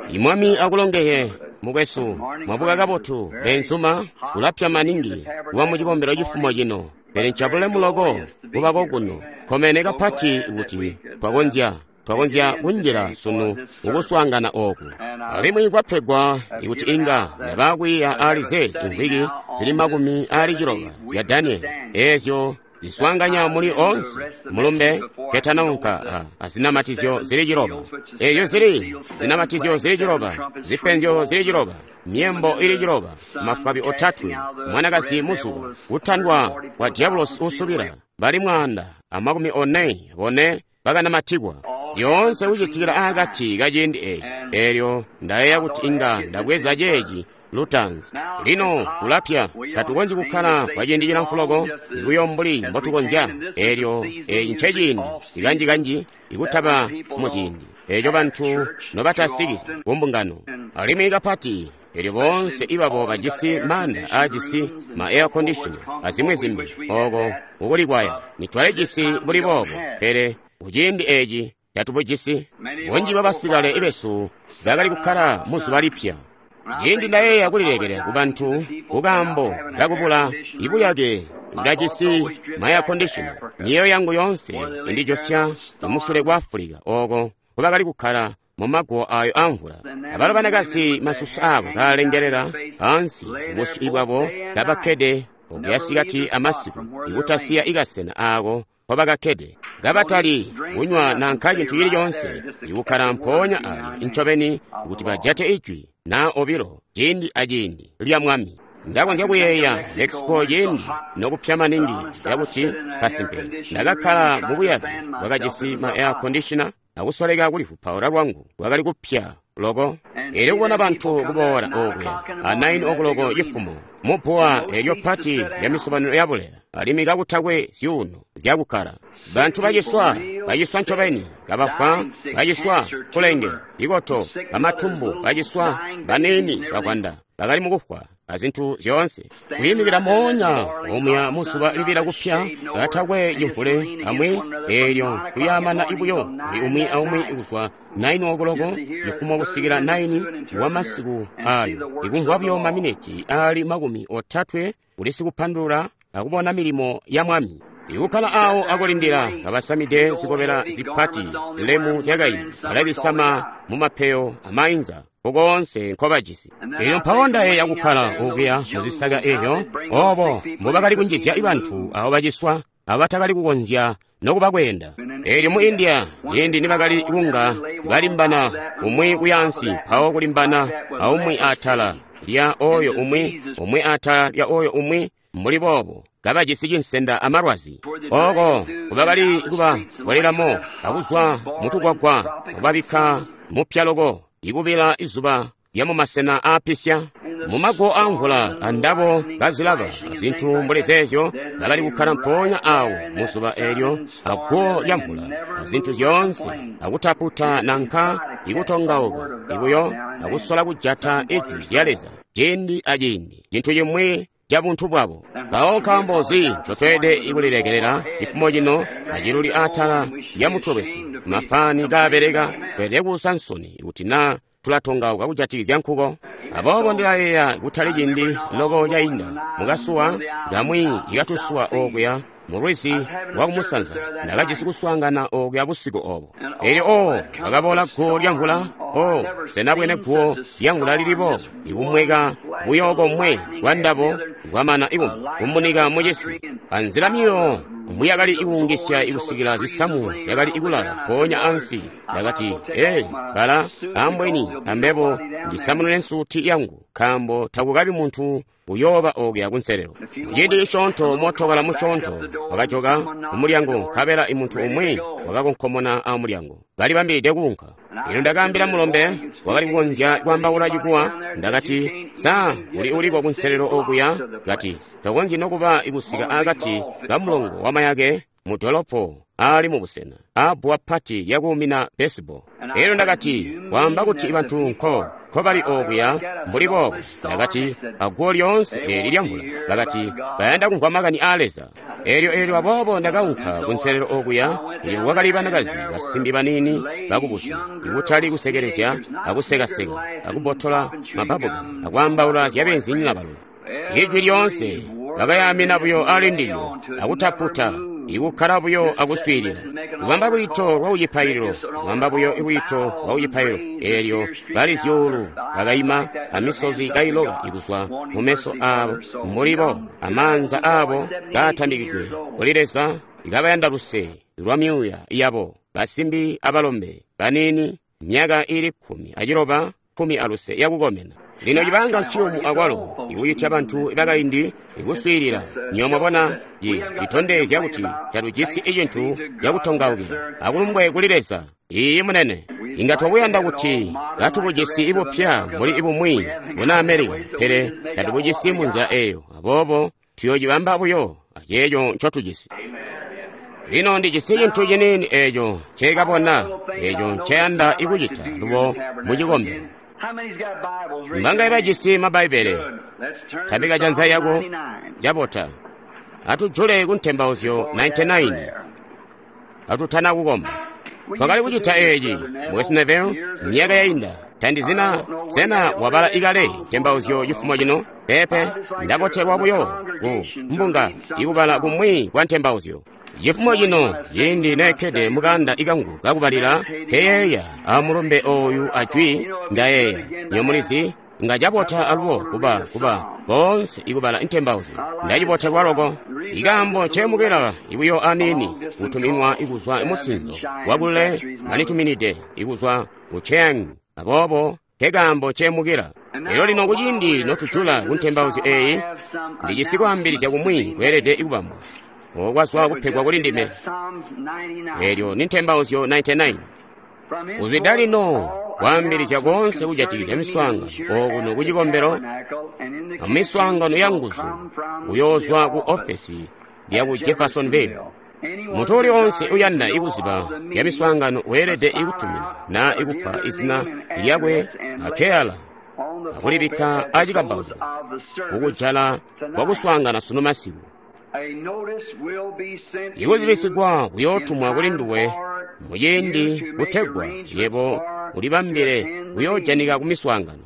I Mwami akulongeye, mukwesu. Mwabuka kabotu, beenzuma. Kulapya maningi kuba mu cikombelo cifumo cino, pele ncabulemu loko kuba kokuno. Kkomene kapati kuti twakonzya kunjila sunu mukuswaangana ooku. Alimwi kwapegwa ikuti inga ndabakwiiya aali zeezi imvwiki zili 60 zya Daniele, eezyo ziswaanganya muli oonse mulumbe ketanaunka azinamatizyo zili 7. Eezyo zili zinamatizyo zili 7, zipenzyo zili 7, myembo ili 7, mafwabi 3, mwanakazi muzuba, kutandwa kwa diabulosi usubila, bali 144 bakanamatikwa. Yoonse kucitikila akati kaciindi eeci. Eelyo ndayeeya kuti inga ndabweza ceeci lutanzi. Lino kulapya, tatukonzyi kukkala kwa ciindi cilamfu loko ikuyo mbuli mbotukonzya. Eelyo eeci nceciindi ikanji-kanji ikutaba muciindi eeco bantu nobatasiki kumbungano. Alimwi kapati eelyo boonse ibabo bajisi maanda aajisi ma air conditioner azimwi zimbi ooko kukulikwaya. Nitwalijisi buli boobo, pele kuciindi eeci tatubujisi. Bunji bwabasikale besu bakali kukkala muzuba lipya. Ciindi ndayeeya kulilekela kubantu kukaambo kakubula ibuyake ndajisi ma air conditioner, miyeeyo yangu yoonse indijosya kumusule kwa Afulika ooko nkubakali kukkala mumaguwo ayo amvula. Abalo banakazi masusu abo kaalengelela ansi busyu bwabo kabakkede okuya sikati amasiku, ikutasiya ikasena aako nkobakakkede, kabatali kunywa nanka cintu cili coonse, ikukkala mpoonya alya ncobeni kuti bajate ijwi naa obilo ciindi aciindi lya Mwami. Ndakonzya kuyeeya Mexico ciindi nokupya maningi cakuti kasimpe ndakakkala mubuyake bwakajisi ma air conditioner akusoleka kulivupaula lwangu lwakali kupya loko. Eelyo kubona bantu kuboola okuya a 9 o'clock cifumo mubbuwa eelyo pati lya misobanino yabuleya, alimwi kakutakwe zyuuno zyakukkala. Bantu baciswa, baciswa ncobeni, kabafwa, baciswa kulenge, ikoto, bamatumbu, baciswa, baniini, bakwanda, bakali mukufwa azintu zyoonse. Kwiimikila moonya omuya muzuba libila kupya, katakwe cimvule amwi, eelyo kuyaamana ibuyo kuli umwi aumwi kuzwa 9 o'clock cifumo kusikila 9 wa masiku ayo, ikumvwa buyo maminiti aali 30 kuli sikupandulula akubona milimo ya Mwami. Ikukkala awo akulindila kabasamide zikobela zipati zilemu zyakaindi, balazisama mumapeyo amainza koonse nkobajisi. Eelyo mpawo ndayeeya kukkala okuya muzisaka eeyo, oobo mbubakali kunjizya bantu abo baciswa abatakali kukonzya nokuba kweenda. Eelyo mu India ciindi nibakali kunga balimbana umwi kuyaansi mpawo kulimbana aumwi atala lya oyo umwi, umwi atala lya oyo umwi, mbuli boobo kabajisi cinsenda amalwazi. Ooko kubakali kuba bwalelamo akuzwa mutukwakwa kubabikka mupya loko ikubila izuba lya mumasena aapisya. Mumaguwo amvula andabo kazilaba azintu mbuli zeezyo, bakali kukkala mpoonya awo muzuba eelyo aguwo lya mvula azintu zyoonse, akutaputa nanka ikutongauka ibuyo akusola kujata ijwi lya Leza ciindi aciindi, cintu cimwi ca buntu bwabo. Mpawo nkaambo nzi ncotweelede kulilekelela cifumo cino aciluli atala lya mutwe wesu, mafani kaabeleka? Tweelede kuusa nsoni kuti naa tulatongauka kujatikizya nkuko. Aboobo ndilayeeya kutali ciindi loko cainda mukasuwa kamwi ikatusuwa okuya mulwizi lwakumusanza, ndakajisi kuswaangana okuya busiku obo. Eelyo bakaboola guwo lya mvula. Sena bwene guwo lya mvula lili boobo, ikumweka buyo komwe kwa ndabo kwamana ikumunika mucisi. Anzila miyo mbuyakali ikuungisya ikusikila zisamu zyakali ikulala mpoonya ansi. Ndakati, ee, bala ambweni ambebo ndisamunune nsuti yangu, nkaambo takukabi muntu uyooba okuya kunselelo. Muciindi cisyoonto mootokala musyoonto wakajoka kumulyango, nkabela imuntu umwi wakakonkomona amulyango, kalibambilide kuunka. Eelyo ndakaambila mulombe wakali kukonzya kwaambaula cikuwa, ndakati, sa uli uliko kunselelo okuya? Kati, tokonzyi nokuba kusika akati kamulongo wamayake mu dolopo aali mubusena aabbuwa pati lyakuumina baseball. Eelyo ndakati, waamba kuti bantu nkobali okuya mbuli boobo. Ndakati, aguwo lyoonse eeli lya mvula. Bakati, bayanda kumvwa makani aa Leza. Elyo aboobo ndakaunka kunselelo okuya, elyo kwakali banakazi basimbi baniini bakubusyi, ikutali kusekelezya akusekaseka akubotola mabbabuka akwaambaula zya beenzinyina balo. Ijwi lyoonse bakayaamina buyo ali ndilyo akutaputa, ikukkala buyo akuswiilila. Kubamba lwiito lwa kucipaililo, kubamba buyo lwiito lwa kucipaililo, eelyo bali zyuulu bakaima amisozi kailoka ikuzwa mu meso aabo, mbuli bo amaanza aabo kaatambikidwe kuli Leza, kabayanda luse lwa myuuya yabo, basimbi abalombe baniini, myaka iili 16, 15 yakukomena. Lino cibanga nciyumu akwalo ikucitya bantu bakaindi ikuswiilila. Nywebo mwabona, citondezya kuti tatujisi cintu cakutongaukila. Akulumbwe kuli Leza. Iiyi munene. Inga twakuyanda kuti katubujisi bupya mbuli bumwi buna Amerika, pele tatubujisi munzila eyo. Aboobo tuyoocibamba buyo aceeco ncotujisi. Lino ndijisi cintu ciniini eeco ncekabona, eeco nceyanda ikucita lubo mucikombelo. Mbangaye bajisi Mabbaibele? Tambika janza yako. Cabota. Atujule ku Ntembauzyo 99. Atutana kukomba. Twakali kucita eeci, Mukwesu Neville, myaka yainda. Tandizina, sena wabala ikale Ntembauzyo cifumo cino? Peepe, ndabotelwa buyo ku mbunga ikubala kumwi kwa Ntembauzyo. Cifumo cino, ciindi nekkede mukanda ikangu kakubalila, nkeyeeya amulumbe ooyu ajwi ndayeeya. Nywebo mulizi, nga cabota alubo kuba boonse ikubala Ntembauzyo. Ndacibotelwa loko. Ikaambo ncemukila ibuyo aniini kutuminwa ikuzwa musinzo wakule banituminide ikuzwa ku Chiang. Aboobo nkekaambo ncemukila. Elyo lino kuciindi notujula ku Ntembauzyo eeyi, ndijisi kwaambilizya kumwi kweelede ikubambwa. Okwazwa kupegwa kuli ndime. Elyo ni Ntembauzyo 99. Kuzwida lino kwaambilizya koonse kujatikizya miswaangano okuno kucikombelo amiswaangano ya nguzu kuyoozwa ku ofesi lyaku Jeffersonville. Muntu uli onse uyanda ikuziba zya miswaangano weelede ikutumina naa ikupa izina lyakwe akeyala akulibikka acikambauko kukujala kwakuswaangana sunu masiku. Ikuzibisigwa kuyootumwa kuli nduwe muciindi kutegwa yebo ulibambile kuyoojanika kumiswaangano.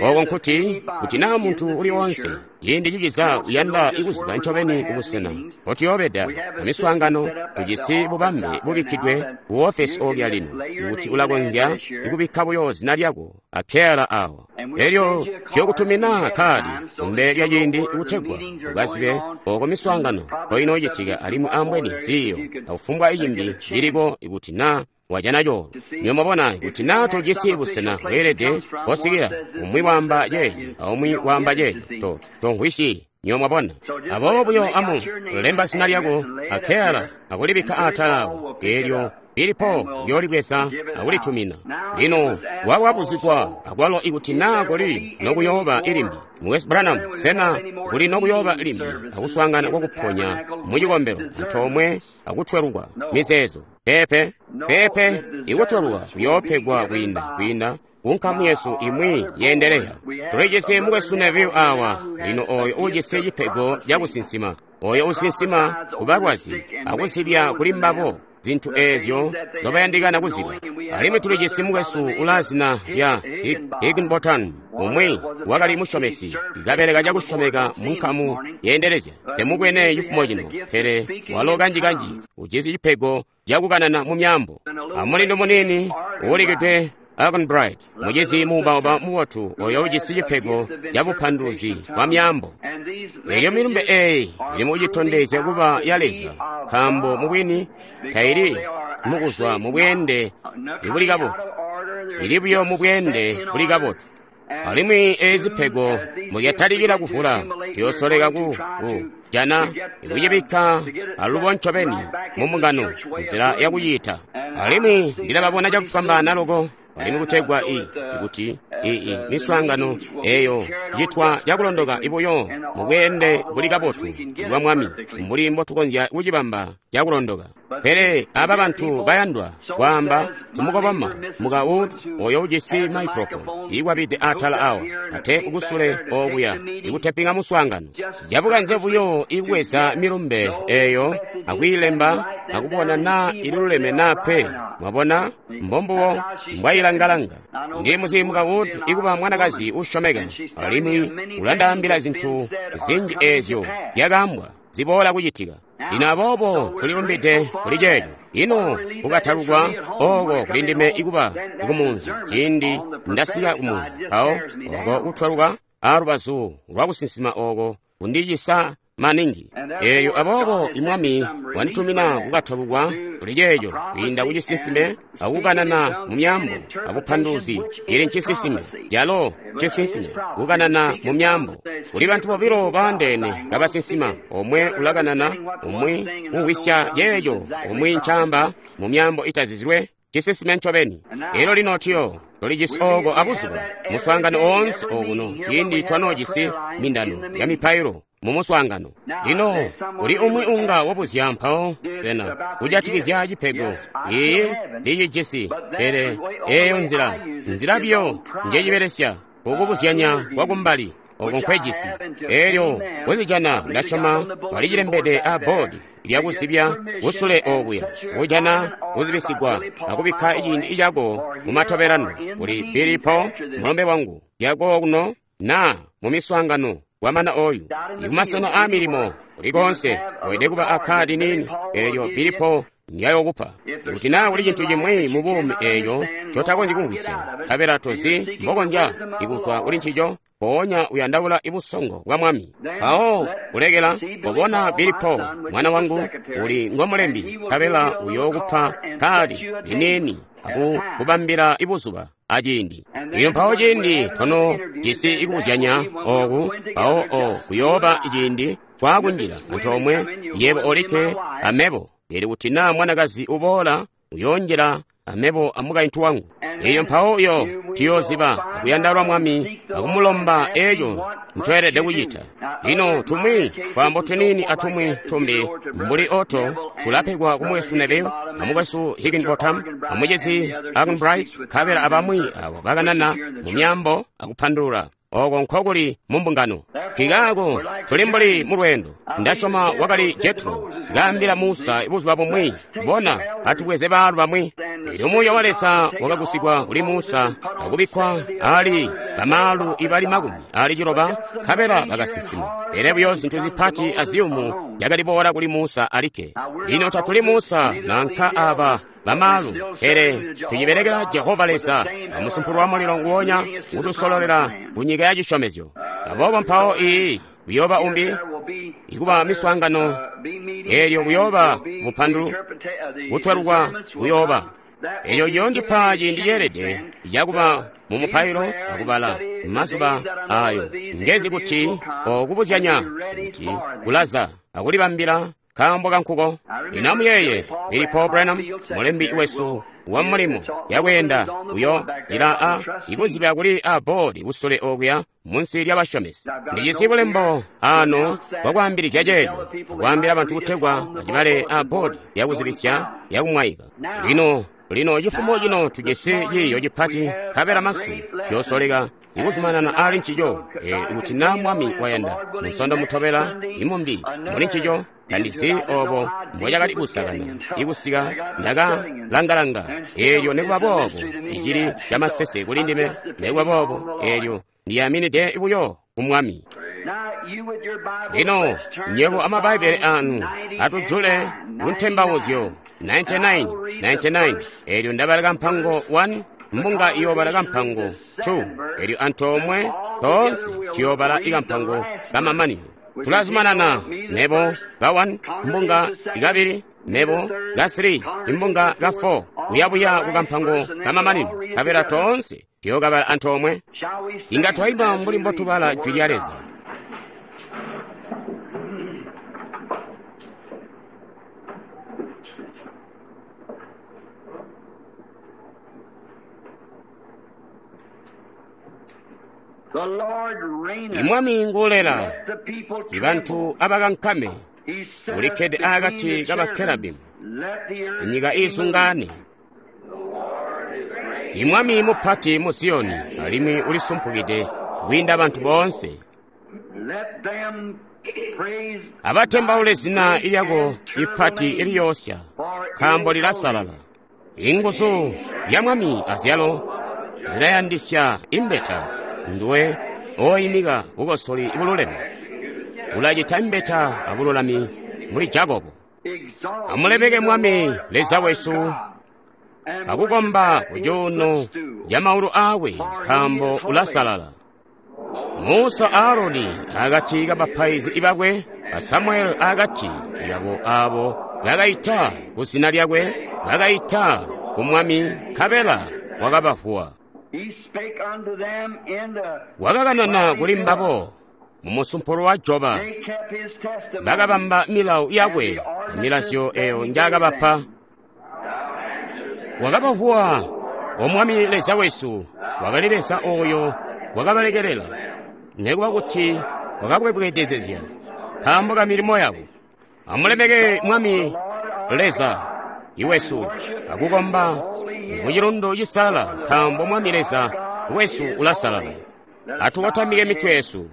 Oko nkuti, kuti naa muntu uli onse ciindi ciciza uyanda ikuziba ncobeni kubusena mpotuyoobeda amiswaangano, tujisi bubambe bubikkidwe ku ofesi oolya lino, ikuti ulakonzya ikubikka buyo zina lyako akeyala awo. Elyo tuyokutumina kkaadi kumbele lya ciindi kutegwa ukazibe oko miswaangano mpoinoocitika alimwi ambweni ziiyo akufumbwa icimbi ciliko ikuti naa wajana coolwe. Nywebo mwabona, kuti naa tojisi busena bweelede kosikila, umwi waamba ceeci aumwi waamba ceeco, tomvwisyi. Nywebo mwabona. Aboobo buyo amu lemba zina lyako akeyala akulibikka atala awo, eelyo lilipo uyoolibweza akulitumina. Lino wawabuzigwa akwalo ikuti naa kuli nokuyooba ilimbi. Mukwesu Branham, sena kuli nokuyooba limbi akuswaangana kwakuponya mucikombelo antoomwe akutwelukwa mizeezo? Peepe, peepe, ikutwelukwa kuyoopegwa kwiinda kunkamu yesu imwi yeendeleya. Tulijisi Mukwesu Neville awa lino oyo uujisi cipego cakusinsima, oyo usinsima kubalwazi akuzibya kuli mbabo zintu eezyo nzobayandikana kuziba. Alimwi tulijisi mukwesu ulaa zina lya Higginbotham, umwi wakali musyomesi, kabeleka cakusyomeka munkamu yeendelezya. Temubwene cifumo cino, pele walo kanji-kanji ujisi cipego cakukanana mu myaambo. Amulindu muniini uulikidwe Arganbright, mucizi muubauba mubotu oyo ujisi cipego cabupanduluzi bwa myaambo. Elyo milumbe eeyi ili mukucitondezya kuba ya Leza, nkaambo mubwini taili mukuzwa mubweende ibuli kabotu, ili buyo mubweende buli kabotu. Alimwi eezi zipego muzyatalikila kuvula, tuyoosoleka ku jana ikucibikka alubo ncobeni mu mbungano nzila yakuciita. Alimwi ndilababona cakufwambaana loko, alimwi kutegwa ikuti ii miswaangano eyo citwa cakulondoka ibuyo mubweende buli kabotu bwa Mwami, mbuli mbotukonzya kucibamba cakulondoka. Pele aba bantu bayandwa kwaamba simukoboma muka Wood oyo ujisi microphone iikwabide atala awa atepu kusule okuya ikutepinga muswaangano cabukanze buyo ikubweza milumbe eyo akwiilemba akubona naa ililuleme naa pe. Mwabona, mbombubo mbwayilangalanga. Ndi muzi muka Wood ikuba mwanakazi usyomeka, alimwi ulandaambila zintu zinji ezyo zyakaambwa ziboola kucitika. Lino aboobo tulilumbide kuli ceeco. Ino kukatalukwa oko kuli ndime ikuba kumunzi ciindi ndasika kumunzi, mpawo oko kutwaluka alubazu lwakusinsima oko kundicisa maningi. Eyo aboobo imwami wanditumina kukatalukwa kuli ceeco kwiinda kucisinsime akukanana mu myaambo abupanduluzi. Ili ncisinsime calo ncisinsime kukanana mu myaambo. Kuli bantu bobilo baandeene kabasinsima, omwe ulakanana, umwi umvwisya ceeco umwi ncaamba mu myaambo itazizilwe. Cisinsime ncobeni. Elyo lino tuyo tulijisi oko abuzuba muswaangano oonse okuno ciindi twanoojisi mindano ya mipailo mu muswaangano. Lino kuli umwi unga wabuzya mpawo sena kujatikizya cipego. Iyi ndicijisi, pele eyo nzila biyo njecibelesya kukubuzyanya kwakumbali oko nkwejisi. Elyo kuzijana ndasyoma balicilembede a boodi lyakuzibya kusule okuya kujana kuzibisigwa akubikka ciindi cako mumatobelano kuli Billy Paul mulombe wangu lyako kuno naa mu miswaangano kwamana oyu ikumasena a milimo kulikonse weelede kuba akkaadi nini elyo Billy Paul ndyayokupa. Kuti naa kuli cintu cimwi mu buumi eeco ncotakonzyi kumvwisya, nkabela tozi mbokonzya ikuzwa kuli ncico, mpoonya uyandaula ibusongo bwa Mwami. Mpawo kulekela kobona Billy Paul mwana wangu uli ngomulembi, nkabela uyookupa kkaadi liniini akukubambila ibuzuba aciindi. Lino mpawo ciindi tono jisi ikubuzyanya oku, mpawo o kuyooba ciindi kwakunjila antoomwe yebo olikke amebo. Eli kuti naa mwanakazi uboola uyoonjila amebo amukaintu wangu. Eyo mpawo uyo tuyooziba akuyandaula Mwami akumulomba eco ncweelede kucita. Lino tumwi twaambo tuniini atumwi tumbi mbuli oto tulapegwa kumwesu Neville amukwesu Higginbotham amucizi Arganbright nkabela abamwi abo bakanana mu myaambo akupandulula. Oko nkokuli mu mbungano. Nkikaako tuli mbuli mu lweendo. Ndasyoma wakali Jetro kaambila Musa buzuba bumwi, bona atubweze baalu bamwi. Elyo Muuya wa Leza wakagusigwa kuli Musa akubikkwa ali bamaalu ibali 60 nkabela bakasinsima. Pele buyo zintu zipati aziyumu zyakaliboola kuli Musa alikke. Lino tatuli Musa nanka aba bamaalu, pele tucibelekela Jehova Leza amusumpulu wa mulilo nguwonya kutusololela ku nyika ya cisyomezyo. Aboobo mpawo iyi kuyooba umbi ikuba miswaangano elyo kuyooba bupandulu kutwelukwa kuyooba. Eco ciyoondipa ciindi ceelede cakuba mu mupailo akubala mazuba ayo ngezi kuti okubuzyanya kuti kulaza akulibambila kaambo kankuko. Lino amuyeeye Billy Paul Branham mulembi wesu wa mulimo yakweenda uyo ila a ikuzibya kuli a boodi kusule okuya munsi lyabashomesi. Ndijisi bulembo ano bwakwaambilizya ceeco, akwaambila bantu kutegwa bacibale a boodi yakuzibisya yakumwaika. Lino lino cifumo cino tujisi ciiyo cipati nkabela masu tuyosoleka ikuzumanana ali ncico ikuti naa Mwami wayanda. Musondo mutobela imumbi muli ncico. Tandizi obo mbocakali kusakana ikusika ndakalangalanga eelyo nikuba boobo icili camasese kuli ndime, nikuba boobo eelyo ndiyaminide buyo ku Mwami. Lino nywebo amabbaibbele anu atujule kuntembauzyo 99 99. Eelyo ndabala kampango 1, mbunga iyoobala kampango 2, eelyo antoomwe toonse tuyoobala ikampango kamamanino. Tulazumanana mebo ka 1, mbunga ikabili, mebo ka 3, imbunga ka 4, kuyabuya kukampango kamamanino, nkabela toonse tuyookabala antoomwe. Inga twaimba mbuli mbotubala jwi lya Leza. Imwami nguulela, ibantu abakankame, ulikkede akati kabakerabimu, inyika iizungaane. Imwami mupati mu Ziyoni alimwi ulisumpukide kwiinda bantu boonse. Abatembaule zina lyako ipati iliyoosya, nkaambo lilasalala. Inguzu zya Mwami azyalo zilayandisya imbeta. Nduwe ooimika bukosoli bululeme, ulacita imbeta abululami muli Jakobo. Amulemeke Mwami Leza wesu akukomba kucuuno ca maulu aakwe, nkaambo ulasalala. Musa a Aroni akati kabapaizi bakwe, a Samueli akati kabo aabo bakaita kuzina lyakwe, bakaita ku Mwami, nkabela wakabavuwa. Wakakanana kuli mbabo mumusumpulo wa joba, bakabamba milawo yakwe amilazyo eyo njaakabapa. Wakabavuwa O Mwami Leza wesu, wakali Leza ooyo wakabalekelela, nekuba kuti wakabwebwedezezya nkaambo ka milimo yabo. Amulemeke Mwami Leza iwesu akukomba mucilundu cisalala, nkaambo Mwami Leza wesu ulasalala. Atukotamike mitwe yesu.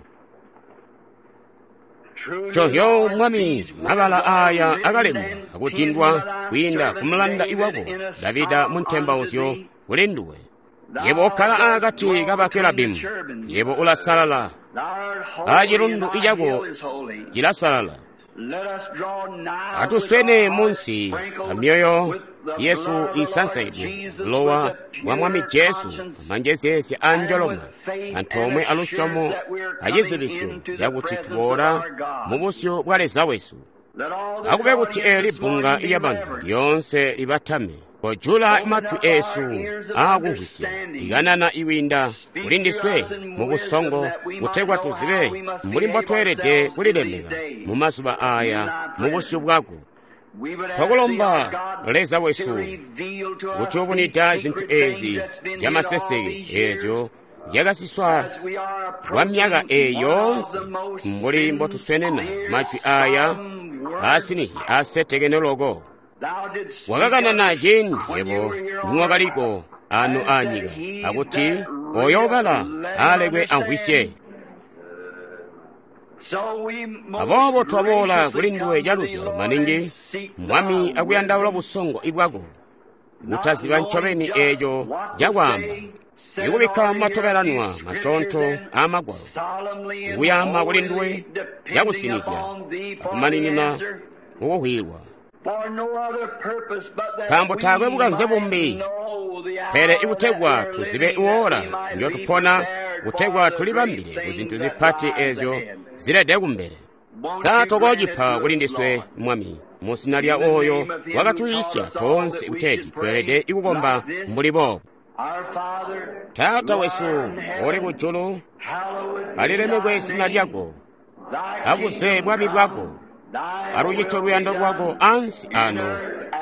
Covyo Mwami, mabala aaya akalembwa akutindwa kwiinda kumulanda iwako Davida mu ntembauzyo kuli nduwe. Yebo okkala akati kabakerabimu, yebo ulasalala, acilundu icako cilasalala. Atuswene munsi amyoyo yesu isansaidwe bulowa bwa Mwami Jesu, amanjezeezya a njoloma, antoomwe alusyomo acizibisyo cakuti tuboola mubusyu bwa Leza wesu. Akube kuti eeli bbunga lyabantu lyoonse libatame, kojula matwi eesu aakumvwisya, likanana ikwiinda kuli ndiswe mubusongo, kutegwa tuzibe mbuli mbotweelede kulilemeka mumazuba aaya mubusyu bwako. Twakulomba Leza wesu kuti ubunida zintu eezi zyamaseseke eezyo zyakasiswa kwa myaka eeyi yoonse, mbuli mbotuswenena majwi aaya aasinihi aasetekene loko. Wakakanana ciindi yebo niwakaliko ano aanyika, akuti oyo ubala alekwe amvwisye. Aboobo twaboola kuli nduwe caluzyalo maningi, Mwami, akuyandaula busongo bwako, kutaziba ncobeni eeco cakwaamba, ikubikka matobelanwa masyoonto aamagwalo, ikuyaama kuli nduwe cakusinizya akumaninina mukuhwilwa. Nkaambo taakwe bukanze bumbi, pele ikutegwa tuzibe iwoola njotupona, kutegwa tulibambile kuzintu zipati eezyo zilede kumbele. Sa tokoocipa kuli ndiswe, Mwami, muzina lya ooyo wakatwiisya toonse kuteeti tweelede ikukomba mbuli boobu. Taata wesu uli kujulu, alilemekwe zina lyako, abuze bwami bwako, alucite luyando lwako ansi ano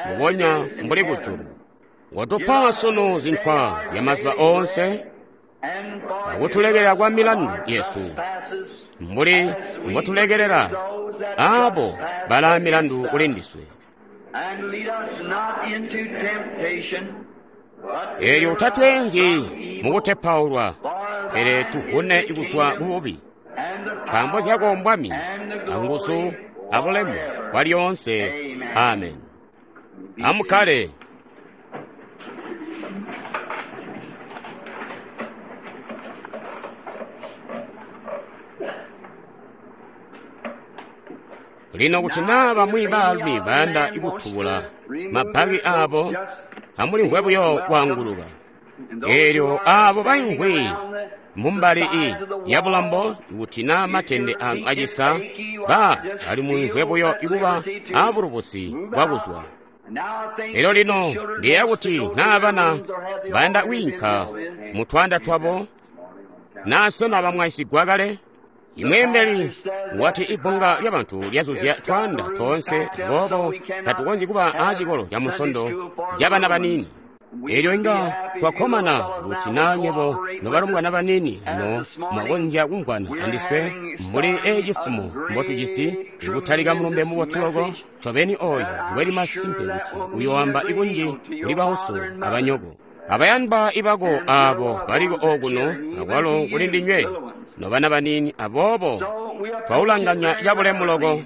mbubonya mbuli kujulu. Watupa sunu zinkwa zyamazuba oonse, akutulekelela kwa milandu yesu, mbuli mbotulekelela aabo balaa milandu kuli ndiswe. Eelyo utatweenzyi mukutepaulwa, pele tuvune kuzwa kububi. Nkaambo zyako mbwami, anguzu, abulemu bwalyoonse. Amen. Amukkale. Lino kuti naa bamwi baalumi bayanda kutubula mabbaki aabo, amulimvwe buyo kwaanguluka. Eelyo aabo baimvwi mumbali yabulambo, kuti naa matende anu acisa, ba alimumvwe buyo ikuba aabulubusi bwakuzwa. Elyo lino ndiyeeya kuti naa bana bayanda kwiinka mutwanda twabo, naa sena bamwaisigwa kale? Imweembeli wati ibbunga lyabantu lyazuzya twaanda toonse, aboobo tatukonzyi kuba aacikolo ca Musondo cabana baniini. Elyo inga twakkomana kuti naa nywebo nobalombwana baniini lino mwakonzya kumvwana andiswe mbuli ecifumo mbotujisi ikutalika mulumbe mubotu loko. Ncobeni oyo ngweli masimpe kuti uyoamba ikunji kuli bauso abanyoko abayandwa ibako aabo baliko okuno akwalo kuli ndinywe nobana baniini. Aboobo twaulanganya cabulemu loko.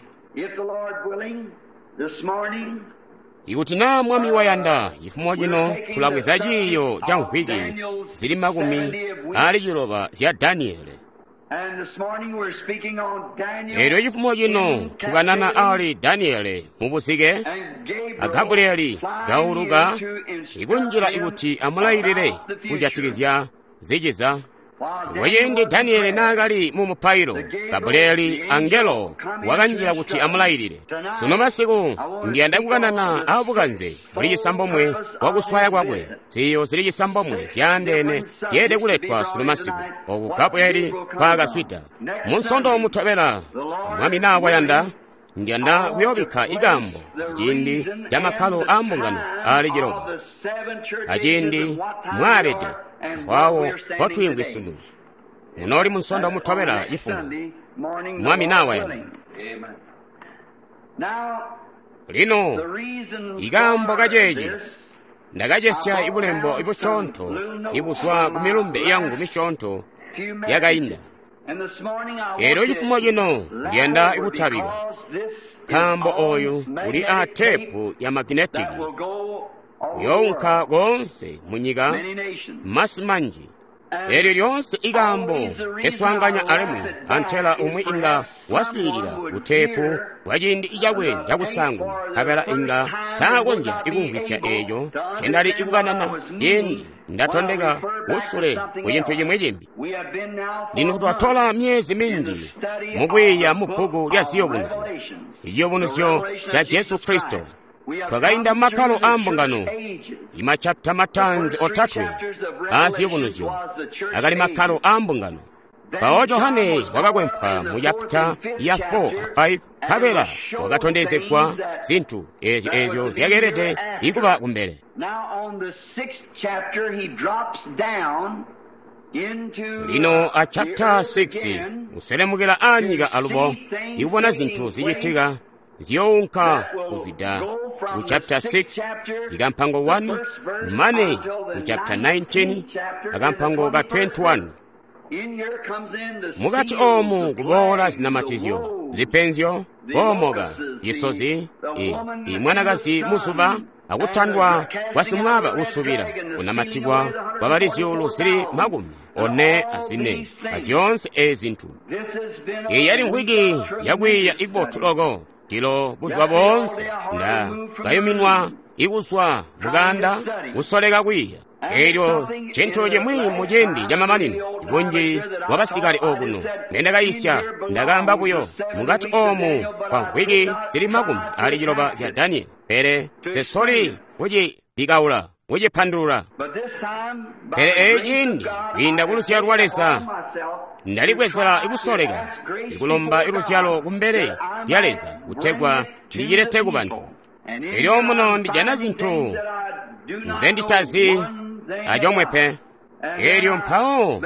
Ikuti naa Mwami wayanda, cifumo cino tulabweza ciiyo ca mvwiki zili 60 zya Daniele. Elyo cifumo cino tukanana ali Daniele mubuzike a Gabrieli gauluka ikunjila ikuti amulailile kujatikizya ziciza. Kuciindi Daniele naakali mu mupailo, Gabrieli angelo wakanjila kuti amulailile. Sunu masiku ndiyanda kukanana abukanze buli 9 bwakuswaya kwakwe. Ziiyo zili 9 zyaandeene zyeelede kuletwa sunu masiku oku Gabrieli mpaakaswida. Munsondo mutobela, Mwami naa wayanda, ndiyanda kuyoobikka ikambo aciindi ca makkalo aa mbungano aali 7, aciindi mwaabede awo mpotwiimvwi sunu. Munooli munsondo mutobela cifumo, Mwami naa wayanda. Lino ikaambo kaceeci ndakacesya ibulembo ibusyoonto ibuzwa ku milumbe yangu misyoonto yakainda. Elyo cifumo cino ndiyanda ikutabika nkaambo oyu uli a teepu ya maginetiki uyounka koonse munyika masi manji. Elyo lyoonse ikaambo keswaanganya alimwi antela umwi inga waswiilila kuteepu kwa ciindi cakwe cakusaanguna, nkabela inga taakonzya ikumvwisya eeco ncendali ikukanana ciindi ndatondeka kusule ku cintu cimwi cimbi. Lino twatola myezi minji mukwiiya mu bbuku lya Ziyubunuzyo, iciyubunuzyo ca Jesu Kristo. Twakainda makkalo aa mbungano, imachapita mataanzi 3 aa Ziyubunuzyo akali makkalo aa mbungano. Mpawo Johane wakakwempwa mu chapita ya 4 a 5, nkabela wakatondezegwa zintu eezyo zyakeelede ikuba kumbele. Lino a chapita 6 uselemukila aanyika alubo ikubona zintu zicitika ziyounka kuzwida ku chapter 6 ikampango 1 mane ku chapter 19 akampango ka 21. Mukati oomu kuboola zinamatizyo, zipenzyo, koomoka, cisozi, imwanakazi muzuba, akutandwa kwa simwaaba usubila, kunamatikwa kwa bali zyuulu zili 44 azyoonse ezi zintu. Iyi yali mvwiki yakwiiya ikubotu loko. Tilo buzuba boonse nda kayuminwa ikuzwa mukanda kusoleka kwiiya. Elyo cintu cimwi mu ciindi camamanino, bunji bwa basikale okuno ngendakayisya ndakaamba buyo mukati oomu kwa mvwiki zili 60 zya Daniel, pele tesoli kucibikaula kucipandulula. Pele eeci ciindi kwiinda ku luzyalo lwa Leza ndalibwezela ikusoleka ikulomba iluzyalo kumbele lya Leza kutegwa ndicilete ku bantu. Elyo muno ndijana zintu nzenditazi acomwe pe. Elyo mpawo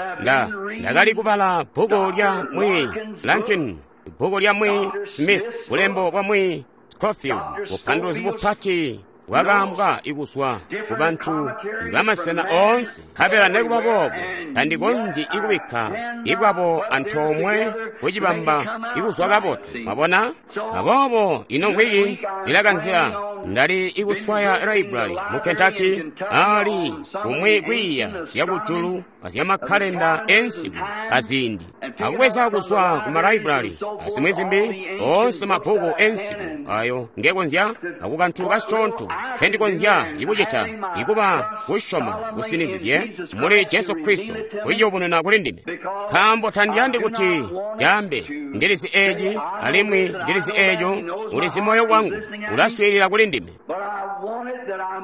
ndakali kubala bbuku lya mwi Lankin, bbuku lya mwi Smith, bulembo bwa mwi Scofield, bupanduluzi bupati bwakaambwa ikuzwa ku bantu bamasena oonse. Nkabela nekuba boobo tandikonzyi ikubikka ikwabo antoomwe kucibamba ikuzwa kabotu. Mwabona? Aboobo ino mvwiki ndilakanzila ndali ikuswaya library mu Kentucky ali kumwi kwiiya zyakujulu azyamakkalenda ensiku aziindi, akubweza kuzwa ku ma library azimwi zimbi oonse mabbuku ensiku ayo ngekonzya akukantu kasyoonto nkendikonzya ikucita ikuba kusyoma kusinizizye muli Jesu Kristo kuciyubununa kuli ndime. Nkaambo tandiyandi kuti ndaambe ndilizi eeci alimwi ndilizi eeco, ulizi moyo wangu ulaswiilila kuli ndime.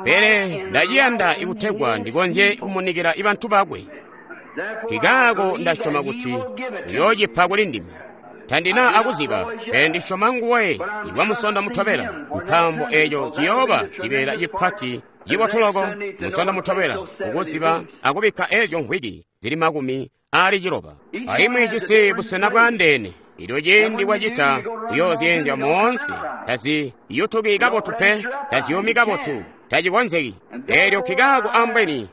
Pele ndaciyanda ikutegwa ndikonzye kumunikila ibantu bakwe. Nkikaako ndasyoma kuti uyoocipa kuli ndime. Tandina akuziba, pele ndisyoma nguwe ikwamusondo mutobela, nkaambo eco ciyooba cibeela cipati cibotuloko musondo mutobela, ukuziba akubikka eezyo mvwiki zili 60. Alimwi jisi busena bwaandeene. Ilyo ciindi wacita kuyoozyenzya moonse, taziyutuki kabotu pe, taziyumi kabotu, tacikonzeki. Eelyo nkikaako ambweni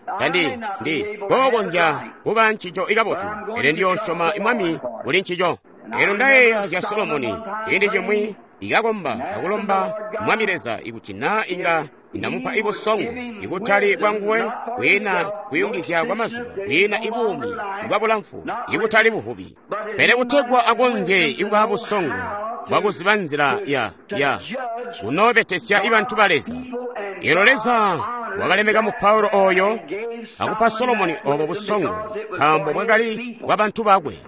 ndi kookonzya kuba ncico ikabotu, pele ndiyoosyoma Mwami kuli ncico. Eelyo ndayeeya zya Solomoni ciindi cimwi ikakomba akulomba Mwami Leza ikuti naa inga ndamupa ibusongo, ikutali bwanguwe, kwiina kuyungizya kwa mazuba, kwiina ibuumi bwabulamfu, ikutali buvubi, pele kutegwa akonzye ikuba busongo bwakuziba nzila ya kunoobetesya ibantu ba Leza. Eelyo Leza wakalemeka mu Paulo oyo akupa Solomoni obo busongo, nkaambo bwakali bwa bantu bakwe.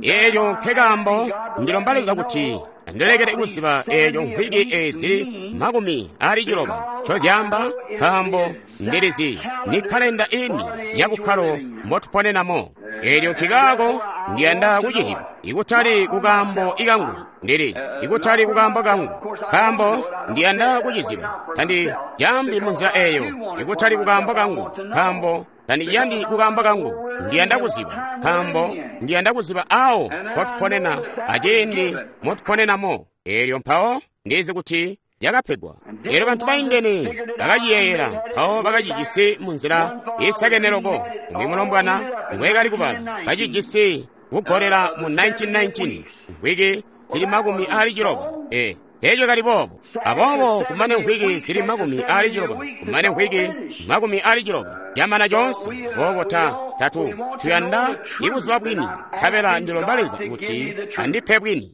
Eelyo nkekaambo ndilomba Leza kuti andilekele kuziba eeco mvwiki eezili 60 ncozyaamba, nkaambo ndilizi ni kalenda ini ya bukkalo mbotuponenamo. Eelyo nkikaako ndiyanda kucihiba, ikutali kukaambo ikangu, ndili ikutali kukaambo kangu, nkaambo ndiyanda kuciziba. Tandijambi munzila eeyo, ikutali kukaambo kangu, nkaambo tandiyandi kukaambo kangu, ndiyanda kuziba, nkaambo ndiyanda kuziba awo mpotuponena aciindi motuponenamo. Eelyo mpawo ndizi kuti yakapegwa. Eelyo bantu baindene bakaciyeeyela, mpawo bakacijisi munzila isakene loko. Umwi mulombwana ngwekali kubala kacijisi kugolela mu 1919, mvwiki zili 60. Eeco kali boobo. Aboobo kumane mvwiki zili 60, kumane mvwiki 60 camana coonse. Aboobo tatu tuyanda ikuziba bwini, nkabela ndilomba Leza kuti andipe bwini.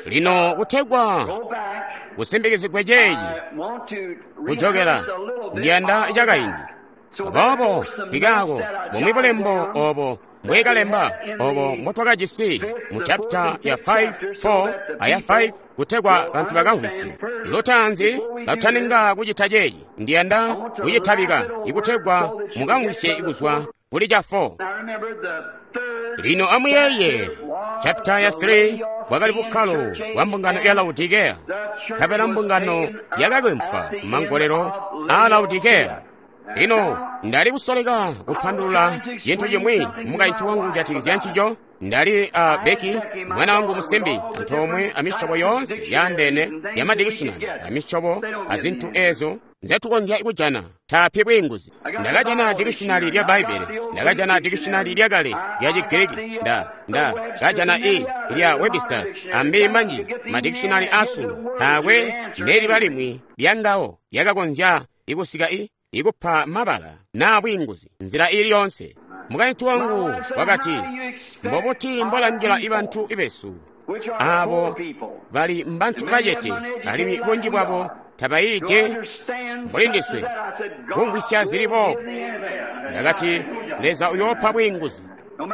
Lino kutegwa kusimbikizigwe ceeci kujokela ndiyanda cakaindi. Aboobo nkikaako bumwi bulembo obo mbwekalemba obo mbotwakajisi mu chapita ya 5, 4 aya 5 kutegwa bantu bakamvwisye. Lutaanzi katutaninga kucita ceeci, ndiyanda kucitabika ikutegwa mukamvwisye kuzwa kuli ca 4. Lino amuyeeye chapita ya 3 bwakali bukkalo bwa mbungano ya Laodikeya, nkabela mbungano yakakwempwa kumangolelo a Laodikeya. Lino ndali kusoleka kupandulula cintu cimwi mukaintu wangu kujatikizya ncico. Ndali a Becky, mwana wangu musimbi, antoomwe amisyobo yoonse yaandeene ya madikishinali, amisyobo azintu eezo nzetukonzya kujana. Taapi bwiinguzi. Ndakajana dikishinali lya Bbaibbele, ndakajana dikishinali lyakale lya Chigiriki, ndakajana lya Webster's, ambi manji madikishinali asunu. Taakwe neliba limwi lyangawo lyakakonzya ikusika ikupa mabala naa bwiinguzi nzila ili yonse. Mukaintu wangu wakati, mbobuti mbolangila ibantu besu abo bali mbantu bacete alimwi bunji bwabo tabayiide mbuli ndiswe kumvwisya zili boobo. Ndakati, Leza uyoopa bwiinguzi.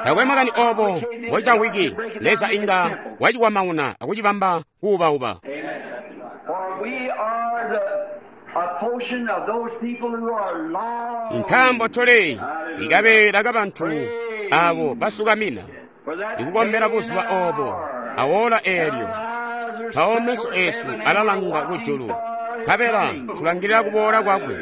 Takwe makani obo mbocamvwiki, Leza inga wacikwamauna akucibamba kuubauba. Nkaambo tuli ikabeela kabantu abo basukamina ikukombela buzuba obo awoola eelyo, mpawo meso eesu alalanga kujulu, nkabela tulangilila kuboola kwakwe.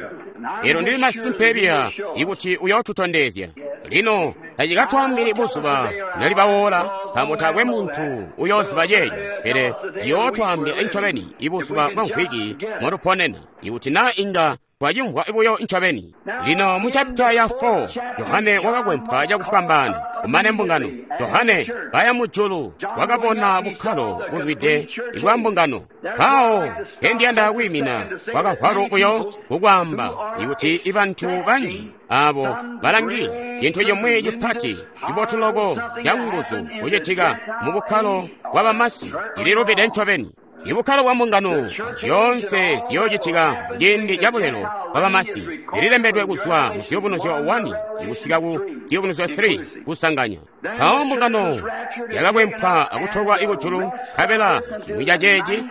Eelyo ndili masimpe biya ikuti uyootutondezya. Lino tacikatwaambili buzuba nalibawoola, nkaambo taakwe muntu uyooziba ceeco, pele ciyootwaambila ncobeni ibuzuba bwa mvwiki motuponena, ikuti naa inga twacimvwa buyo ncobeni. Lino mu chapita ya 4, Yohane wakakwempwa cakufwambaana kumane mbungano. Yohane kaya mujulu wakabona bukkalo buzwide bwa mbungano. Mpawo kendiyanda kwiimina kwakavwalu buyo kukwaamba ikuti ibantu banji abo balangila cintu cimwi cipati cibotu loko ca nguzu kucitika mu bukkalo bwa bamasi cililubide ncobeni. Ibukkalo bwa mbungano zyoonse ziyoocitika muciindi ca bulelo bwa bamasi zililembedwe kuzwa mu Ziyubunuzyo 1 ikusika ku Ziyubunuzyo 3 kusanganya. Mpawo mbungano yakakwempwa akutolwa kujulu, nkabela cimwi ca ceeci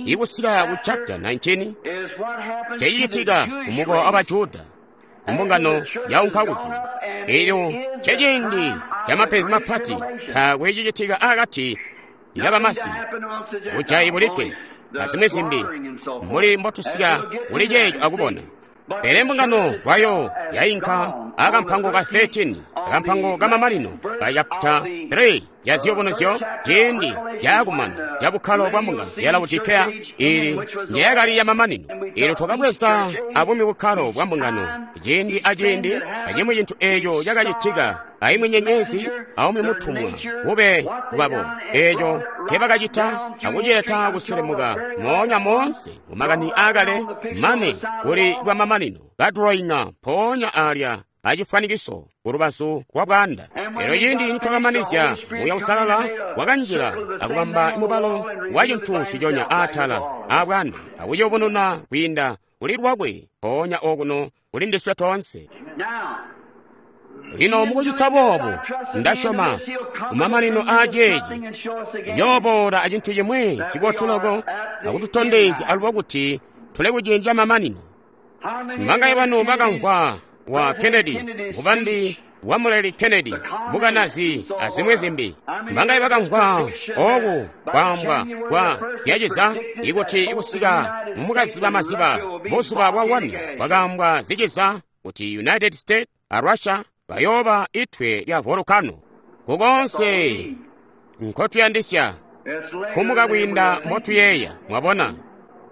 ikusika ku chapita 19 cecitika kumukowa wa Bajuda. Mbungano yaunka kujulu. Eelyo ceciindi camapenzi mapati, taakwe cicitika akati kabamasi, bujayi bulikke, azimwi zimbi, mbuli mbotusika kuli ceeco akubona. Pele mbungano lwayo yainka akampango ka 13, akampango kamamanino ka chapter 3 ya ziyubunuzyo, ciindi cakumana ca bukkalo bwa mbungano ya Laodikeya, ili njeyakali yamamanino. Eelyo twakabweza abumwi bukkalo bwa mbungano ciindi aciindi, acimwi cintu eeco cakacitika, aimwi nyenyezi aumwi mutumwa bube bwabo, eeco nkebakacita akucileta kuselemuka moonya moonse mumakani aakale mane kuli bwamamanino, kaduloinga mpoonya alya acifwanikiso kulubazu lwa bwaanda. Elyo ciindi nitwakamanizya, Muuya Uusalala wakanjila akubamba mubalo wa cintu nciconya aatala aabwaanda akuciyubununa kwiinda kuli lwakwe mpoonya okuno kuli ndiswe toonse. Lino mukucita boobu, ndasyoma kumamanino aaceeci uyooboola acintu cimwi cibotu loko akututondezya alubo kuti tuli kuciindi camamanino. Mbangaye banu bakamvwa wa Kennedy, mubandi wa Muleli Kennedy, bukanazi azimwi zimbi. Mbangaye bakamvwa oku kwaambwa kwa zyaciza ikuti ikusika mukaziba maziba buzuba bwa 1 bwakaambwa ziciza kuti United States a Russia bayooba itwe lya volcano. Kukonse nkotuyandisya kumuka kwiinda mbotuyeeya, mwabona.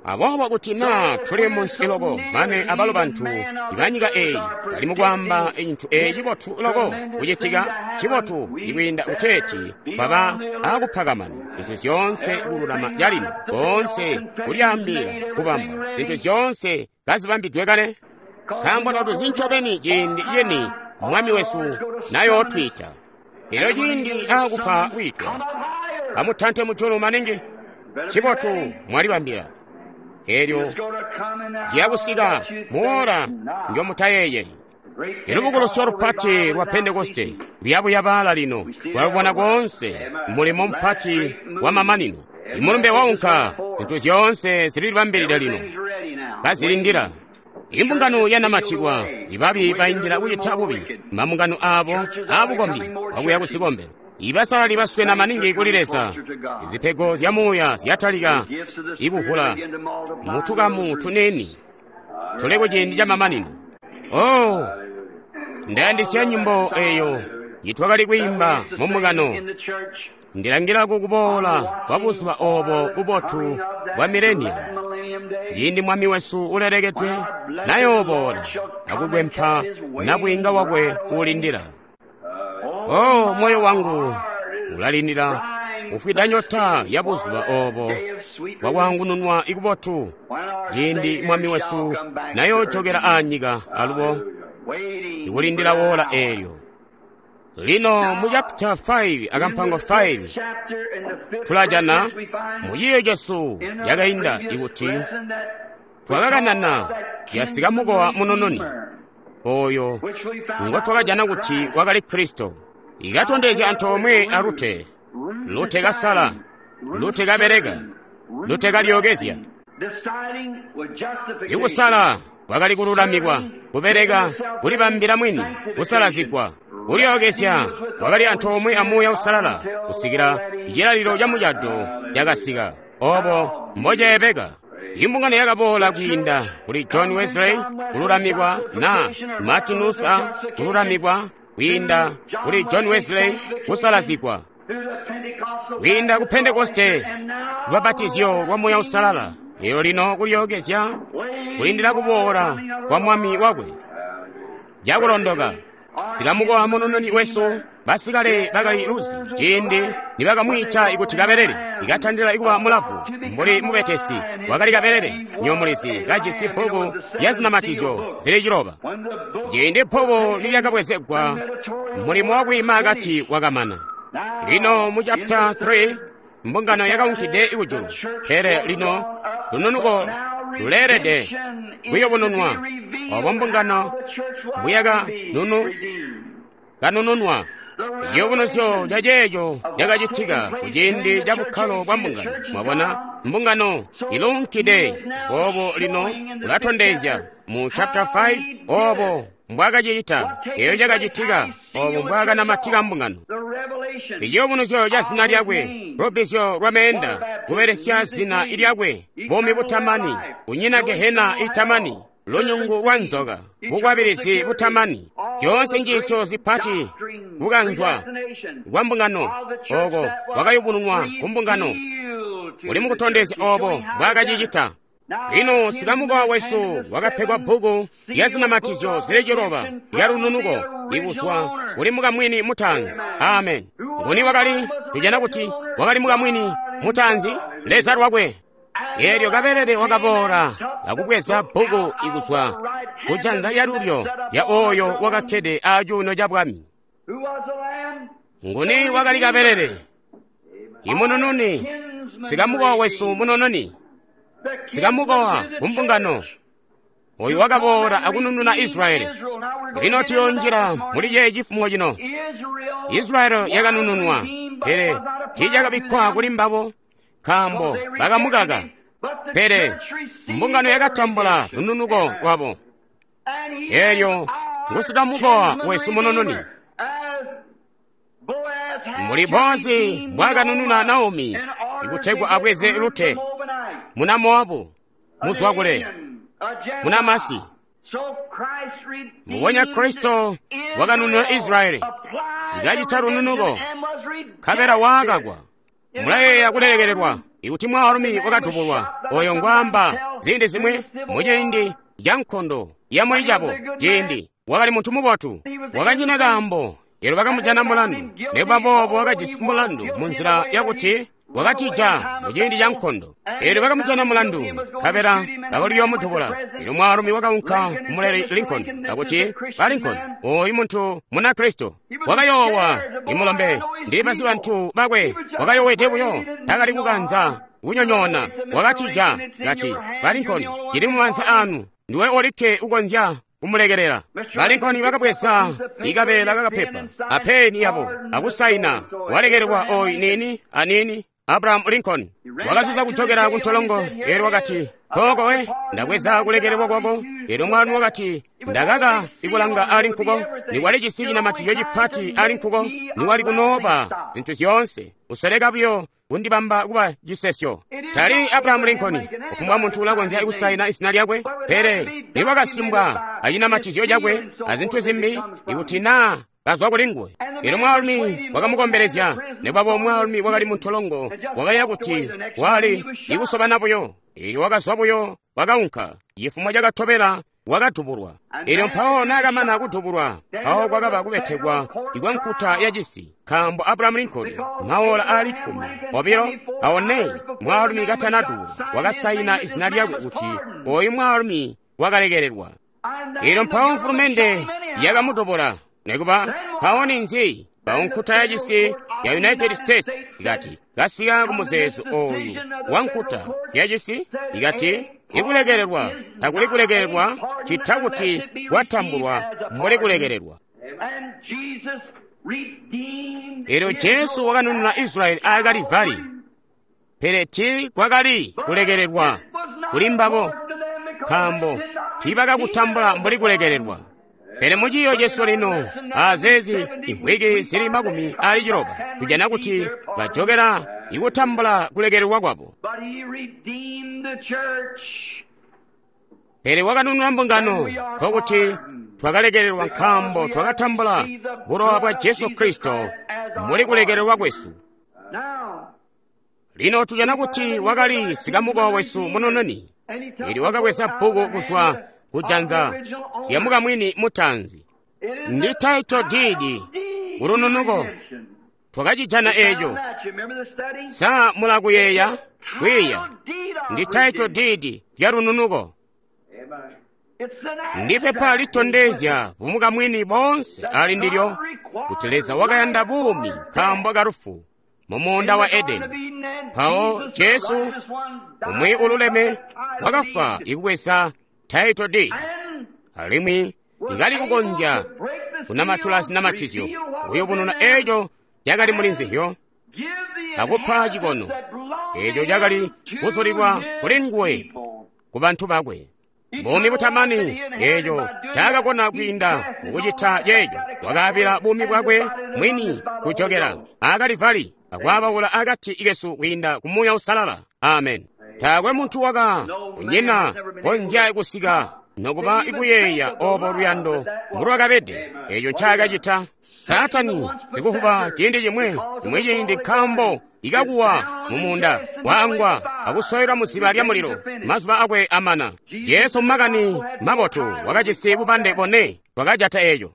Aboobo kuti naa tuli munsi loko mane abalo bantu ibanyika eeyi bali mukwaamba cintu eeci cibotu loko kucitika, cibotu ikwiinda kuteeti baba akupakamana zintu zyoonse kululama calino, koonse kulyaambila kubamba zintu zyoonse kazibambidwe kale, nkaambo tatuzi ncobeni ciindi cini Mwami wesu nayootwiita. Elyo ciindi aakupa kwiitwa, amutante mujulu maningi, cibotu mwalibambila. Elyo ciyakusika muora njomutayeeyeli. Ilubukulusyo lupati lwa Pentekoste luyabuyabaala lino, lwalubona koonse mulimo mupati wa mamanino. Imulumbe waunka, zintu zyoonse zililibambilide lino, kazilindila. Imbungano yanamatikwa, ibabi baindila kucita bubi, mambungano aabo aabukombi akuya kuzikombelo. Ibasalali baswena maningi kuli Leza, izipego zya muuya zyatalika ikuvula mutukamu tuniini tuli kuciindi camamanino. Oh, ndayandisya nyimbo eyo njitwakali kwiimba mumbungano. Ndilangila kukuboola kwa buzuba obo bubotu bwa mileniamu, ciindi Mwami wesu ulelekedwe nayooboola akukwempa nabwiinga wakwe uulindila. Oh, moyo wangu ulalindila ufwida nyota ya buzuba obo bwakwaangununwa ikubotu, ciindi Mwami wesu nayoojokela aanyika alubo ikulindila woola eelyo. Lino mu chapter 5 akampango 5 tulajana mu ciiyo cesu cakainda ikuti twakakanana yasika mukowa munununi oyo ngotwakajana kuti wakali Kristo. Ikatondezya antoomwe a Rute, Rute kasala, Rute kabeleka, Rute kalyokezya. Ikusala kwakali kululamikwa, kubeleka, kulibambila mwini, kusalazigwa, kulyokezya kwakali antoomwe a Muuya Uusalala kusikila cilalilo ca mucado cakasika. Obo mboceebeka. Imbungano yakaboola kwiinda kuli John Wesley kululamikwa na Martin Luther kululamikwa kwiinda kuli John Wesley kusalazigwa, kwiinda ku Pentekoste lubabatizyo lwa Muuya Uusalala. Elyo lino kulyokezya kulindila kuboola kwa Mwami wakwe cakulondoka. Sikamukowa munununi wesu basikale bakali luzi ciindi nibakamwiita ikuti kabelele, ikatandila ikuba mulavu mbuli mubetesi wakali kabelele nyomulizi kajisi bbuku lya zinamatizyo zili 9. Ciindi bbuku nilyakabwezegwa, mulimo wakwiima akati wakamana. Lino mu chapter 3 mbungano yakaunkide ikujulu, pele lino lununuko luleelede kuyubununwa. Obo mbungano mbuyaka nunu kanununwa. Ciyubunuzyo ca ceeco cakacitika kuciindi ca bukkalo bwa mbungano. Mwabona, mbungano iluunkide. Boobo lino ulatondezya mu chapter 5 obo mbwakacicita, eyo cakacitika, obo mbwakanamatika mbungano. Iciyubunuzyo ca zina lyakwe, lubbizyo lwa meenda, kubelesya zina lyakwe, buumi butamani, kunyina gehena itamani, lunyungu lwa nzoka, bukwabilizi butamani, zyoonse njiisyo zipati, kukanzwa kwa mbungano, oko kwakayubununwa ku mbungano, uli mukutondezya obo mbwaakacicita. Lino sikamukowa wesu wakapegwa bbuku lya zinamatizyo zili ciloba lya lununuko ikuzwa kuli mukamwini mutaanzi. Amen. Nguni wakali? Tujana kuti wakali mukamwini mutaanzi, Leza lwakwe. Eelyo kabelele wakaboola akubweza bbuku ikuzwa kujanza lyalulyo lya oyo wakakkede acuuno ca bwami. Nguni wakali kabelele? Imunununi, sikamukowa wesu munununi, sikamukowa kumbungano, oyu wakaboola akunununa Israyeli. Lino tuyonjila muli ceeci cifumo cino. Israyeli yakanununwa, pele tiicakabikkwa kuli mbabo, nkaambo bakamukaka. Pele mbungano yakatambula lununuko lwabo. Eelyo ngusikamukowa wesu munununi. Muli Boazi mbwakanununa Naomi ikutegwa abweze Rute muna Mowabu, muzwakule, muna Masi. Mbubonya Kristo wakanununa Israyeli, ikacita lununuko, nkabela waakakwa. Mulayeeya kulelekelelwa ikuti mwaalumi wakadubulwa oyo ngwaamba ziindi zimwi muciindi ca nkondo ya muli cabo ciindi wakali muntu mubotu, wakanyina kaambo. Elyo bakamujana mulandu, nikuba boobo wakajisi mulandu munzila yakuti wakatija muciindi ca nkondo. Elyo bakamujana mulandu, nkabela bakaliyoomudubula. Elyo mwaalumi wakaunka kumuleli Lincoln akuti, ba Lincoln, oyu muntu muna Kristo. Wakayoowa, imulombe, ndili bazi bantu bakwe, wakayowede buyo, takali kukanza kunyonyoona. Wakatija, kati, ba Lincoln, cili mumaanza anu, ndiwe olikke ukonzya kumulekelela. Ba Lincoln bakabweza ikabeela kakapepa apeni yabo akusaina, walekelelwa oyu nini anini. Abraham Lincoln wakazuza kuchokera kuntolongo. Elyo wakati, kokowe ndabweza kulekelelwa kwako. Elyo mwaalumi wakati, ndakaka ikulanga ali nkuko, nikwali cisi cinamatizyo cipati ali nkuko, nikwali kunoopa zinthu zyoonse, usoleka buyo kundibamba kuba cisesyo. Tali Abraham Lincoln, kufumbwa munthu ulakonzya kusaina izina lyakwe, pele nikwakasimbwa acinamatizyo cakwe azinthu zimbi ikuti naa kazwa kuli nguwe. Elyo mwaalumi wakamukombelezya, nikuba mwaalumi wakali muntolongo wakaya kuti wali ikusobana buyo. Elyo wakazwa buyo wakaunka. Cifumo cakatobela wakadubulwa. Elyo mpawo naakamana kudubulwa, mpawo kwakaba kubetekwa ikwa nkuta ya cisi, nkaambo Abraham Lincoln maola aali 24 mwaalumi katanadubulwa wakasaina izina lyakwe kuti oyu mwaalumi wakalekelelwa. Elyo mpawo mfulumende yakamudubula. Nikuba mpawo ninzi? Mpawo nkuta ya cisi ya United States ikati kasika kumuzeezo oyu wa nkuta ya cisi, ikati ikulekelelwa takuli kulekelelwa cita kuti kwatambulwa mbuli kulekelelwa. Elyo Jesu wakanununa Israyeli a Kalivari, pele ti kwakali kulekelelwa kuli mbabo, nkaambo tiibakakutambula mbuli kulekelelwa. Pele muciiyo cesu lino azeezi imvwiki zili 60 tujana kuti bajokera ikutambula kulekelelwa kwabo. Pele wakanunula mbungano, nkokuti twakalekelelwa nkaambo twakatambula bulowa bwa Jesu Kristo muli kulekelelwa kwesu. Lino tujana kuti wakali sikamukowa wesu munununi, ili wakabweza bbuku kuzwa kujanza lya mukamwini mutaanzi. Ndi title deed kulununuko. Twakacijana eco. Sa mulakuyeeya? Kwiiya. Ndi title deed lya lununuko. Ndi pepa litondezya bumukamwini bonse ali ndilyo kuti Leza wakayanda buumi nkaambo kalufu mu muunda wa Edeni. Mpawo Jesu umwi ululeme wakafwa ikubweza title deed, alimwi ikali kukonzya kunamatula zinamatizyo kuyubununa eco cakali muli nzizyo akupa cikono eco cakali kuzulilwa kuli nguwe ku bantu bakwe. Buumi butamani, eeco ncaakakona kwiinda mukucita ceeco, wakaabila buumi bwakwe mwini kujokela aakalivali akwaabaula akati kesu kwiinda ku Muuya Uusalala. Amen. Taakwe muntu waka kunyina konzya kusika nokuba ikuyeeya obo luyando mbulwakabede, eeco ncaakacita. Saatani sikuvuba ciindi cimwe, cimwi ciindi nkaambo ikakuwa mumuunda, waangwa akusoyelwa muziba lya mulilo, mazuba akwe amana. Jesu mumakani mabotu wakajisi bubande bone bwakajata eeco.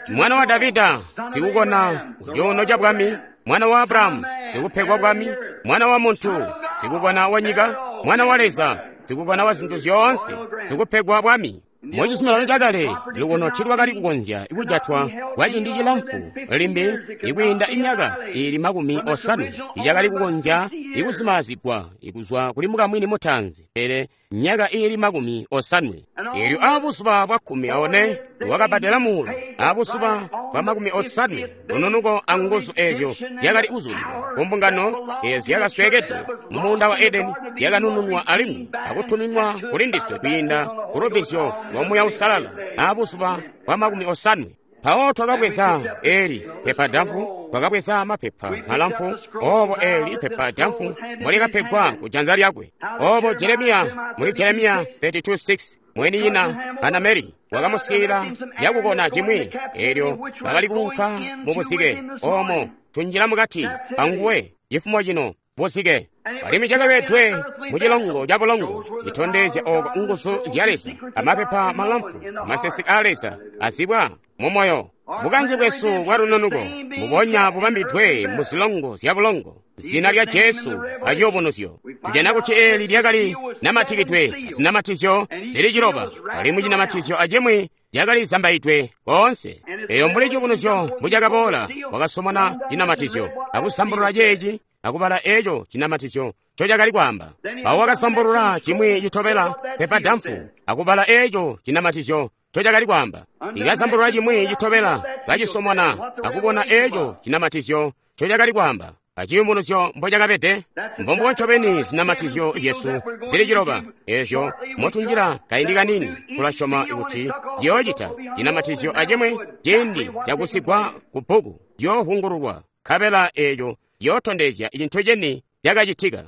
Mwana wa Davida sikukona kucuuno ca bwami, mwana wa Abrahamu sikupegwa bwami, mwana wa muntu sikukona wa nyika, mwana wa Leza sikukona wa zintu zyoonse sikupegwa bwami. Mucizuminano cakale lukono tiilwakali kukonzya kujatwa kwa ciindi cilamfu limbi ikwiinda imyaka iili 50 icakali kukonzya ikuzimaazigwa ikuzwa kuli mukamwini mutaanzi, pele myaka iili 50. Eelyo aabuzuba bwa 14 wakabadela muulo, aabuzuba bwa 50 lununuko anguzu eezyo zyakali kuzulilwa kumbungano eezyo zyakasweekede mumuunda wa Edeni zyakanununwa alimwi akutuminwa kulindiswe kwiinda kulubbizyo lwa Muuya Uusalala aabuzuba bwa 50. Mpawo twakabweza eli pepa damfu, twakabweza mapepa malamfu, obo eli pepa damfu mbolikapegwa kujanza lyakwe. Obo Jeremiya muli Jeremiya 32:6 mweninyina Hanameli wakamusiila yakukona cimwi, eelyo bakali kuunka mu buzike omo tunjila mukati anguwe cifumo cino buzike. Alimwi cakabedwe mucilongo ca bulongo citondezya oko nguzu zya Leza, amapepa malamfu, amasesi a Leza azibwa mumoyo. Bukanze bwesu bwa lununuko mbubonya bubambidwe muzilongo zya bulongo, zina lya Jesu aciyubunuzyo. Tujana kuti eli lyakali namatikidwe zinamatizyo zili 9, alimwi cinamatizyo acimwi cakali zambaidwe koonse. Eyo mbuli ciyubunuzyo mbucakaboola, wakasomona cinamatizyo akusambulula ceeci akubala eeco cinamatizyo ncocakali kwaamba. Mpawo wakasambulula cimwi citobela pepa damfu akubala eeco cinamatizyo ncocakali kwaamba. Ikasambulula cimwi citobela kacisomona akubona eeco cinamatizyo ncocakali kwaamba. Aciyubunuzyo mbocakabede, mbombubo ncobeni zinamatizyo zyesu zili 9 eezyo motunjila kaindi kanini tulasyoma kuti ciyoocita cinamatizyo acimwi ciindi cakusigwa ku bbuku ciyoovungululwa, nkabela eeco ciyootondezya cintu ceni cakacitika.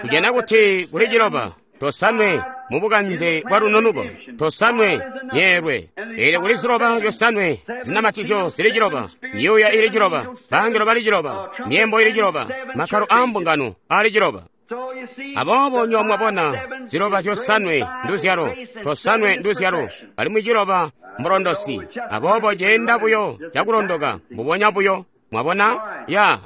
Tujana kuti kuli 9, 9 mubukanze bwa lununuko, 9 myeelwe. Eelyo kuli 9 9 zinamatizyo zili 9, myuuya ili 9, bangelo bali 9, myembo ili 9, makkalo aa mbungano ali 9. Aboobo nywebo mwabona 9 9 nduzyalo, 9 nduzyalo, alimwi 9 mbulondosi. Aboobo ceenda buyo cakulondoka mbubonya buyo. Mwabona? Ya.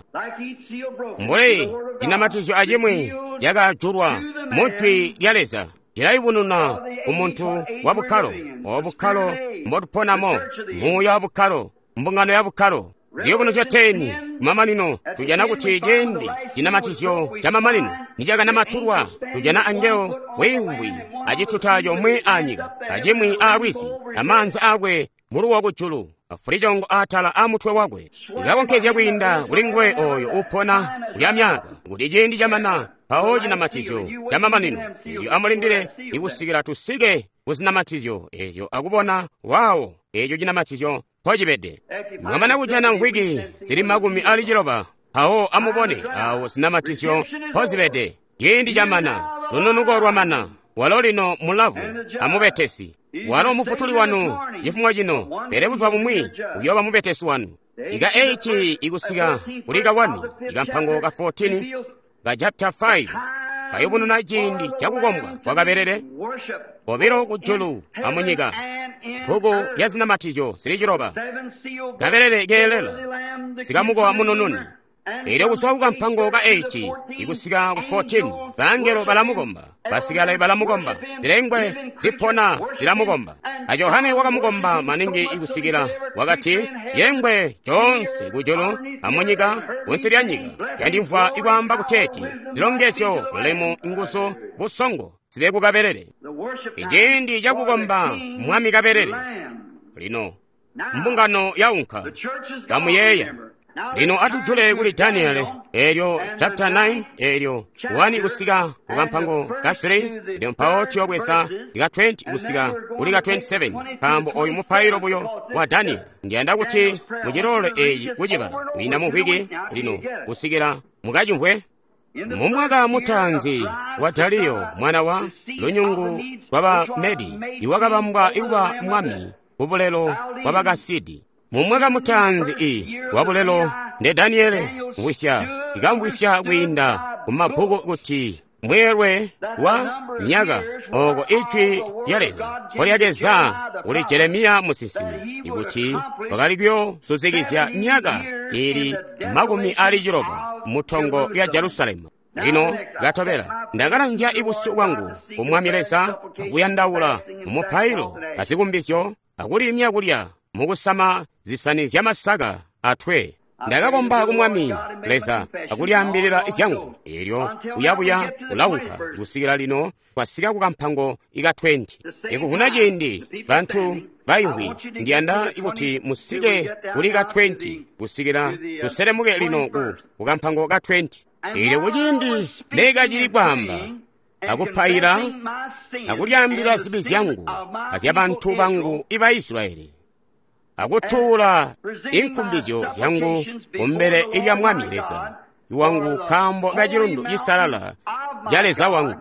Mbuli cinamatizyo acimwi cakajulwa mu Jwi lya Leza, cilayubununa ku muntu wa bukkalo, obo bukkalo mbotuponamo, muuya wa bukkalo, mbungano ya bukkalo. Ziyubunuzyo 10 kumamanino tujana kuti ciindi cinamatizyo camamanino nicakanamatulwa, tujana angelo wiimvwi acituta comwe aanyika, acimwi aalwizi, amaanza aakwe muluwo kujulu, afulicongo atala amutwe wakwe. Ikakonkezya kwiinda kuli nguwe oyo upona kuya myaka, kuti ciindi camana mpawo cinamatizyo camamanino eelyo amulindile ikusikila tusike kuzinamatizyo eezyo akubona wawo eeco cinamatizyo mpocibede. Mwamana kujana mvwiki zili 90, mpawo amubone awo zinamatizyo mpozibede. Ciindi camana, lununuko lwamana, walo lino mulavu amubetesi. Walo mufutuli wanu cifumo cino, pele buzuba bumwi uyooba mubetesi wanu. Ika 8 ikusika kuli ka 1, ikampango ka 14 ka chapter 5 kayubununa ciindi cakukombwa kwa kabelele kobilo kujulu amunyika. Bbuku lya zinamatizyo zili 9, kabelele keelela sikamukowa munununi. Eelyo kuzwa kukampango ka 8 ikusika ku 14, bangelo balamukomba, basikale balamukomba, zilengwe zipona zilamukomba. A Johane wakamukomba maningi ikusikila wakati, "Yengwe coonse kujulu amunyika kunsi lya nyika yandimvwa ikwaamba kuteeti zilongezyo, bulemu, nguzu, busongo zibe ku kabelele." Iciindi cakukomba mwami kabelele. Lino mbungano yaunka. Kamuyeeya, Lino atujule kuli Daniele, eelyo chapter 9, eelyo 1 kusika kukampango ka 3, elyo mpawo tuyobweza ka 20 kusika kuli ka 27, nkaambo oyu mupailo buyo wa Daniele. Ndiyanda kuti mucilole eeci kucibala kwiinda mu mvwiki lino kusikila mukacimvwe. Mumwaka mutaanzi wa Dariyo mwana wa lunyungu lwa Bamedi, iwakabambwa kuba mwami kubulelo bwa Bakasidi. Mumwaka mutaanzi i wa bulelo nde Daniele mvwisya ikamvwisya kwiinda kumabbuku kuti mweelwe wa myaka oko ijwi lya Leza mpolyakeza kuli Jeremiya musinsimi ikuti wakali kuyoozuzikizya myaka ili 60 mutongo lya Jerusalemu. Lino katobela ndakalanzya ibusyu bwangu ku Mwami Leza akuyandaula mumupailo azikumbizyo akulimya kulya mukusama zisani zyamasaka atwe. Ndakakomba ku Mwami Leza akulyaambilila zyangu, eelyo uyabuya ulaunka kusikila lino kwasika ku kampango ika 20. Ikuvuna ciindi bantu baimvwi, ndiyanda kuti musike kuli ka 20 kusikila tuselemuke lino ku kampango ka 20. Eelyo kuciindi nekacili kwaamba akupaila akulyaambila zibi zyangu azyabantu bangu iba Israyeli, akutuula inkumbizyo zyangu kumbele lya Mwami Leza wangu nkaambo kacilundu cisalala ca Leza wangu.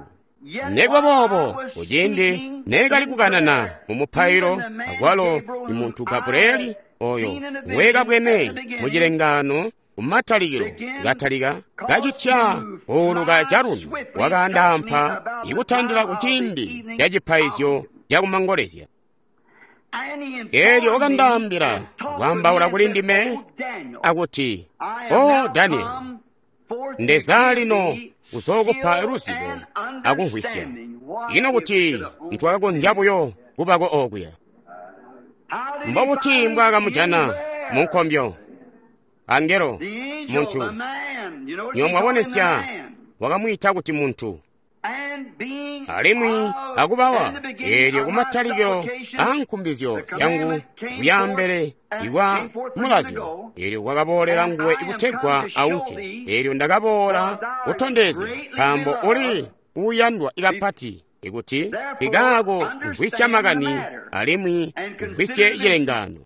Nikuba boobo, kuciindi nekali kukanana mu mupailo, akwalo muntu Gabrieli oyo ngwekabwene mu cilengaano kumatalikilo katalika kacitya kuuluka calundu wakandaampa ikutandila kuciindi ca cipaizyo cakumangolezya. Eelyo wakandaambila kwaambaula kuli ndime akuti, O Danieli, ndeza lino kuzookupa luzibo akumvwisya. Ino kuti ntwakakonzya buyo kubako okuya. Mbobuti mbwaakamujana mu nkombyo? Angelo, muntu, nywebo mwabonesya, wakamwiita kuti muntu. Alimwi akubawa, eelyo kumatalikilo aankumbizyo zyangu kuyaambele ikwa mulazyo, eelyo kwakaboolela nguwe kutegwa aunke. Eelyo ndakaboola kutondezya, nkaambo uli uuyandwa kapati, ikuti ikaako mvwisya makani alimwi mvwisye cilengaano.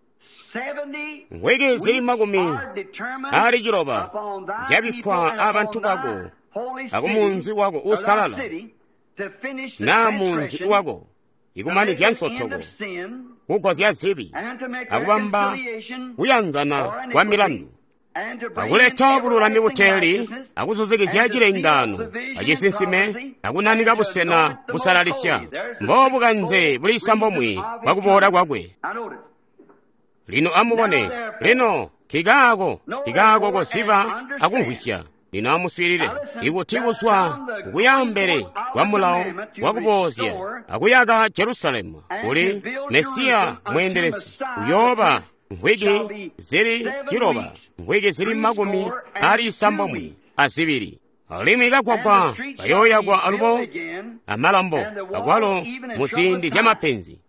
Mvwiki zili 60 zyabikkwa abantu bako akumunzi wako uusalala, naa munzi wako, ikumanizya nsotoko, kugozya zibi, akubamba kuyanzana kwa milandu, akuleta bululami buteeli, akuzuzikizya cilengaano acisinsime, akunanika busena busalalisya. Mbobukanze buli isambomwi bwakuboola kwakwe. Lino amubone, lino kikaako koziba akumvwisya. Lino amuswiilile, ikuti kuzwa kuyambele kwa mulawo wakuboozya akuyaka Jerusalemu kuli Mesiya mweendelezi uyooba mvwiki zili 7, mvwiki zili 62. Alimwi kagwagwa kayooyakwa alubo amalambo akwalo muziindi zyamapenzi.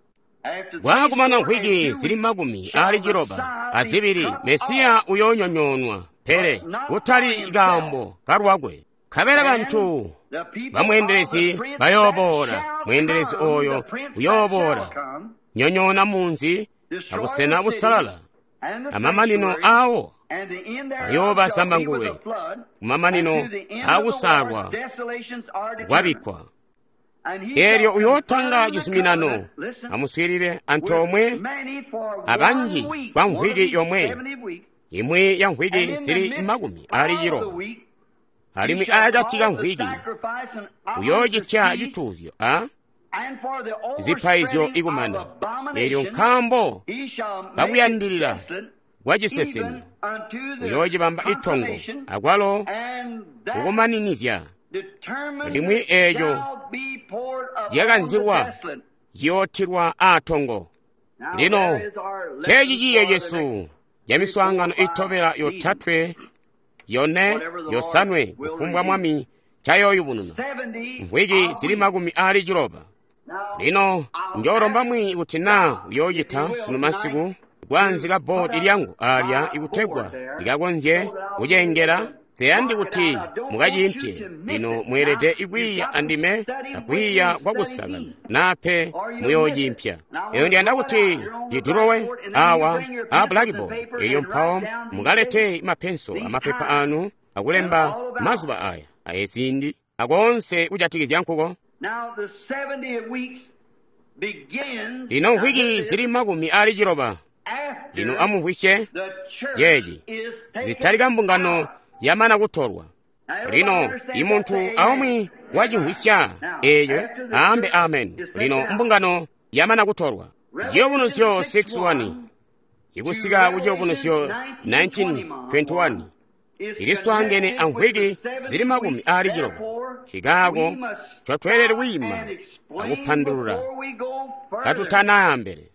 Kwakumana mvwiki zili 62, Mesiya uyoonyonyoonwa, pele kutali kaambo kalwakwe. Nkabela bantu bamweendelezi bayooboola, mweendelezi oyo uyooboola, nyonyoona munzi abusena busalala, amamanino aawo ayooba zambangulwe, kumamanino aakusaalwa kwabikkwa. Eelyo uyootanga cizuminano, amuswiilile, antoomwe abanji kwa mvwiki yomwe, imwi ya mvwiki zili 70, alimwi akati ka mvwiki uyoocitya cituuzyo a zipaizyo ikumana. Eelyo nkaambo kakuyandilila kwa ciseseme uyoocibamba itongo akwalo kukumaninizya limwi eeco lyakanzilwa ciyootilwa aatongo. Lino ceeci ciiyo cesu camiswaangano itobela 3, 4, 5, kufumbwa Mwami cayooyubununa, mvwiki zili 60. Lino njoolomba mwi kuti naa uyoocita sunu masiku kwaanzika bboodi lyangu alya ikutegwa ndikakonzye kucengela. Nseyandi kuti mukaciimpye. Lino mweelede kwiiya andime akwiiya kwakusakana, nape muyoociimpya. Eyo ndiyanda kuti cidulowe awa a blackboard, elyo mpawo mukalete mapenso amapepa anu akulemba mazuba aya ayeziindi akonse kujatikizya nkuko. Lino mvwiki zili 60. Lino amumvwisye yeeci zitalika mbungano yamana kutolwa. Lino imuntu aumwi wacimvwisya eeco aambe amen. Lino mbungano yamana kutolwa. Ciyubunuzyo 6:1 ikusika ku Ciyubunuzyo 19:21 iliswaangene amvwiki zili 60. Nkaako ncotweelede kwiima akupandulula katutanayambele.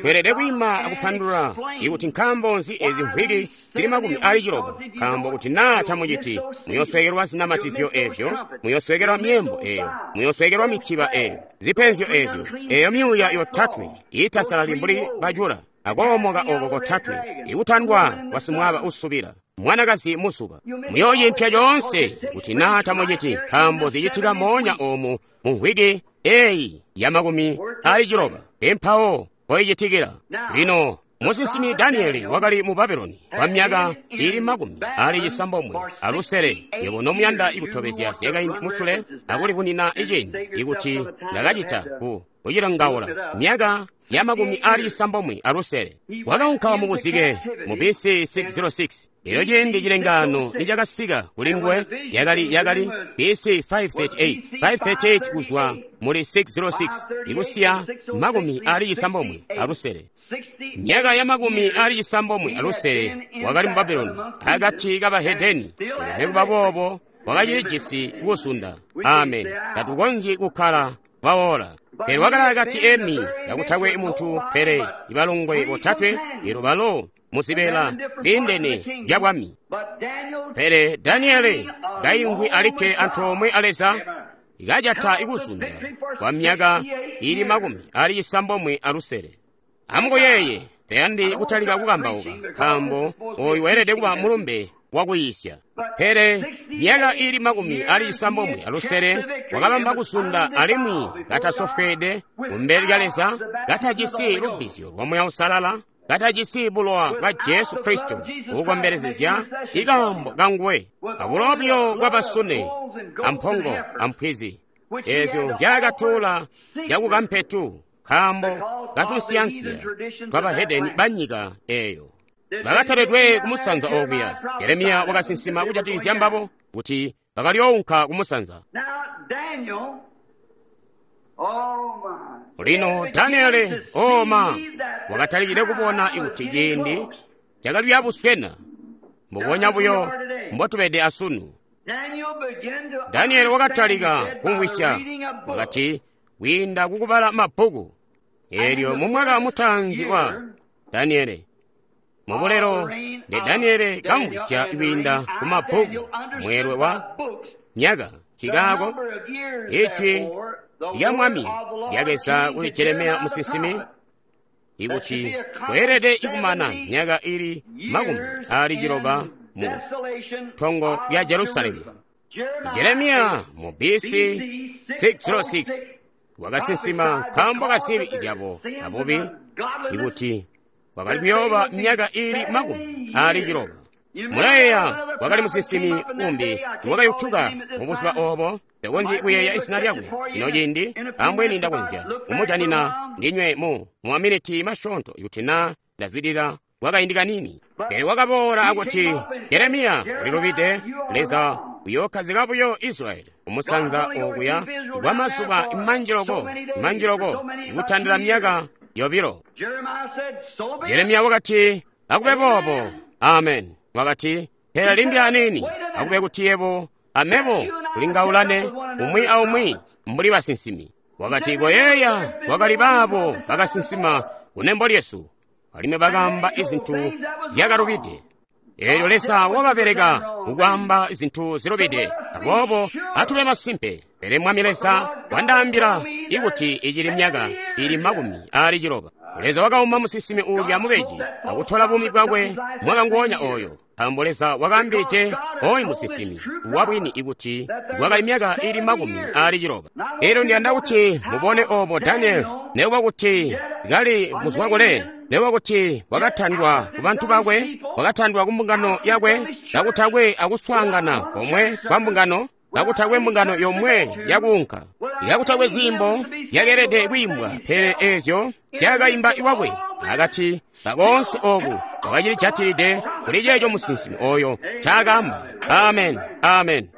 Tweelede kwiima akupandulula ikuti nkaambo nzi ezi mvwiki zili 60, nkaambo kuti naa tamuciti muyoswekelwa zinamatizyo ezyo, muyoswekelwa myeembo eyo, muyoswekelwa mitiba eyo, zipenzyo ezyo, eyo myuuya yotatwe iitasalali mbuli bajula, akoomoka oko kotatwe, ikutandwa kwa simwaaba usubila, mwanakazi musuba. Muyooyimpya coonse kuti naa tamuciti, nkaambo zicitika moonya oomu mu mvwiki eyi ya 60 empawo poyicitikila. Lino musinsimi Danieli wakali mu Babuloni kwa myaka ili 96. Yebo nomuyanda ikutobezya zyakaindi musule akulikunina iciindi ikuti ndakacita ku kucilangaula myaka ya 96. Wakaunka mu buzike mu BC 606. Elyo ciindi cilengaano nicakasika kuli nguwe yakali BC 538, 538 kuzwa muli 606 ikusiya 96. Myaka ya 96 wakali mu Babuloni akati kabahedeni. Nikuba boobo wakacilijisi kusunda. Amen. Tatukonzyi kukkala bawola. Pele wakali akati eni kakutakwe muntu pele ibalongwe botatwe, elyo balo muzibeela ziindene zya bwami. Pele Daniele kaimvwi alikke antoomwe a Leza, kajata ikuzunda kwa myaka ili 96. Amukuyeeye, tayandi kutalika kukambauka, nkaambo oyu weelede kuba mulumbe wakuyisya. Pele myaka ili 96 wakabamba kusunda alimwi katasofweede kumbele lya Leza, katajisi lubbizyo lwa Muuya Uusalala, katajisi bulowa bwa Jesu Kristo kukombelezezya ikaambo kanguwe, abulowa buyo bwa basune ampongo ampwizi ezyo nzyaakatuula cakukampetu, nkaambo katunsiyansiya twabahedeni banyika eyo. Bakataledwe kumusanza okuya. Yeremiya wakasinsima kujatikizya mbabo kuti bakalyounka kumusanza. Lino Daniele oma wakatalikile kubona kuti ciindi cakali buswena, mbubonya buyo mbotubede asunu. Daniele wakatalika kumvwisya, wakati kwiinda kukubala mabbuku. Elyo mu mwaka mutaanzi wa Daniele mubulelo ndi Daniele kamvwisya kwiinda ku mabbuku mweelwe wa myaka. Nkaako ijwi lya Mwami lyakeza kuli Jeremiya musinsimi ikuti kweelede ikumana myaka ili 60 mu tongo lya Jerusalemu. Jeremiya mu BC 606 wakasinsima nkaambo kazibi zyabo abubi ikuti wakali kuyooba myaka ili 60. Mulayeeya wakali musinsimi umbi iwakayutuka mubuzuba oobo. Ndakonzyi kuyeeya izina lyakwe ino ciindi, ambweni ndakonzya kumujanina ndinywe mu maminiti masyoonto ikuti naa ndazwidilila kwakaindi kanini. Pele wakaboola akuti, Jeremiya ulilubide, Leza uyookkazika buyo Israyeli kumusanza okuya kwa mazuba manji loko ikutandila myaka 2. Jeremiya wakati, akube boobo. Amen. Wakati, pele limbi aniini, akube kuti yebo amebo tulingaulane umwi aumwi mbuli basinsimi. Wakati, koyeeya kwakali baabo bakasinsima kunembo lyesu, alimwi bakaamba izintu zyakalubide. Eelyo Leza wababeleka kukwaamba zintu zilubide. Aboobo atube masimpe. Pele Mwami Leza wandaambila ikuti icili myaka ili 60. Leza wakauma musinsimi uulya mubeji akutola buumi bwakwe mwaka nguonya oyo, nkaambo Leza wakaambilide oyu musinsimi wabwini ikuti kwakali myaka ili 60. Elyo ndiyanda kuti mubone obo Daniel, nekuba kuti kali muzwakule, nekuba kuti wakatandwa ku bantu bakwe, wakatandwa ku mbungano yakwe, kakutakwe akuswaangana komwe kwa mbungano, kakutakwe mbungano yomwe yakuunka, kakutakwe ziimbo zyakeelede kwiimbwa, pele ezyo zyakaimba iwakwe. Akati kakoonse oku wakacilijatilide kuli ceeco musinsimi oyo ncaakaamba. Amen, amen.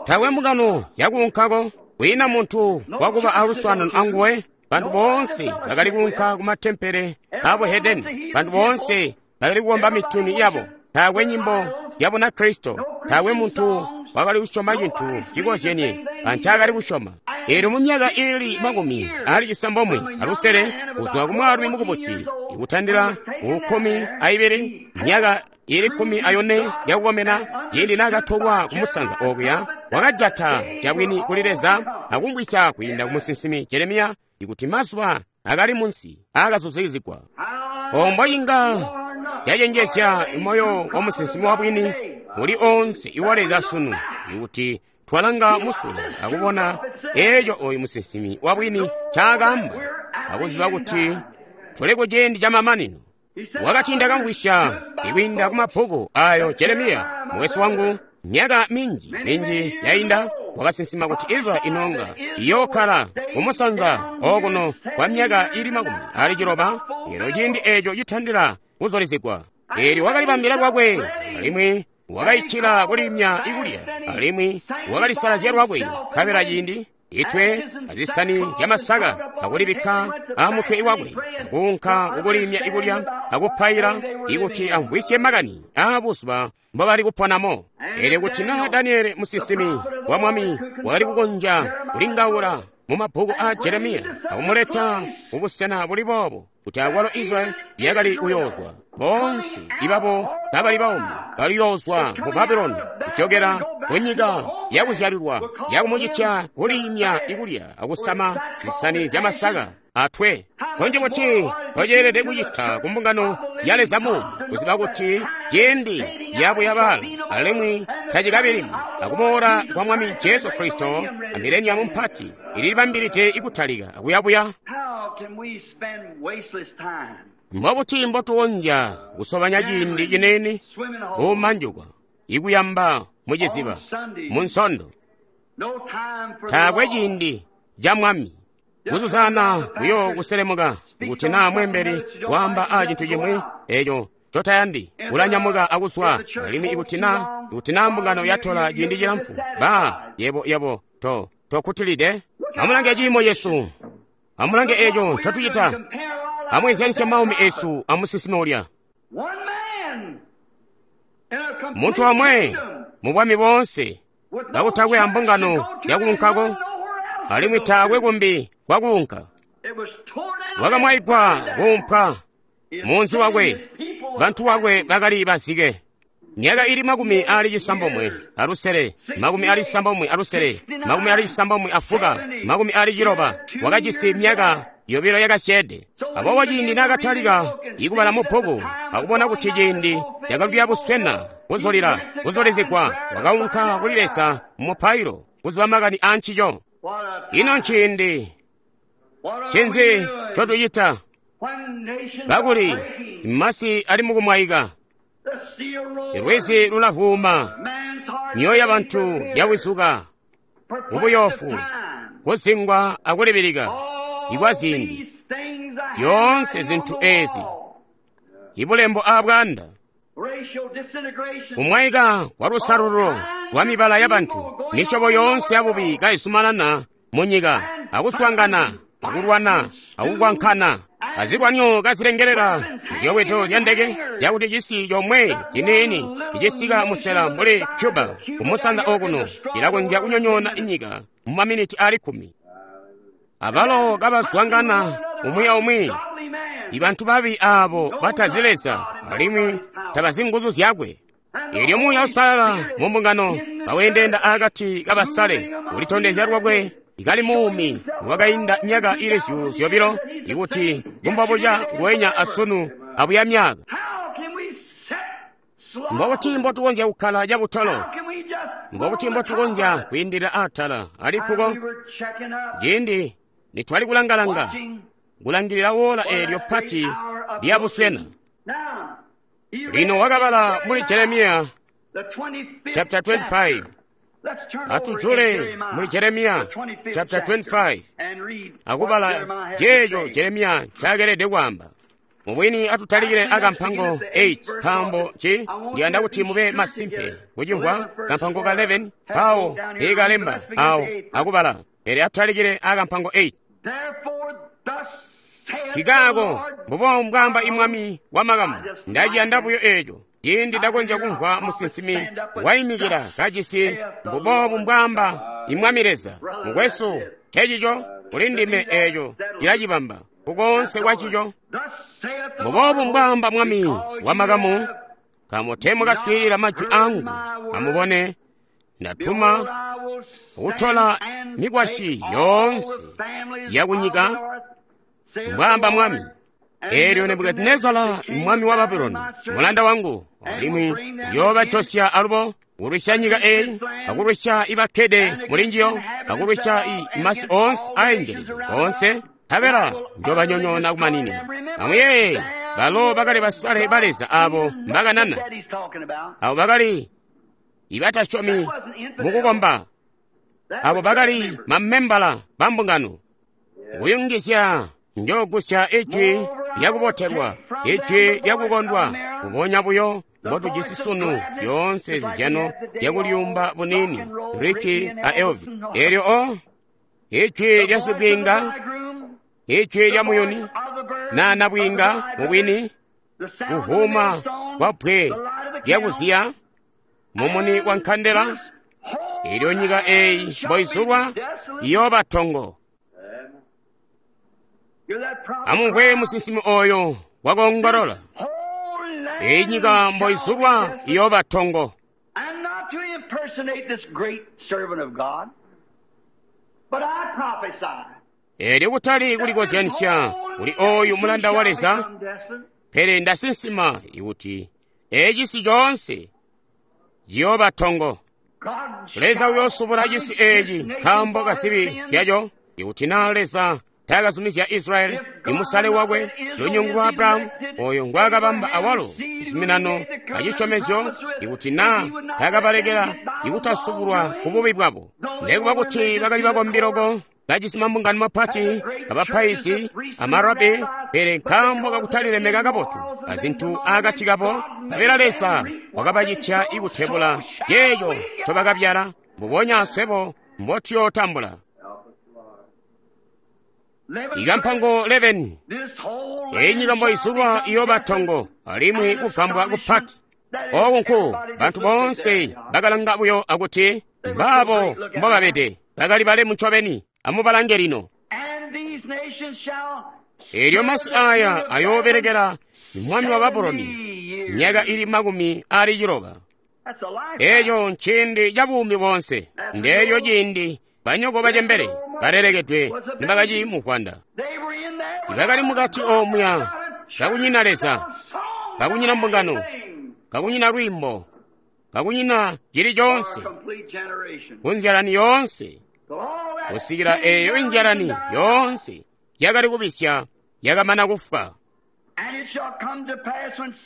Taakwe mbungano yakuunkako, kwiina muntu wakuba aluswaanano anguwe. Bantu boonse bakali kuunka ku matempele abuhedeni, bantu boonse bakali kukomba mituni yabo. Taakwe nyimbo ya Bunakristo, taakwe muntu wakali kusyoma cintu cikozyenye ancaakali kusyoma. Eelyo mu myaka ili 96 kuzwa ku mwaalumi mukubusi ikutandila ku 12, myaka ili 14 yakukomena, ciindi naakatolwa kumusanza okuya, wakajata cabwini kuli Leza akumvwisya kwiinda ku musinsimi Jeremiya ikuti mazuba akali munsi aakazuzikizigwa. Ombo inga yacenjezya moyo wa musinsimi wabwini uli onse iwa Leza sunu, ikuti twalanga musule akubona eeco oyu musinsimi wabwini ncaakaamba akuziba kuti tuli ku ciindi camamanino. Wakati ndakamvwisya ikwiinda ku mabbuku ayo Jeremiya mukwesu wangu myaka minji minji yainda wakasinsima kuti Israel inonga iyookkala kumusanza okuno kwa myaka ili 60, elyo ciindi eeco citandila kuzulizigwa. Eelyo wakalibambila lwakwe, alimwi wakaitila kulimya ikulya, alimwi wakalisalazya lwakwe, nkabela ciindi itwe azisani zyamasaka akulibikka amutwe wakwe, akuunka kukulimya ikulya akupaila ikuti amvwisye makani aabuzuba mbobali kuponamo. Eelyo kuti naa Daniele musinsimi wa Mwami wakali kukonzya kulingaula mu mabbuku aa Jeremiya akumuleta kubusena buli boobo, kuti akwalo Israel yakali kuyoozwa, boonse ibabo kabali baumi baliyoozwa mu Babuloni kujokela kunyika yakuzyalilwa, yakumucitya kulimya ikulya akusama zisani zyamasaka atwe. Konje kuti toceelede kucita ku mbungano ya Leza muumi kuziba kuti ciindi yabuyabaala alimwi tacikabilimi akuboola kwa Mwami Jesu Kristo a mileniamu mpati ililibambilide ikutalika akuyabuya. Mbobuti mbotukonzya kusobanya ciindi cinene kumanjuka ikuyamba muciziba mu Nsondo? Taakwe ciindi ca Mwami kuzuzana kuyo kuselemuka kuti naa mwembeli waamba a cintu cimwi eco cotayandi ulanyamuka akuswa, alimwi ikuti naa mbungano yatola ciindi cilamfu, ba yebo tokutilide. Amulange ciimo cesu, amulange eco ncotucita, amweezyanisye maumi esu amusinsimi ulya. Muntu omwe mu bwami boonse kakutakwe ambungano yakuunkako, alimwi taakwe kumbi kwakuunka. Wakamwaigwa kuumpwa munzi wakwe, bantu wakwe bakali bazike. Myaka ili 96, 96, 96, 96, wakajisi myaka 2 yakasyeede. Aboobo ciindi naakatalika ikubala mu bbuku akubona kuti ciindi cakali buswena kuzulizigwa, wakaunka kuli Leza mu mupailo kuziba makani aancico. Ino nciindi ncinzi ncotucita kakuli masi ali mukumwaika? Lwizi lulavuuma, myoyo yabantu yawizuka mubuyofu, kuzingwa akulibilika ikwa ziindi. Zyoonse zintu ezi, ibulembo aabwaanda, kumwaika kwa lusalululo lwa mibala yabantu, misyobo yoonse yabubi kaisumanana munyika, akuswangana, akulwana, akukwankana, azilwanyo kazilengelela muziyobweto zya ndeke, zyakuti cisi comwe ciniini icisika musela mbuli Cuba kumusanza okuno cilakonzya kunyonyoona inyika mu maminiti ali 10. Abalo kabazwangana umwi aumwi, ibantu babi aabo batazi Leza alimwi tabazi nguzu zyakwe. Eelyo Muuya Uusalala mu mbungano kawendeenda akati kabasale, ulitondezya lwakwe Kali muumi nikwakainda myaka ili 2,000, ikuti ngumbobuca nguwenya asunu abuya myaka. Mbobuti mbotukonzya kukkala cabutolo? Mbobuti mbotukonzya kwiindilila atala alikkuko? Ciindi nitwali kulangalanga, kulangilila woola eelyo pati lya buswena. Lino wakabala muli Jeremiya chapter 25. Atujule muli Jeremiya chapter 25 akubala ceeco Jeremiya ncakelede kwaamba. Mubwini atutalikile akampango 8 nkaambo ci ndiyanda kuti mube masimpe kucimvwa kampango ka 11 pawo ikalemba awo akubala, pele atutalikile akampango 8. Kikaako mbubo mbwaamba imwami wa makamu. Ndaciyanda buyo eeco. Ciindi ndakonzya kumvwa musinsimi waimikila kajisi mbuboobu mbwaamba imwami Leza. Mukwesu, ncecico kuli ndime eeco cilacibamba kukoonse kwancico. Mbuboobu mbwaamba mwami wa makamu, nkaambo teemwakaswiilila majwi angu. Amubone, ndatuma kutola mikwasyi yoonse yakunyika, mbwaamba mwami. Eelyo Nebukadinezara mwami wa Babuloni mulanda wangu alimwi uyoobajosya alubo kulwisya nyika eyi, akulwisya ibakkede mulinjiyo, akulwisya masi oonse aengelede oonse, nkabela njoobanyonyoona kumaninina. Amuyeeye, balo bakali basale ba Leza aabo mbakanana, abo bakali ibatasyomi mukukomba, abo bakali mamembala bambungano. Kuyungizya njoogusya ijwi lyakubotelwa, ijwi lyakukondwa, mbubonya buyo mbotujisi sunu zyoonse zizyano lyakulyumba buniini, Ricky a Elvi. Eelyo o ijwi lya sibwiinga, ijwi lya muyuni, na nabwiinga mubwini, kuvuma kwa bbwe lyakuziya, mumuni wa nkandela, eelyo nyika eeyi mboizulwa iyooba tongo. Amumvwe musinsimi oyo wakoongolola, eyi nyika mboizulwa iyooba tongo. Eelyo kutali kulikozyanisya kuli oyu mulanda wa Leza, pele ndasinsima ikuti ecisi coonse ciyooba tongo. Leza uyoosubula cisi eeci nkaambo kazibi zyaco. Ikuti naa Leza taakazumizya Israyeli, imusale wakwe, lunyungu lwa Abrahamu, oyo ngwaakabamba awalo cizuminano acisyomezyo, ikuti naa taakabalekela ikutasubulwa ku bubi bwabo, nekuba kuti bakali bakombi loko, kajisi mambungano mapati, abapaizi, amarabi, pele nkaambo kakutalilemeka kabotu azintu akati kabo, nkabela Leza wakabacitya ikutebula ceeco ncobakabyala, mbubonya aswebo mbotuyootambula. Ikampango 11. Eyi nyika mboizulwa iyooba tongo alimwi kugambwa kupati. Ooku nku bantu boonse bakalanga buyo akuti mbaabo mbobabede, bakali balemu ncobeni. Amubalange lino. Eelyo masi aya ayoobelekela mwami wa Babuloni myaka ili 90. Eeco nciindi cabuumi boonse. Ndeelyo ciindi banyoko bacembele balelekedwe nibakaci muvwanda. Ibakali mukati omuya kakunyina Leza, kakunyina mbungano, kakunyina lwiimbo, kakunyina cili coonse, kunzyalani yoonse, kusikila eeyo inzyalani yoonse yakali kubisya yakamana kufwa.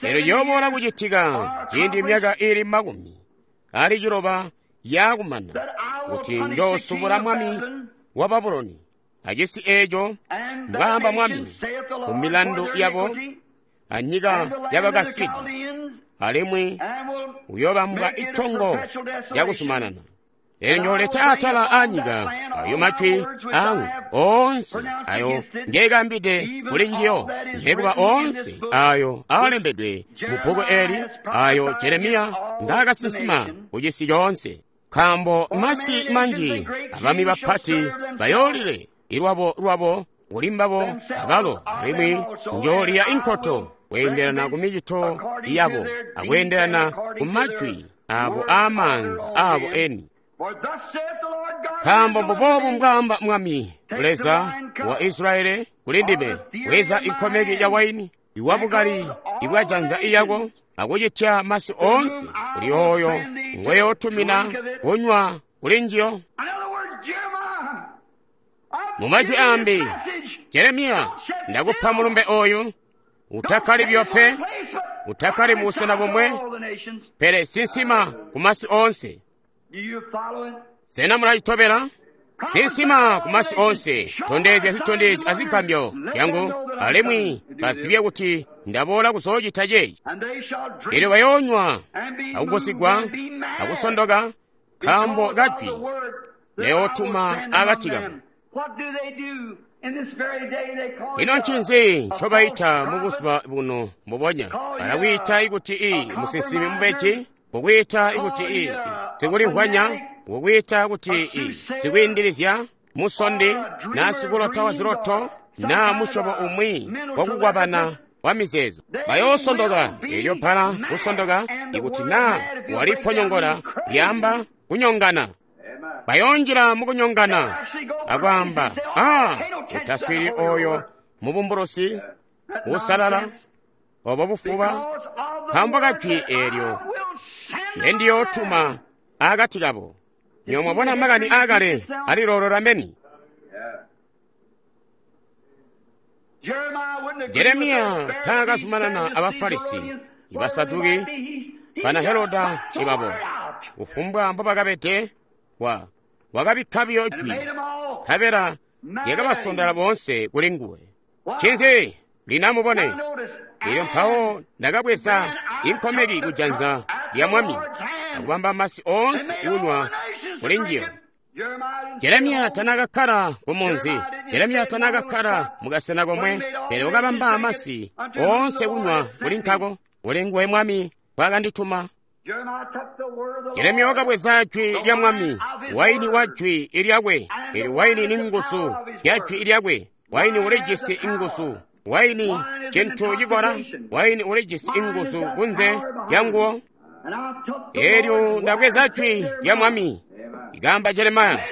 Eelyo ciyooboola kucitika ciindi myaka ili 90 yaakumana, kuti njoosubula mwami wa Babuloni acisi eeco, mbwaamba mwami, ku milandu yabo anyika yabakasidi, alimwi uyoobambwa itongo lyakuzumanana. Eelyo njooleta atala aanyika ayo majwi angu oonse ayo ngeekambide kuli njiyo, nekuba oonse ayo aalembedwe mu bbuku eeli ayo Jeremiya ngaakasinsima kucisi coonse. Nkaambo masi manji abami bapati bayoolile ilwabo lwabo kuli mbabo abalo, alimwi njooliya inkoto kweendelana ku micito yabo akweendelana ku majwi abo aamaanza abo eni. Nkaambo mbuboobu mbwaamba Mwami Leza wa Israeli kuli ndime, bweza inkomeki ya waini iwabukali ibwajanza iyako akucitya masi oonse kuli oyo ngweyootumina kunywa kuli njiyo. Mumajwi ambi, Jeremiya, ndakupa mulumbe oyu, utakkali buyo pe, utakkali mubusena bomwe, pele sinsima kumasi oonse. Sena mulacitobela? Sinsima kumasi oonse, tondezya zitondezyo azigambyo zyangu, alimwi bazibye kuti ndaboola kuzoocita ceeci. Eelyo bayoonywa akugusigwa akusondoka nkaambo kajwi neyootuma akati kabo. Ino ncinzi ncobaita mubuzuba buno mbubonya? Balakwiita ikuti i musinsimi mubeji, kukwiita ikuti i sikulimvwanya, kukwiita kuti i sikwiindilizya, musondi, naa sikulota waziloto, naa musyobo umwi wakukwabana wa mizeezo. Bayoosondoka. Eelyo bbala kusondoka ikuti naa waliponyongola lyaamba kunyongana. Bayoonjila mukunyongana akwaamba, "Ah, utaswiilili oyo mubumbulusi uusalala obo bufuba, nkaambo kajwi eelyo ndendiyootuma akati kabo." Nywebo mwabona makani aakale aliloolola meni. Jeremiya taakazumanana aba Farisi, Ibasaduki, bana Heroda ibabo. Kufumbwa mbobakabede, wakabikka buyo jwi, nkabela lyakabasondola boonse kuli nguwe. Ncinzi? Lino amubone. Elyo mpawo ndakabweza inkomeki kujanza lya Mwami akubamba masi oonse kunywa kuli njiyo. Jeremiya tanaakakkala kumunzi. Jeremiya tanaakakkala mukasena komwe, pele wakabamba masi oonse kunywa kuli nkako. Kuli nguwe Mwami wakandituma. Jeremiya wakabweza jwi lya Mwami, waini wa jwi lyakwe. Eelyo waini ni nguzu ya jwi lyakwe. Waini ulijisi inguzu. Waini cintu cikola. Waini ulijisi inguzu kunze lyanguwo. Eelyo ndabweza jwi lya Mwami, ikaamba Jeremiya,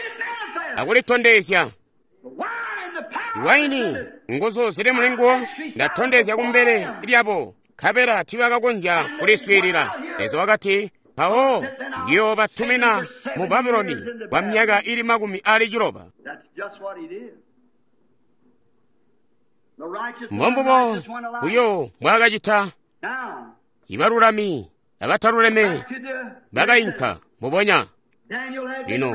akulitondezya. Waini nguzu zili mulinguwo ndatondezya kumbele lyabo, nkabela tiibakakonzya kuliswiilila. Leza wakati, mpawo ndiyoobatumina mu Babuloni kwa myaka ili 60. Mbombubo buyo mbwaakacita. Ibalulami abataluleme bakainka mbubonya. Lino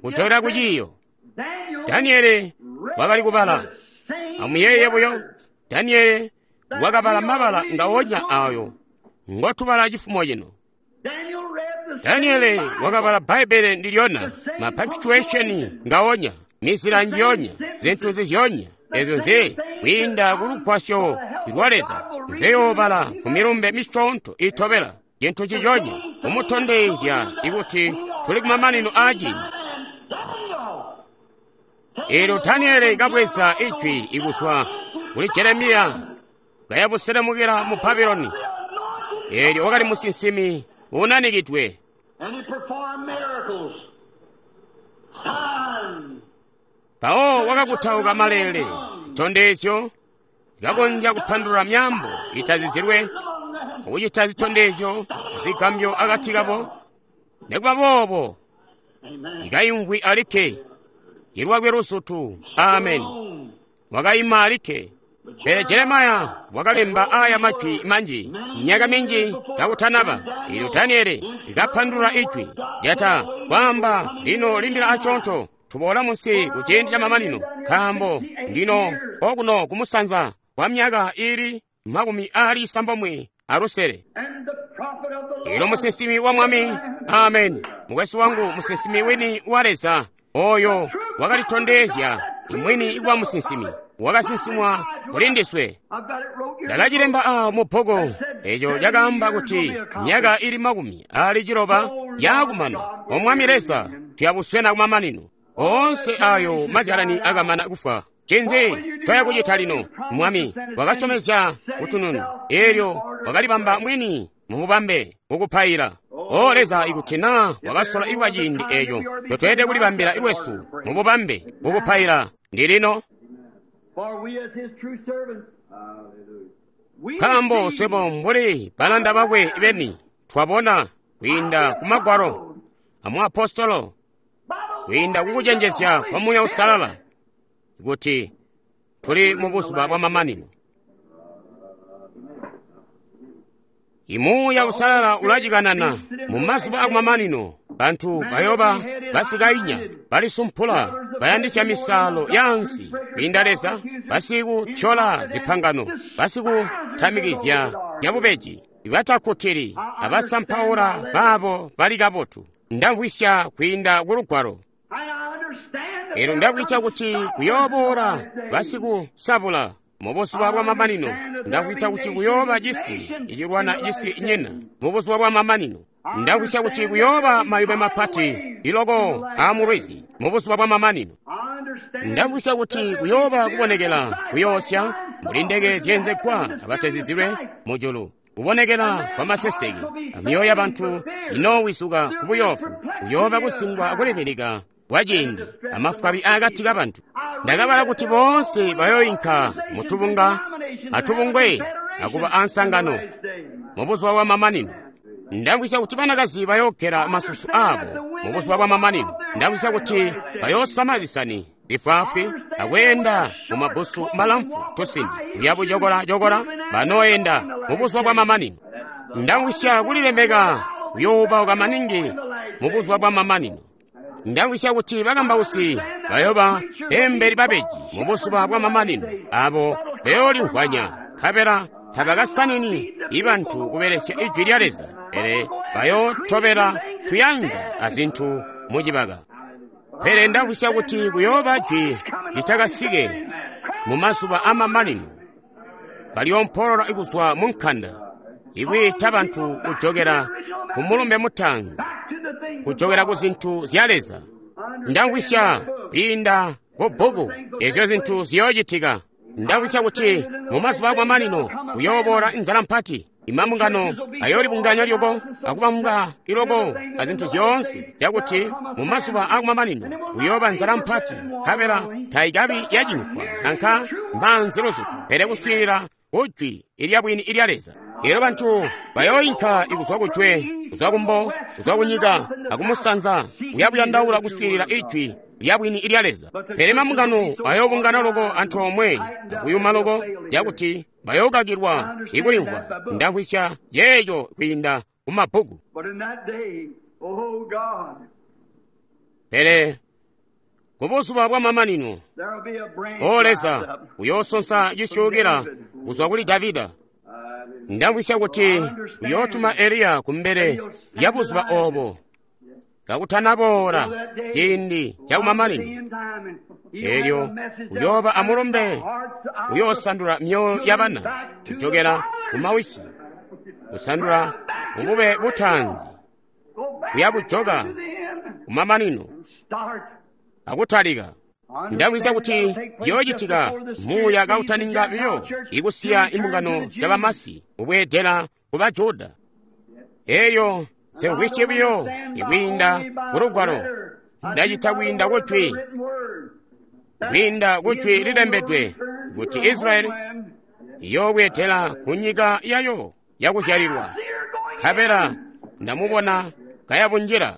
kujokela ku ciiyo, Daniele wakali kubala. Amuyeeye buyo, Daniele wakabala mabala ngawonya ayo ngotubala cifumo cino. Daniele wakabala Bbaibbele ndilyona, ma punctuation ngawonya, mizila njiyonya, zintu zizyonya, ezyo nze kwiinda kulugwasyo lwa Leza nzeyoobala ku milumbe misyoonto itobela, cintu ciconya kumutondezya ikuti tuli kumamanino aaciindi. Eelyo Daniele kabweza ijwi ikuzwa kuli Jeremiya kayabuselemukila mu Babuloni. Eelyo wakali musinsimi unanikidwe. Mpawo wakakutauka maleele, zitondezyo zikakonzya kupandulula myaambo itazizilwe, akucita zitondezyo azigambyo akati kabo. Nikuba boobo, ikayimvwi alikke, ilwakwe lusutu. Ameni. Wakaima alikke. Pele Jeremiya wakalemba aya majwi manji myaka minji kakutanaba. Eelyo Daniele likapandulula ijwi lyata kwaamba, lino lindila asyoonto, tuboola munsi ku ciindi camamanino, nkaambo ndino okuno kumusanza kwa myaka ili 96. Eelyo musinsimi wa Mwami, ameni, mukwesu wangu, musinsimi wini wa Leza, oyo wakalitondezya imwini ikuba musinsimi, wakasinsimwa kuli ndiswe. Ndakacilemba awo mu bbuku eco cakaamba kuti myaka ili 60 yaakumana, O Mwami Leza, tuyabuswena kumamanino. Oonse ayo mazyalani akamana kufwa. Ncinzi ncoyakucita lino? Mwami wakasyomezya kutununu, eelyo wakalibamba mwini mububambe kukupaila. O Leza, ikuti na wakasola ikuba ciindi eco totweelede kulibambila lwesu mububambe mukupaila ndilino. Nkaambo swebo mbuli balanda bakwe beni twabona kwiinda ku magwalo amuapostolo, kwiinda kukucenjezya kwa Muuya Uusalala, kuti tuli mu buzuba bwa mamanino. Imuuya Uusalala ulacikanana mu mazuba akumamanino. Bantu bayoba basikainya, balisumpula, bayandisya misaalo yaansi kwiinda Leza, basikuthyola zipangano, basikutamikizya zyabubeji, batakkutili abasampaula baabo bali kabotu. Ndamvwisya kwiinda ku Lugwalo. Elyo ndamvwisya kuti kuyooboola basikusabula mubuzuba bwa mamanino. Ndamvwisya kuti kuyooba cisi icilwana cisi nyina mubuzuba bwa mamanino. Ndamvwisya kuti kuyooba mayube mapati iloko aamulwizi mubuzuba bwa mamanino. Ndamvwisya kuti kuyooba kubonekela kuyoosya mbuli ndeke zyeenzegwa abatezizilwe mujulu, kubonekela kwa maseseke, amyoyo yabantu inoowizuka ku buyoofu. Kuyooba kusingwa akulibilika kwa ciindi amafwabi akati kabantu. Ndakabala kuti boonse bayoinka mutubunga atubungwe akuba ansangano mubuzuba bwa mamanino. Ndamvwisya kuti banakazi bayoogela masusu abo mubuzuba bwa mamanino. Ndamvwisya kuti bayoosama zisani zifwaafwi akweenda mumabbusu malamfu tusindi kuya bujokola-jokola banooyenda mubuzuba bwa mamanino. Ndamvwisya kulilemeka kuyoobauka maningi mubuzuba bwa mamanino. Ndamvwisya kuti bakambausi bayoba bembeli babeji mubuzuba bwa mamanino, abo bayoolimvwanya nkabela tabakasanini ibantu kubelesya ijwi lya Leza, pele bayootobela tuyanza azintu mucibaka. Pele ndamvwisya kuti kuyooba jwi litakasike mu mazuba amamanino, kalyompolola kuzwa mu nkanda, ikwiita bantu kujokela ku mulumbe mutaanzi, kujokela ku zintu zya Leza. Ndamvwisya kwiinda ku bbuku ezyo zintu ziyoocitika. Ndamvwisya kuti mu mazuba akumamanino kuyooboola inzala mpati, imambungano ayoolibunganya lyoko akubambwa iloko azintu zyoonse, cakuti mu mazuba akumamanino kuyooba nzala mpati, nkabela taikabi yacinkwa nanka maanzi luzutu, pele kuswiilila kujwi ilyabwini ilya Leza. Elyo bantu bayooyinka kuzwa kujwe, kuzwa kumbo, kuzwa kunyika akumusanza, kuyabuyandaula kuswiilila ijwi lyabwini ilya Leza. Pele mambungano ayoobungana loko antoomwe akuyuma loko cakuti bayookakilwa ikulimvwa. Ndamvwisya yeeco kwiinda ku mabbuku. Pele kubuzuba bwa mamanino, O Leza, uyoosonsa cisyuukila kuzwa kuli Davida. Ndamvwisya kuti uyootuma Eliya kumbele lya buzuba obo kakutanaboola ciindi cakumamanino. Elyo uyooba amulumbe uyoosandula myoyo yabana kujokela kumawisi, kusandula kubube butaanzi, kuyabujoka kumamanino akutalika. Ndamvwisya kuti ciyoocitika muuya kautaninga biyo ikusiya imbungano yabamasi kubweedela ku Bajuda. Elyo nsemvwisye biyo ikwiinda ku Lugwalo, ndacita kwiinda kujwi, kwiinda kujwi lilembedwe kuti Israyeli iyoobweedela ku nyika yayo yakuzyalilwa. Nkabela ndamubona kayabunjila.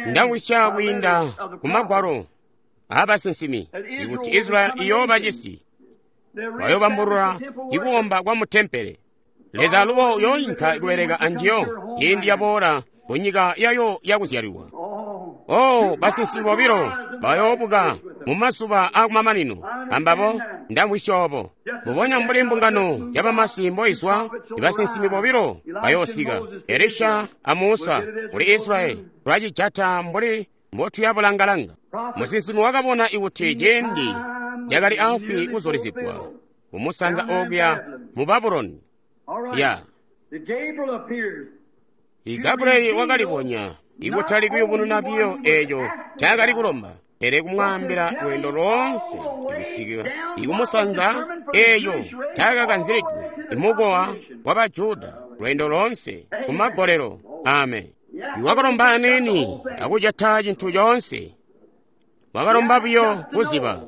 Ndamvwisya kwiinda ku magwalo aabasinsimi ikuti Israyeli iyooba cisi, bayoobambulula ikukomba kwa mutempele. Leza alubo uyooyinka kubeleka anjiyo ciindi yaboola ku nyika yayo yakuzyalilwa. Oh, basinsimi bobilo bayoobuka mu mazuba akumamanino ambabo ndamvwisya obo. Mbubonya mbuli mbungano yabamasi mboizwa, ibasinsimi bobilo bayoosika, Elisha a Musa. Kuli Israyeli tulacijata mbuli mbotuyabulanga-langa. Musinsimi wakabona ikuti ciindi cakali afwi kuzulizigwa kumusanza okuya mu Babuloni. Ya Gabrieli wakalibonya ikutali kuyubununa biyo eeco ncaakali kulomba, pele kumwaambila lweendo loonse ikusikila ikumusanza eeco ncaakakanzilidwe imukowa wa Bajuda, lweendo loonse kumagolelo. Amen. Wakalomba aniini akujata cintu coonse. Wakalomba buyo kuziba.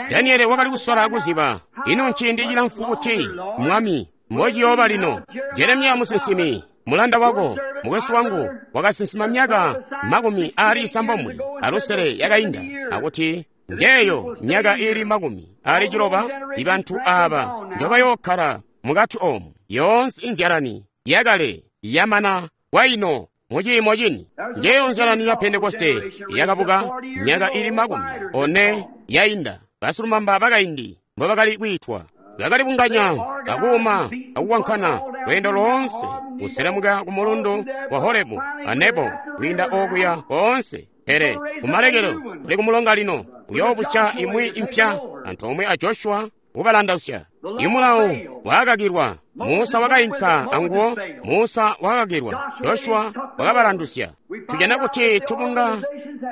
Daniele wakali kusola kuziba, ino nciindi cilamfu buti, Mwami, mbociyooba lino? Jeremiya musinsimi, mulanda wako, mukwesu wangu, wakasinsima myaka 96 yakainda, akuti njeeyo myaka iili 60 ibantu aaba njobayookkala mukati oomu. Yoonse inzyalani yakale yamana waino muciimo cini. Njeeyo nzyalani ya Pentekoste yakabuka myaka iili 40 yainda. Basilumamba bakaindi mbobakali kwiitwa bakali bunganya akuuma akuwankana lweendo loonse kuselemuka ku mulundu wa Horebu a Nebo kwiinda okuya koonse. Pele kumalekelo kuli kumulonga lino uyoobusya imwi impya antoomwe a Joshua kubalandausya. Imulawo wakakakilwa, Musa wakainka anguwo. Musa wakakakilwa, Joshua wakabalandusya. Tujana kuti tubunga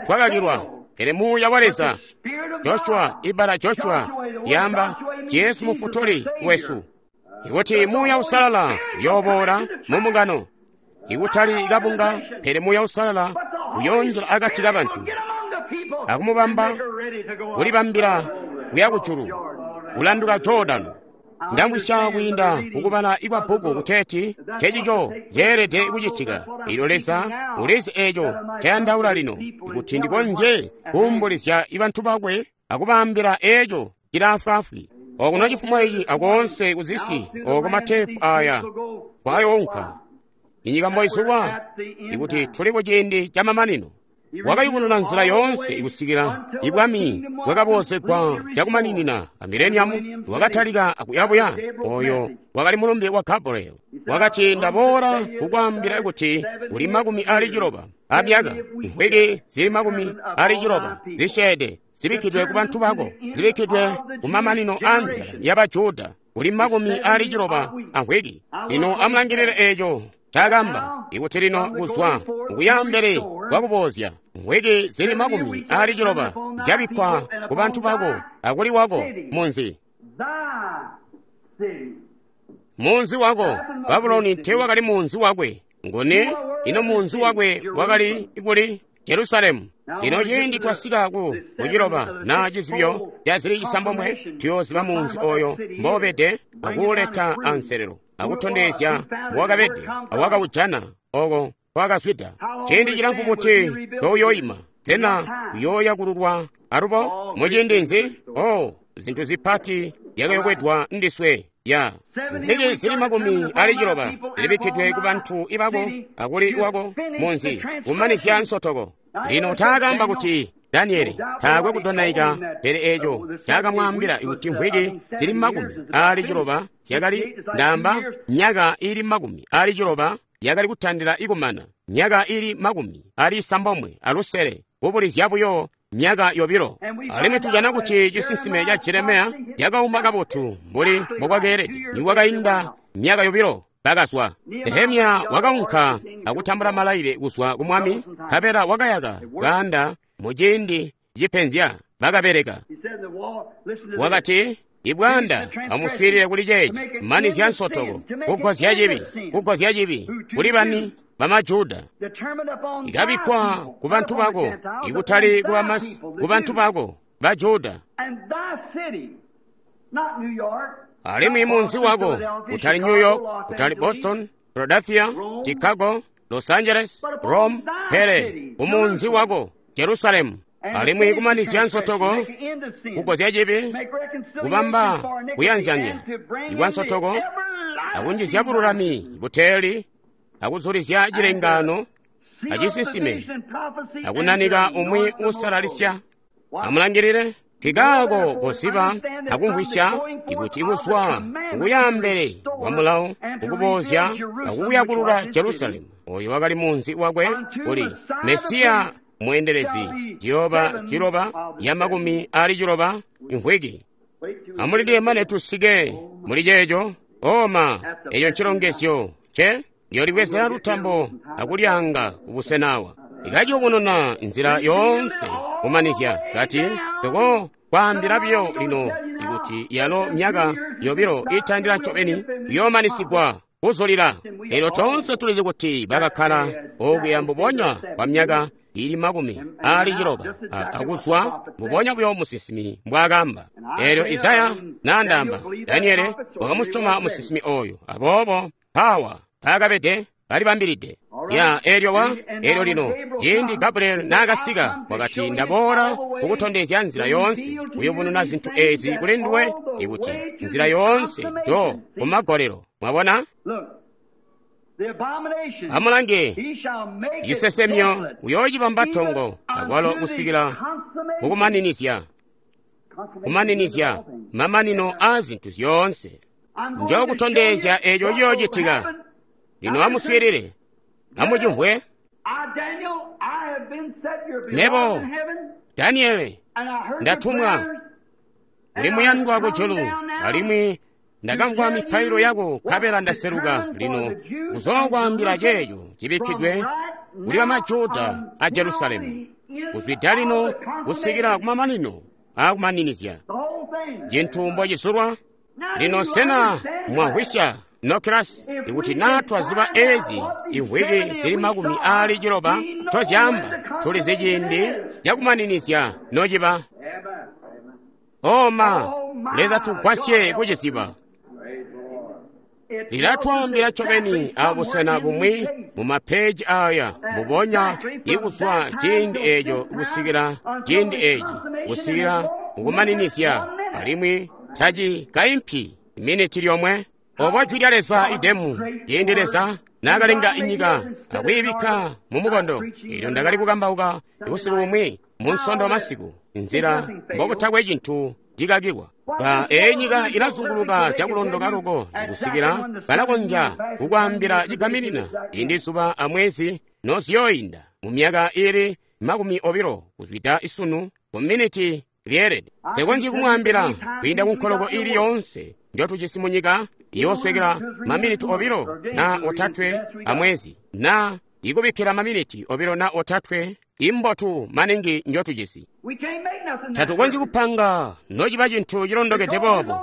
twakakilwa, pele Muuya wa Leza, Joshua, ibbala Joshua lyaamba Jesu Mufutuli wesu. Ikuti Muuya Uusalala uyooboola mu mbungano, ikutali kabunga, pele Muuya Uusalala uyoonjila akati kabantu akumubamba kulibambila kuya kujulu, kulanduka Jordano. Ndamvwisya kwiinda kukubala ikwa bbuku kuteeti ncecico ceelede kucitika. Elyo Leza ulizi eeco ncayandaula lino, kuti ndikonzye kuumbulizya bantu bakwe akubaambila eeco cilaafwaafwi. Okuno cifumo ici akoonse kuzisi oko mateepu aya kwayoonka inyika mboizulwa, ikuti tuli kuciindi camamanino. Wakayubununa nzila yoonse ikusikila ibwami bwakaboozegwa cakumaninina a mileniamu wakatalika akuyabuya. Oyo wakali mulumbe wa Gabriel. Wakati, ndaboola kukwaambila kuti kuli 60 amyaka, mvwiki zili 60 zisyeede zibikkidwe ku bantu bako, zibikkidwe ku mamanino a nzala yaba Juda, kuli 60 amvwiki. Lino amulangilile eeco ncaakamba, ikuti lino kuzwa mukuyambele kwakuboozya mvwiki zili 60 zyabikkwa ku bantu bako akuli wako munzi. Munzi wako Babuloni teewakali munzi wakwe. Nguni? Ino munzi wakwe wakali kuli? Jerusalemu. Lino ciindi twasika ku kuciloba na cizibyo ca zili 9, tuyooziba munzi oyo mboobede akuuleta anselelo akutondezya mbowakabede awakaujana oko kwakazwida. Ciindi cilamfu buti touyoima? Sena uyooyakululwa alubo? Muciindi nzi? Oh, zintu zipati zyakayokwedwa ndiswe. Ya mvwiki zili 60 zilibikkidwe ku bantu ibako akuli wako munzi kumanizya nsotoko. Lino taakamba kuti Daniele taakwe kudonaika, pele eeco caakamwaambila kuti mvwiki zili 60 zyakali, ndaamba myaka iili 60 yakali kutandila ikumana, myaka iili 96, kubulizya buyo myaka 2. Alimwi tujana kuti cisinsime ca Jeremiya cakauma kabotu mbuli mbokwakeelede. Nikwakainda myaka 2 bakazwa. Nehemiya wakaunka akutambula malaile kuzwa ku mwami, nkabela wakayaka kaanda muciindi cipenzya bakabeleka. Wakati, ibwanda amuswiilile kuli ceeci, manizya nsotoko, kugozya cibi, kugozya cibi kuli bani bamajuda. Ikabikkwa ku bantu bako, ikutali ku bantu bako ba Juda. Alimwi munzi wako, kutali New York, kutali Boston, Philadelphia, Chicago, Los Angeles, Rome, pele kumunzi wako Jerusalemu. Alimwi kumanizya nsotoko, kugozya cibi, kubamba kuyanzanya ikwa nsotoko, akunjizya bululami buteeli, akuzulizya cilengano acisinsime, akunanika umwi uusalalisya. Amulangilile kikaako koziba akumvwisya ikuti kuzwa kukuyambele kwa mulawo kukuboozya akukuyakulula Jerusalemu, oyo wakali munzi wakwe kuli Mesiya mweendelezi, ciyooba 60 imvwiki. Amulindile mane tusike muli ceeco. Oma, eco ncilongezyo ce ndiyolibwezera lutambo akulyanga kubusenawa. Ikaciyubununa nzila yoonse kumanizya kati toko kwaambila biyo lino ikuti yalo myaka 2 itandila ncobeni kuyoomanisigwa kuzulila. Elyo toonse tulizi kuti bakakkala okuya mbubonya kwa myaka ili 60 akuzwa mbubonya buyo musinsimi mbwaakamba. Elyo Isaya naandaamba, Daniele wakamusyoma musinsimi oyo, aboobo mpawa paakabede balibambilide. Ya elyo elyo lino ciindi Gabriel naakasika wakati, ndaboola kukutondezya nzila yoonse, kuyubununa zintu ezi kuli nduwe, ikuti nzila yoonse do kumagolelo. Mwabona? Amulange, cisesemyo uyoocibamba tongo akwalo kusikila kukumaninizya, kumaninizya mamanino aa zintu zyoonse. Njokutondezya eco ciyoocitika. Lino amuswiilile, amucimvwe. Mebo, Daniele, ndatumwa kuli muyandwa kujulu, alimwi ndakamvwa mipailo yako nkabela ndaseluka lino kuzookwaambila ceeco cibikkidwe kuli bamajuda a Jerusalemu, kuzwida lino kusikila kumamanino aakumaninizya cintu mbocisulwa. Lino sena mwamvwisya nokilasi? Ikuti naa twaziba ezi imvwiki zili 60 ncozyaamba, tulizi ciindi cakumaninizya nociba. Oma, Leza tugwasye kuciziba. Lilatwaambila ncobeni abusena bumwi mu mapeji aya mbubonya ikuzwa ciindi eco kusikila ciindi eci, kusikila mukumaninizya, alimwi taci kaimpi miniti lyomwe. Obo jwi lya Leza idemu, ciindi Leza naakalenga inyika akwiibikka mu mukondo. Elyo ndakali kukambauka busiku bumwi mu Nsondo masiku, nzila mbokutakwe cintu cikakilwa. Eyi nyika ilazunguluka cakulondoka loko kusikila balakonzya kukwaambila cigaminina ciindi zuba amwezi noziyooyinda mu myaka ili 20 kuzwida isunu ku miniti lyeelede. Nsekonzyi kumwaambila kwiinda ku nkoloko ili yoonse njotujisi mu nyika iyooswekela maminiti 2 na 3 amwezi, na ikubikkila maminiti 2 na 3 imbotu maningi njotujisi. Tatukonzyi kupanga nociba cintu cilondokede boobo,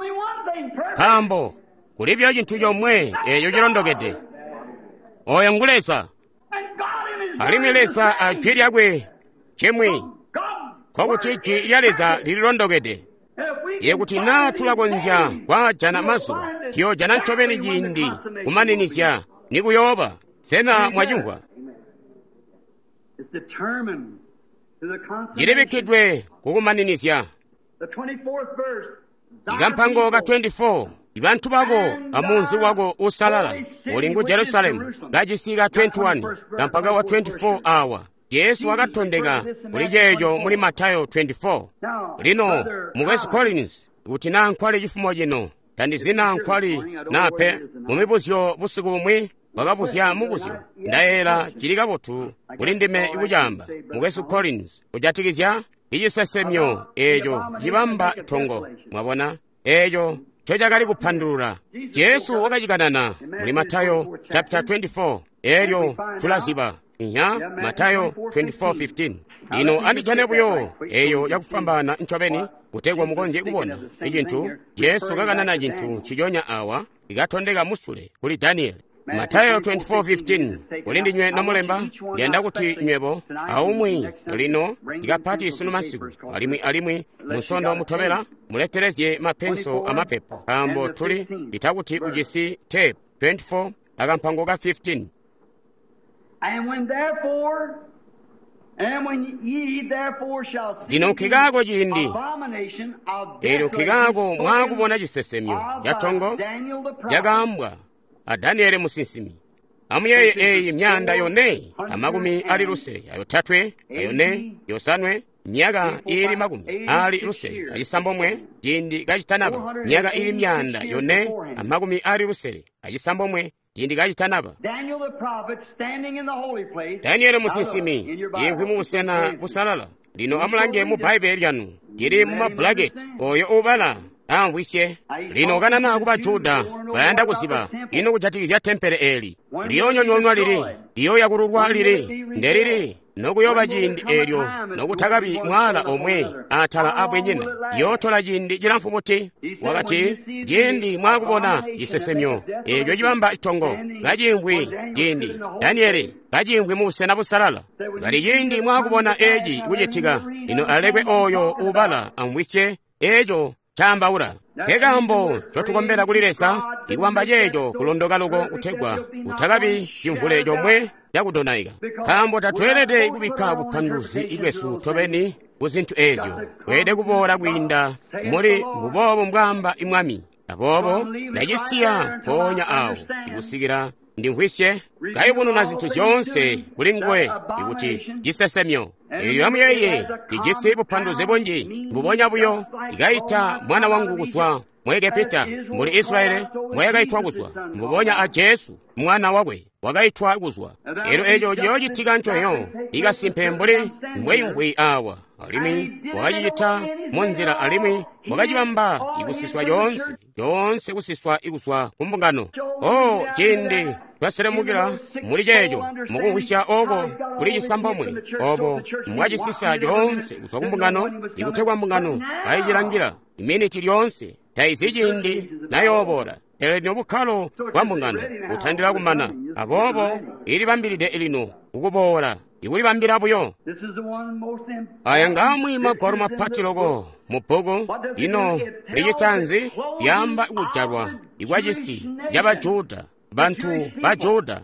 nkaambo kulibyo cintu comwe eco cilondokede. Oyo ngu Leza, alimwi Leza a jwi lyakwe cimwi, nkokuti jwi lya Leza lililondokede. Ikuti naa tulakonzya kwaajana mazuba, tuyoojana ncobeni ciindi kumaninizya nikuyooba. Sena mwacimvwa? Cilibikkidwe kukumaninizya. Ikampango ka 24, ibantu bako amunzi wako usalala uli ngu Jerusalemu, kacisi ka 21, kampango ka 24 awa. Jesu wakatondeka kuli ceeco muli Matayo 24. Lino mukwesu Collins, kuti naa nkwali cifumo cino, tandizina nkwali naa pe. Mumibuzyo busiku bumwi wakabuzya mubuzyo, ndayeela cili kabotu kuli ndime kucaamba. Mukwesu Collins, kujatikizya icisesemyo eeco cibamba tongo, mwabona eeco ncocakali kupandulula. Jesu wakacikanana muli Matayo chapter 24, elyo tulaziba. Nya Matayo 24:15. Lino andijane buyo eyo yakufwambaana ncobeni kutegwa mukonzye kubona icintu Jesu kakanana cintu nciconya awa ikatondeka musule kuli Daniele. Matayo 24:15. Kuli ndinywe nomulemba, ndiyanda kuti nywebo aumwi lino ikapati sunu masiku, alimwi munsondo mutobela muletelezye mapenso amapepa, nkaambo tuli itakuti ujisi tape 24 akampango ka 15. Lino nkikaako ciindi eelyo nkikaako mwaakubona cisesemyo catongo cakaambwa a Daniele musinsimi. Amuyeeye eyi myaanda yone 63, 4, 5, myaka ili 69 ciindi kacitanaba, myaka ili 469 ciindi kacitanaba. Daniele musinsimi imvwi mubusena busalala. Lino amulange mu Bbaibele lyanu, lili mu mabulaketi. Oyo ubala amvwisye. Lino kanana kuba Juda bayanda kuziba ino kujatikizya tempele eli. Liyoonyonyoonwa lili, liyooyakululwa lili, ndelili nokuyooba ciindi eelyo nokutakabi mwaala omwe atala abwenyina. Yootola ciindi cilamfu buti? Wakati, ciindi mwaakubona cisesemyo eeco cibamba tongo kaciimvwi, ciindi Daniele kaciimvwi mu busena busalala, kali ciindi mwaakubona eeci kucitika, lino alekwe oyo uubala amvwisye eeco caambaula. Nkekaambo ncotukombela kuli Leza ikubamba ceeco kulondoka loko kutegwa kutakabi cimvule comwe cakudonaika, nkaambo tatweelede kubikka bupanduluzi bwesu tobeni ku zintu eezyo. Kweelede kuboola kwiinda muli mbuboobo mbwaamba Mwami. Aboobo ndacisiya mpoonya awo ikusikila ndimvwisye kayubununa zintu zyoonse kuli nguwe ikuti cisesemyo. Eelyo amuyeeye, lijisi bupanduluzi bunji. Mbubonya buyo ikaita mwana wangu kuzwa mu Egepita, mbuli Israeli mbwayakaitwa kuzwa, mbubonya a Jesu mwana wakwe wakaitwa kuzwa. Eelyo eeco ciyoocitika ncoyo ikasimpe mbuli mbweimvwi awa, alimwi wakacicita munzila alimwi wakacibamba ikusiswa yoonse, yoonse kusiswa ikuzwa ku mbungano. O ciindi twaselemukila muli ceeco mukumvwisya oko kuli cisambomwe obo mbwacisisa coonse kuzwa ku mbungano, ikutegwa mbungano kayicilangila iminiti lyoonse taizi ciindi nayooboola. Pele lino bukkalo bwa mbungano butandila kumana, aboobo ilibambilide lino kukuboola, ikulibambila buyo. Aya ngaamwi magwalo mapati loko mu bbuku. Lino licita nzi? Lyaamba kujalwa ikwacisi caba Juda, bantu ba Juda.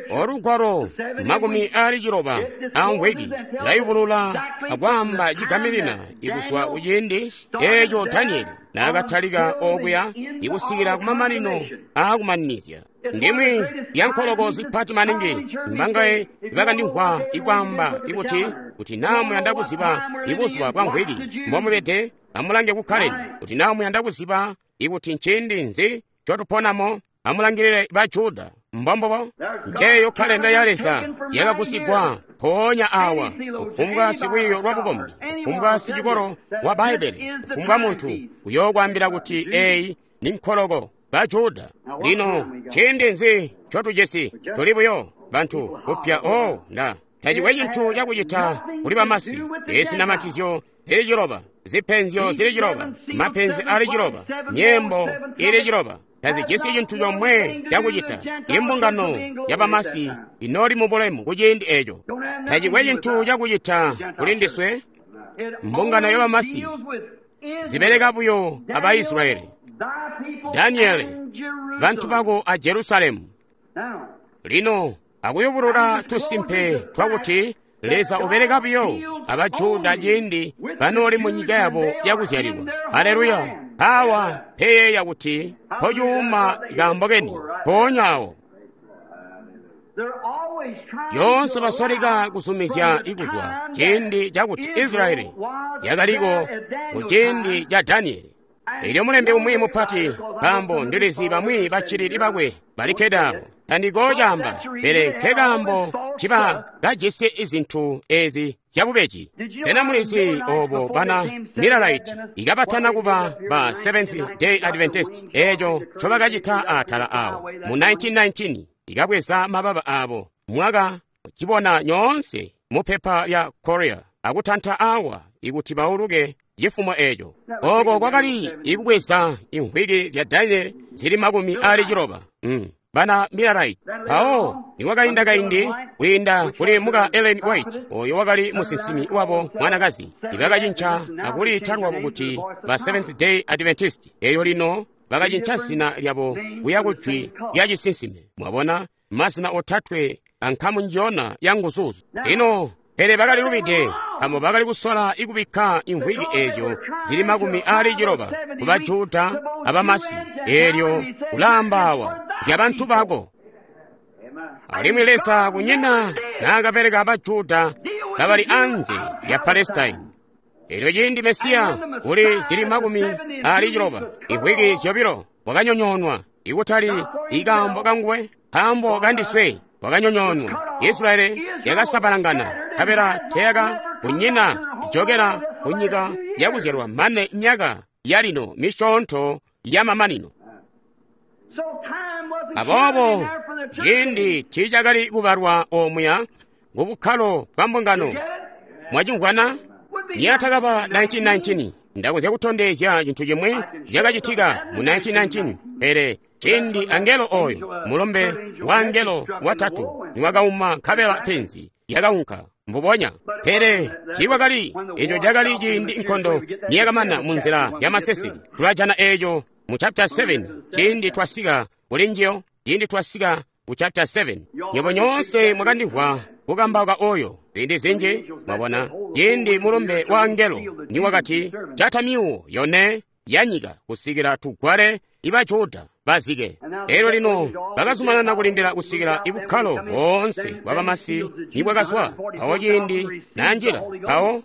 Olugwalo 60 amvwiki lilayubulula akwaamba cigaminina ikuzwa kuciindi eeco Danieli naakatalika okuya ikusikila kumamanino aakumaninizya. Ndimwi lyankoloko zipati maningi mbangaye bakandimvwa ikwaamba ikuti kuti naa muyanda kuziba ibuzuba bwa mvwiki mbomubede, amulange ku kalenda. Kuti naa muyanda kuziba ikuti nciindi nzi ncotuponamo, amulangilile ba Juda. Mbombobo njeeyo kalenda ya Leza yakagusigwa mpoonya awa. Kufumbwa silwiiyo lwa bukombi, kufumbwa sicikolo wa Bbaibbele, kufumbwa muntu uyookwaambila kuti eeyi ni nkoloko ba Juda. Lino ciindi nzi ncotujisi? Tuli buyo bantu kupya. O nda tacikwe cintu cakucita kuli bamasi. Ezinamatizyo zili 6, zipenzyo zili 6, mapenzi ali 6, myembo ili 6. Tazijisi cintu comwe cakucita. Imbungano yabamasi inooli mu bulemu kuciindi eeco. Tacikwe cintu cakucita kuli ndiswe. Mbungano yabamasi zibeleka buyo aba Israeli. Daniele, bantu bako a Jerusalemu. Lino akuyubulula tusimpe twakuti Leza ubeleka buyo aba Juda ciindi banooli mu nyika yabo yakuzyalilwa. Haleluya! Awa peyeeya kuti mpocuuma kaambo keni mpoonya awo. Yoonse basoleka kuzumizya ikuzwa ciindi cakuti Israeli yakaliko mu ciindi ca Danieli. Elyo mulembi umwi mupati, nkaambo ndilizi bamwi baccilili bakwe balikkede abo, tandikoocaamba, pele nkekaambo ciba kajisi izintu ezi zyabubeji. Sena mulizi obo bana Millerite ikabatana kuba ba Seventh Day Adventist eeco ncobakacita atala awo mu 1919 ikabweza mababa abo mwaka cibona nyoonse mu pepa lya Korea akutanta awa ikuti bauluke cifumo eeco. Oko kwakali ikubweza imvwiki zya Daniel zili 60. Bana Millerite. Mpawo nikwakainda kaindi kwiinda kuli muka Ellen White, oyo wakali musinsimi wabo mwanakazi, ibakacinca akuliita lwabo kuti ba Seventh Day Adventist. Eyo lino bakacinca zina lyabo kuya kujwi lya cisinsime. Mwabona, mazina otatwe ankamu njiyona ya nguzuzu. Lino pele bakali lubide, nkaambo bakali kusola ikubikka imvwiki eezyo zili 60 ku Bajuda abamasi. Eelyo ulaamba awa zya bantu bako. Alimwi Leza kunyina naakapereka Abajuda kabali anze ya Palestine. Eelyo ciindi Mesiya kuli zili 60 imvwiki zyobilo wakanyonyoonwa, ikutali ikaambo kanguwe, nkaambo kandiswe wakanyonyoonwa. Israeli yakasabalangana, nkabela teyaka kunyina jokela kunyika yakuzyalwa mane myaka yalino misyoonto yamamanino. Aboobo ciindi tiicakali kubalwa omuya ku bukkalo bwa mbungano. Mwacimvwana? Niyatakaba 1919, ndakonzya kutondezya cintu cimwi cakacitika mu 1919, pele ciindi angelo oyo, mulumbe wa angelo watatu, niwakauma nkabela penzi yakaunka mbubonya. Pele tiikwakali eco cakali ciindi nkondo niyakamana mu nzila ya maseseke. Tulajana eco mu chapter 7 ciindi twasika kuli njiyo, ciindi twasika ku chapter 7. Nywebo nyoonse mwakandimvwa kukambauka oyo ziindi zinji, mwabona, ciindi mulumbe wa angelo niwakati jata myuwo yone ya nyika kusikila tugwale iba Juda bazike. Elyo lino bakazumanana kulindila kusikila ibukkalo boonse bwa bamasi nibwakazwa. Mpawo ciindi nanjila, mpawo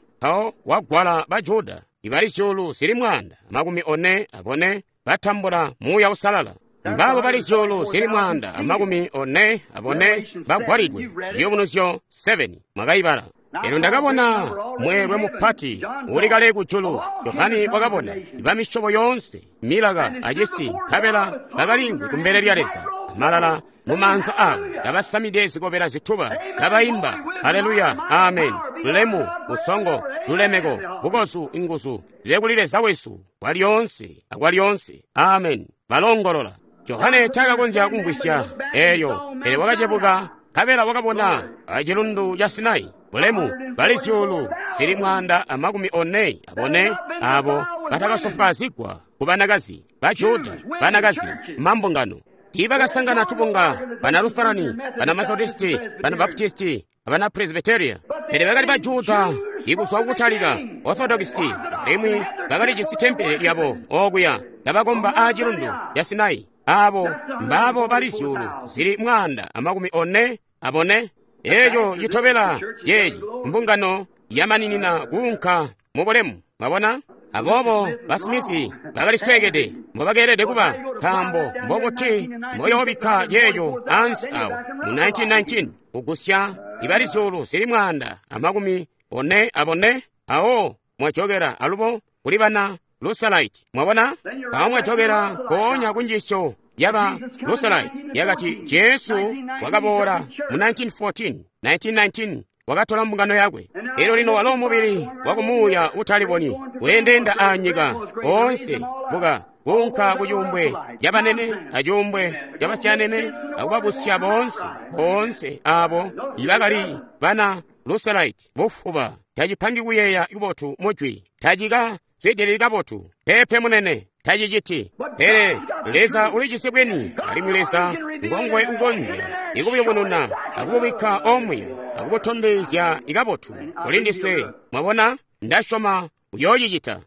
wagwala ba Juda ibali zyuulu zili 144 batambula Muuya Uusalala. Mbaabo bali zyuulu zili 144 bagwalidwe. Ciyubunuzyo 7 mwakayibala. Elyo ndakabona mweelwe mupati uli kale kujulu. Yohane wakabona bamisyobo yoonse, milaka acisi, nkabela bakaliimvwi kumbele lya Leza, malala mumaanza aabo, kabasamide zikobela zituba, kabaimba haleluya, amen, lulemu, busongo, lulemeko, bukozu, inguzu zibe kuli Leza wesu kwalyoonse akwalyoonse, amen. Balongolola. Johane taakakonzya kumvwisya elyo, pele wakacebuka nkabela wakabona acilundu ca Sinai bulemu bali zyuulu zili 144 abo batakasofwaazigwa ku banakazi ba Juda, banakazi mambungano. Tiibakasangana tubunga bana Lutherani, bana Methodisti, bana Baptisti, abana Presbyteria, pele bakali ba Juda ikuzwa kukutalika Orthodoxi, alimwi bakalijisi tempele lyabo okuya kabakomba aacilundu ca Sinai. Abo mbaabo bali zyuulu zili 144. Eco citobela ceeci mbungano yamaninina kuunka mu bulemu. Mwabona? Aboobo basimithi bakalisweekede mbobakeelede kuba, nkaambo mbokuti mboyoobikka ceeco ansi awo mu 1919 kugusya ibali zyuulu zili 144. Awo mwajokera alubo kuli bana Lusalite. Mwabona? Awo mwajokera nkoonya kunjiisyo yaba Lusalite yakati Jesu wakaboola mu 1914, 1919 wakatola mbungano yakwe. Elyo lino walo mubili wakumuuya utalibonyi weendeenda anyika oonse buka kuunka ku cuumbwe cabanene acuumbwe cabasyanene akubabusya boonse boonse abo ibakali bana Lusalite. Bufuba tacipangi kuyeeya kubotu mujwi, tacika zwidilili kabotu pepe munene, taciciti. Pele Leza ulijisi bwini, alimwi Leza ngongwe ukonzya ikubuyubununa akububikka omuya akubutondezya ikabotu kuli ndiswe. Mwabona? Ndasyoma uyoocicita.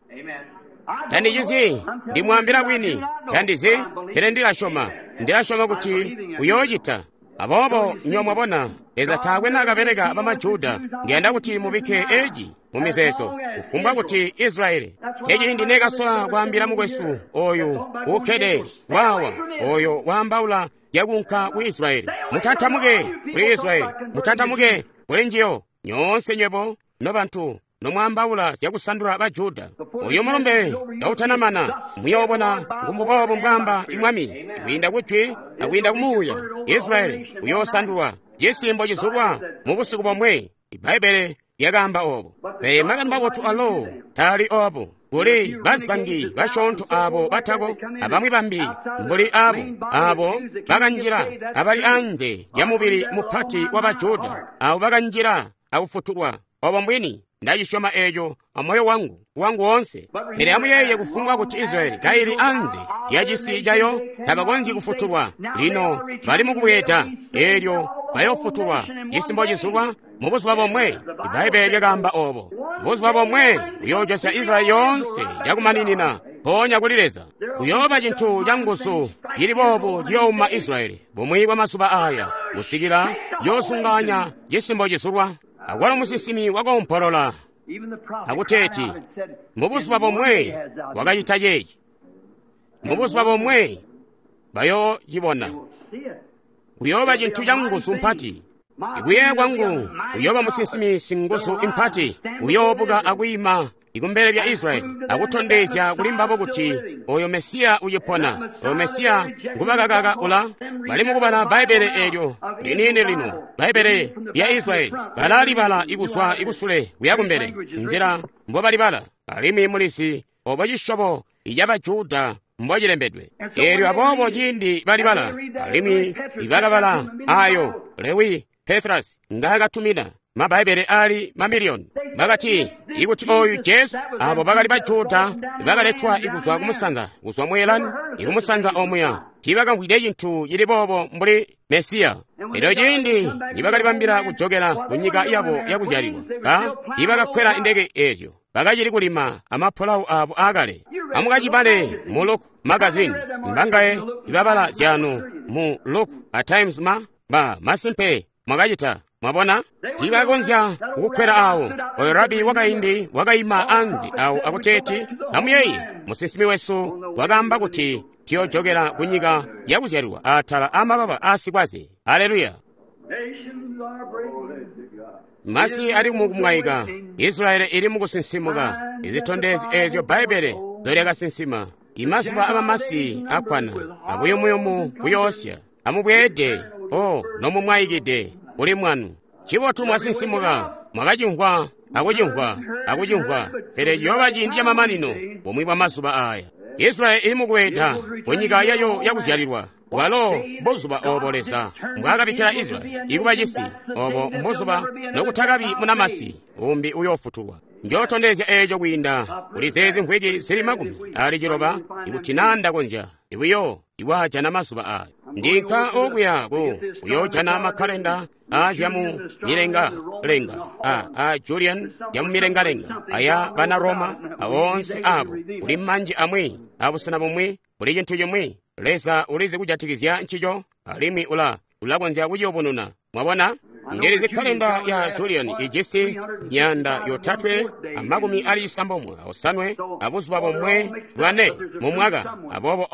Tandicizi, ndimwaambila bwini, tandizi, pele ndilasyoma, ndilasyoma kuti uyoocita. Aboobo nyo mwabona, Leza taakwe naakabeleka bamajuda. Ndiyanda kuti mubikke eci mu mizeezo, kufumbwa kuti Israyeli. Eci ndinekasola kwaambila mukwesu oyu ukkede wawa, oyo waambaula yakunka ku Israyeli. Mutantamuke kuli Israyeli, mutantamuke kuli njiyo nyoonse nywebo nobantu nomwaambaula zyakusandula ba Juda. Uyu mulumbe kautanamana, muyoobona ngumbuboobo mbwaamba Mwami, kwiinda kujwi akwiinda kumuuya. Israyeli uyoosandulwa cisimbo cizulwa mu busiku bomwe. Ibbaibbele lyakaamba oobo. Pele makani mabotu alo taali oobo. Kuli bazangi basyoonto abo batako abamwi bambi mbuli abo abo bakanjila abali anze lya mubili mupati wa Bajuda, abo bakanjila akufutulwa. Obo mbwini, ndacisyoma eco amoyo wangu wangu woonse. Pele amuyeeye kufumbwa kuti Israyeli kaili anze lya cisi cayo tabakonzyi kufutulwa. Lino bali mukubweeda, eelyo bayofutulwa cisimbo cizulwa mu buzuba bomwe. Ibbaibbele lyakaamba oobo. Buzuba bomwe buyoojosya Israyeli yoonse cakumaninina mpoonya kuli Leza. Kuyooba cintu canguzu cili boobu ciyooma Israyeli bumwi bwa mazuba aaya kusikila yoosunganya cisimbo cizulwa. Akwalo musinsimi wakoompolola akuteeti, mubuzuba bomwe wakacita ceeci, mubuzuba bomwe bayoocibona. Kuyooba cintu canguzu mpati. Ikuyeeya kwangu kuyooba musinsimi singuzu impati, uyoobuka akwiima ikumbele lya Israyeli akutondezya kuli mbabo kuti oyo Mesiya ucipona, oyo Mesiya ngubakakaka ula bali mukubala Bbaibbele eelyo liniini lino, Bbaibbele lya Israyeli, balalibala ikuzwa ikusule kuya kumbele, nzila mbobalibala, alimwi mulizi obo cisyobo icabaJuda mbocilembedwe. Eelyo aboobo ciindi balibala, alimwi ibakabala ayo Lewi Petras ngaakatumina maBbaibbele ali mamiliyoni, bakati ikuti oyu Jesu, abo bakali baJuda bakaletwa ikuzwa kumusanza, kuzwa mu Elani ikumusanza omuya, tiibakamvwide cintu cili boobo mbuli Mesiya. Elyo ciindi nibakalibambila kujokela ku nyika yabo yakuzyalilwa, ibakakkwela indeke eezyo, bakacili kulima amapulawu abo aakale. Amukacibale mu Look magazine, mbangaye ibabala zyanu mu Look a Times ma ba masimpe mwakacita. Mwabona, tiibakonzya kukukkwela awo. Oyo rabi wakaindi wakaima anze awo akuteeti, amuyeeye, musinsimi wesu wakaamba kuti tiyojokela ku nyika yakuzyalilwa atala amababa aasikwaze. Haleluya! Masi ali mukumwaika, Israeli ili mukusinsimuka. Izitondezyo eezyo Bbaibbele nzolyakasinsima. Imazuba abamasi akkwana, abuyumuyumu buyoosya. Amubweede, o nomumwaikide kuli mwanu. Cibotu mwasinsimuka, mwakacimvwa, akucimvwa, akucimvwa, pele ciyooba ciindi camamanino bumwi bwa mazuba aaya. Israeli ili mukweeda ku nyika yayo yakuzyalilwa. Bwalo mbuzuba obo Leza mbwaakabikkila Israeli ikuba cisi, obo mbuzuba nokutakabi munamasi umbi uyoofutulwa. Njootondezya eeco kwiinda kuli zeezi mvwiki zili 60 ikuti naa ndakonzya buyo iwaajana mazuba aaya. Ndinka okuya ku kuyoojana makkalenda aazyamu milengalenga a Julian yamu milengalenga aya bana Roma awoonse abo. Kuli manji amwi abusena bumwi, kuli cintu cimwi Leza ulizi kujatikizya ncico, alimwi ulakonzya kuciyubununa. Mwabona? Ndilizi kalenda ya Julian ijisi 395 abuzuba bomwe bwane mu mwaka, aboobo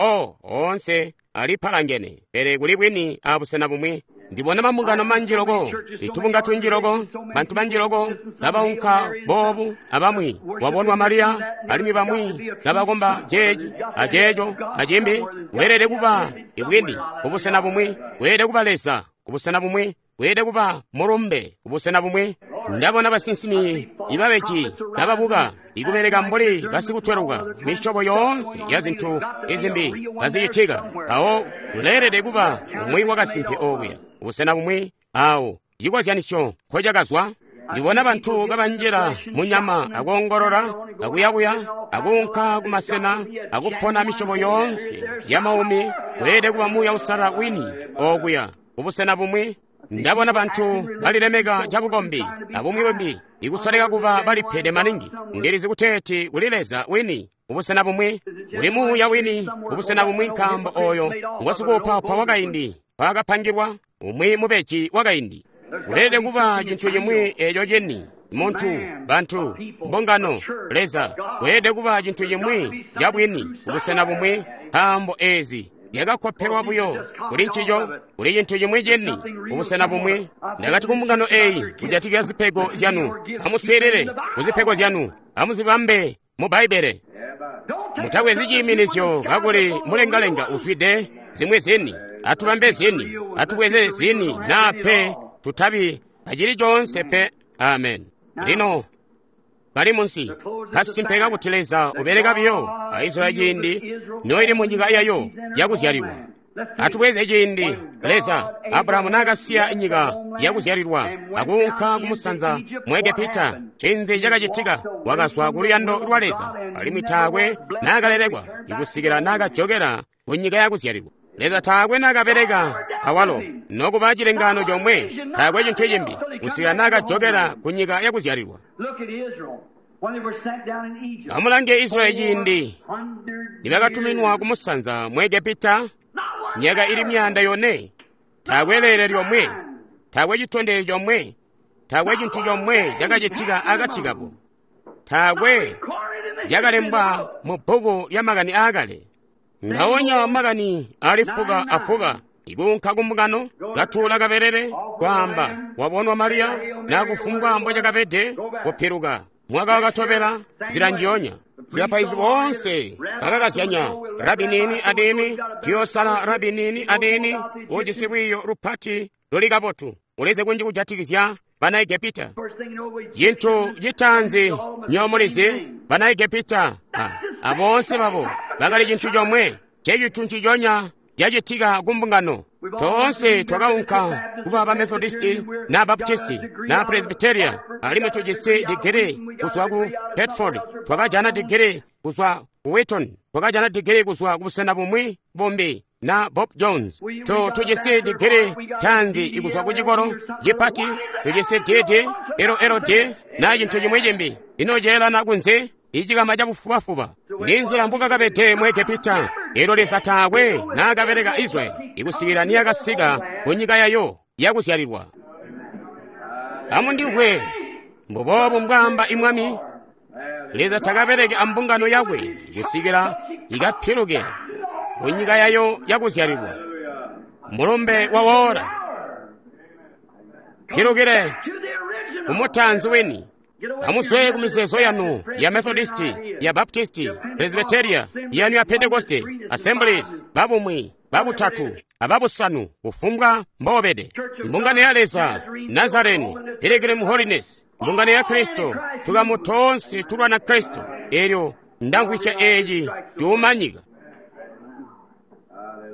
oonse alipalangene, pele kuli bwini abusena bumwi. Ndibona mambungano manji loko, itubunga tunji loko, bantu banji loko kabaunka boobu abamwi wabonwa Mariya, alimwi bamwi kabakomba jeeci aceeco acimbi. Weelede kuba ibwini kubusena bumwi, weelede kuba Leza kubusena bumwi, weelede kuba mulumbe kubusena bumwi. Ndabona basinsimi ibabeji kababuka ikubeleka mbuli basikutweluka, misyobo yoonse ya zintu izimbi kazicitika. Mpawo kuleelede kuba umwi wakasimpe okuya busena bumwi awo cikozyanisyo nkocakazwa. Ndibona bantu kabanjila munyama akoongolola akuyakuya akuunka kumasena akupona misyobo yoonse ya maumi. Weelede kuba Muuya Uusalala wini okuya kubusena bumwi. Ndabona bantu balilemeka cabukombi abumwi bumbi ikusoleka kuba balipede maningi. Ndilizi kuteeti kuli Leza wini kubusena bumwi, kuli Muuya wini kubusena bumwi, nkaambo oyo ngosikuupaupa wakaindi mpaakapangilwa, umwi mubeji wakaindi. Kuleelede kuba cintu cimwi eeco cini, muntu, bantu, mbungano, Leza. Kuleelede kuba cintu cimwi cabwini kubusena bumwi, nkaambo eezi zyakakkopelwa buyo kuli ncico, kuli cintu cimwi cini kubusena bumwi. Ndakati kumbungano eeyi kujatikizya zipego zyanu, amuswiilile kuzipego zyanu, amuzibambe mu Bbaibbele. Mutabwezi ciiminizyo kakuli mulengalenga uzwide zimwi zini. Atubambe zini, atubweze zini, naa pe tutabi acili coonse pe. Amen. Lino kali munsi kasimpe kakuti Leza ubeleka biyo a Israeli ciindi noili munyika yayo yakuzyalilwa. Atubweze ciindi Leza Abrahamu naakasiya nyika yakuzyalilwa akuunka kumusanza mu Egepita, ncinzi cakacitika? Wakazwa kuluyando lwa Leza, alimwi taakwe naakalelekwa ikusikila naakajokela kunyika yakuzyalilwa. Leza taakwe naakabeleka awalo nokuba cilengaano comwe, taakwe cintu cimbi kusikila naakajokela kunyika yakuzyalilwa. Amulange Israeli ciindi nibakatuminwa kumusanza mu Egepita, myaka ili 400, taakwe leele lyomwe, taakwe citondezyo comwe, taakwe cintu comwe cakacitika akati kabo, taakwe cakalembwa mu bbuku lyamakani aakale. Ngawonya makani ali fuka afuka ikuunka kumbungano katuula kabelele kwaamba wabonwa Mariya na kufumbwa mbocakabede kupiluka. Mwaka wakatobela, nzila njiyonya. Bapaizi boonse bakakazyanya, Rabi nini adini, tuyosala rabi nini adini, ujisi lwiiyo lupati luli kabotu, ulizi kunji kujatikizya bana Egepita. Chintu citaanzi nyomulizi, bana Egepita aboonse babo bakali cintu comwe, cecintu nciconya cacitika ku mbungano. Toonse twakaunka kuba ba Methodisti na Baptisti na Presbyteria, alimwi tujisi digiri kuzwa ku Bedford, twakajana digiri kuzwa ku Wheaton, twakajana digiri kuzwa ku busena bumwi bumbi na Bob Jones. Tujisi digiri tanzi ikuzwa ku cikolo cipati, tujisi DD, LLD na cintu cimwi cimbi. Ino ceelana kunze icikama cabufubafuba ndi nzila mbukakabede mu Egepita. Elo Leza taakwe naakabeleka Israyeli ikusikila niyakasika ku nyika yayo yakuzyalilwa. Amundimvwe, mbuboobu mbwaamba imwami. Leza takabeleke ambungano yakwe kusikila ikapiluke ku nyika yayo yakuzyalilwa. Mulumbe wawola, pilukile kumutanzi wini. Amuswe ku mizeezo yanu ya Methodisti, ya Baptisti, Presbyteria, yanu ya Pentekoste, Assemblies, babumwi, babutatu, ababusanu, kufumbwa mbobede. Mbungano ya Leza, Nazareni, Pilgrim Holiness, mbungano ya Kristo, tukamu toonse tulwana Kristo. Elyo ndamvwisya eeci cuumanyika.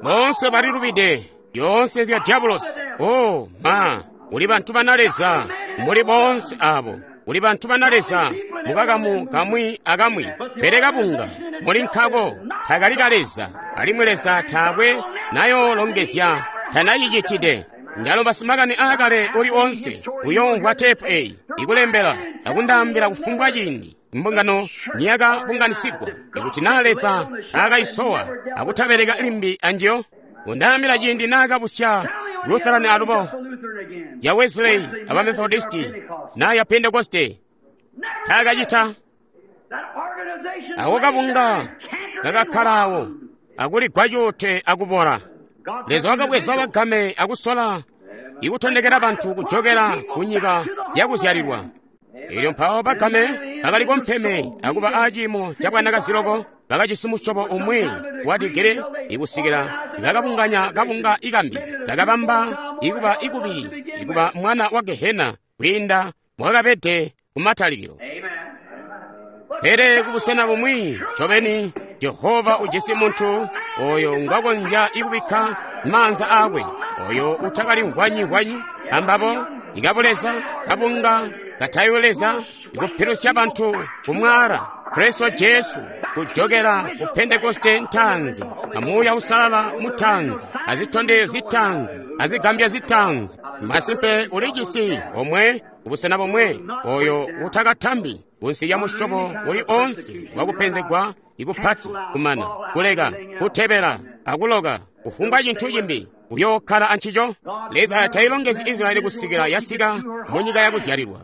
Boonse balilubide, yoonse nzya diabolosi. Oh, ma, muli bantu bana Leza, muli boonse abo. Muli bantu bana Leza mukakamu kamwi akamwi, pele kabunga muli nkako takali ka Leza, alimwi Leza taakwe nayoolongezya tanacicitide. Ndalomba simakani aakale uli onse uyoomvwa teepu eyi ikulembela akundaambila kufumbwa ciindi mbungano niyakabunganisigwa, ikuti naa Leza taakayisowa akutabeleka limbi anjiyo. Kundaambila ciindi naakabusya Lutheran alubo, ya Wesley aba Methodisti na ya Pentekoste, taakacita. Ako kabunga kakakkalawo akuligwa cuute akubola. Leza wakabweza bagame akusola ikutondekera bantu kujokera ku nyika yakuzyalilwa. Elyo mpawo bagame bakali kompeme akuba aciimo ca bwanakaziloko, bakajisi musyobo umwi wa digiri ikusikila bakabunganya kabunga ikambi kakabamba ikuba ikubili ikuba mwana wa Gehena kwiinda mwakabede kumatalikilo. Pele kubusena bumwi ncobeni Jehova ujisi muntu oyo ngwakonzya ikubikka maanza aakwe, oyo utakali ngwanyi-ngwanyi ambabo ikabuleza kabunga katayo Leza ikupilusya bantu kumwaala Kristo Jesu kujokera ku Pentekoste ntanzi, amuuya usalala mutanzi, azitondezyo zitanzi, azigambya zitanzi. Masimpe ulijisi omwe kubusena bomwe oyo utakatambi kunsi lya musyobo uli onse wakupenzegwa ikupati kumana kuleka kutebela akuloka kufumbwa cintu cimbi uyokkala ancico. Leza tayilongezi Israyeli kusikila yasika mu nyika yakuzyalilwa.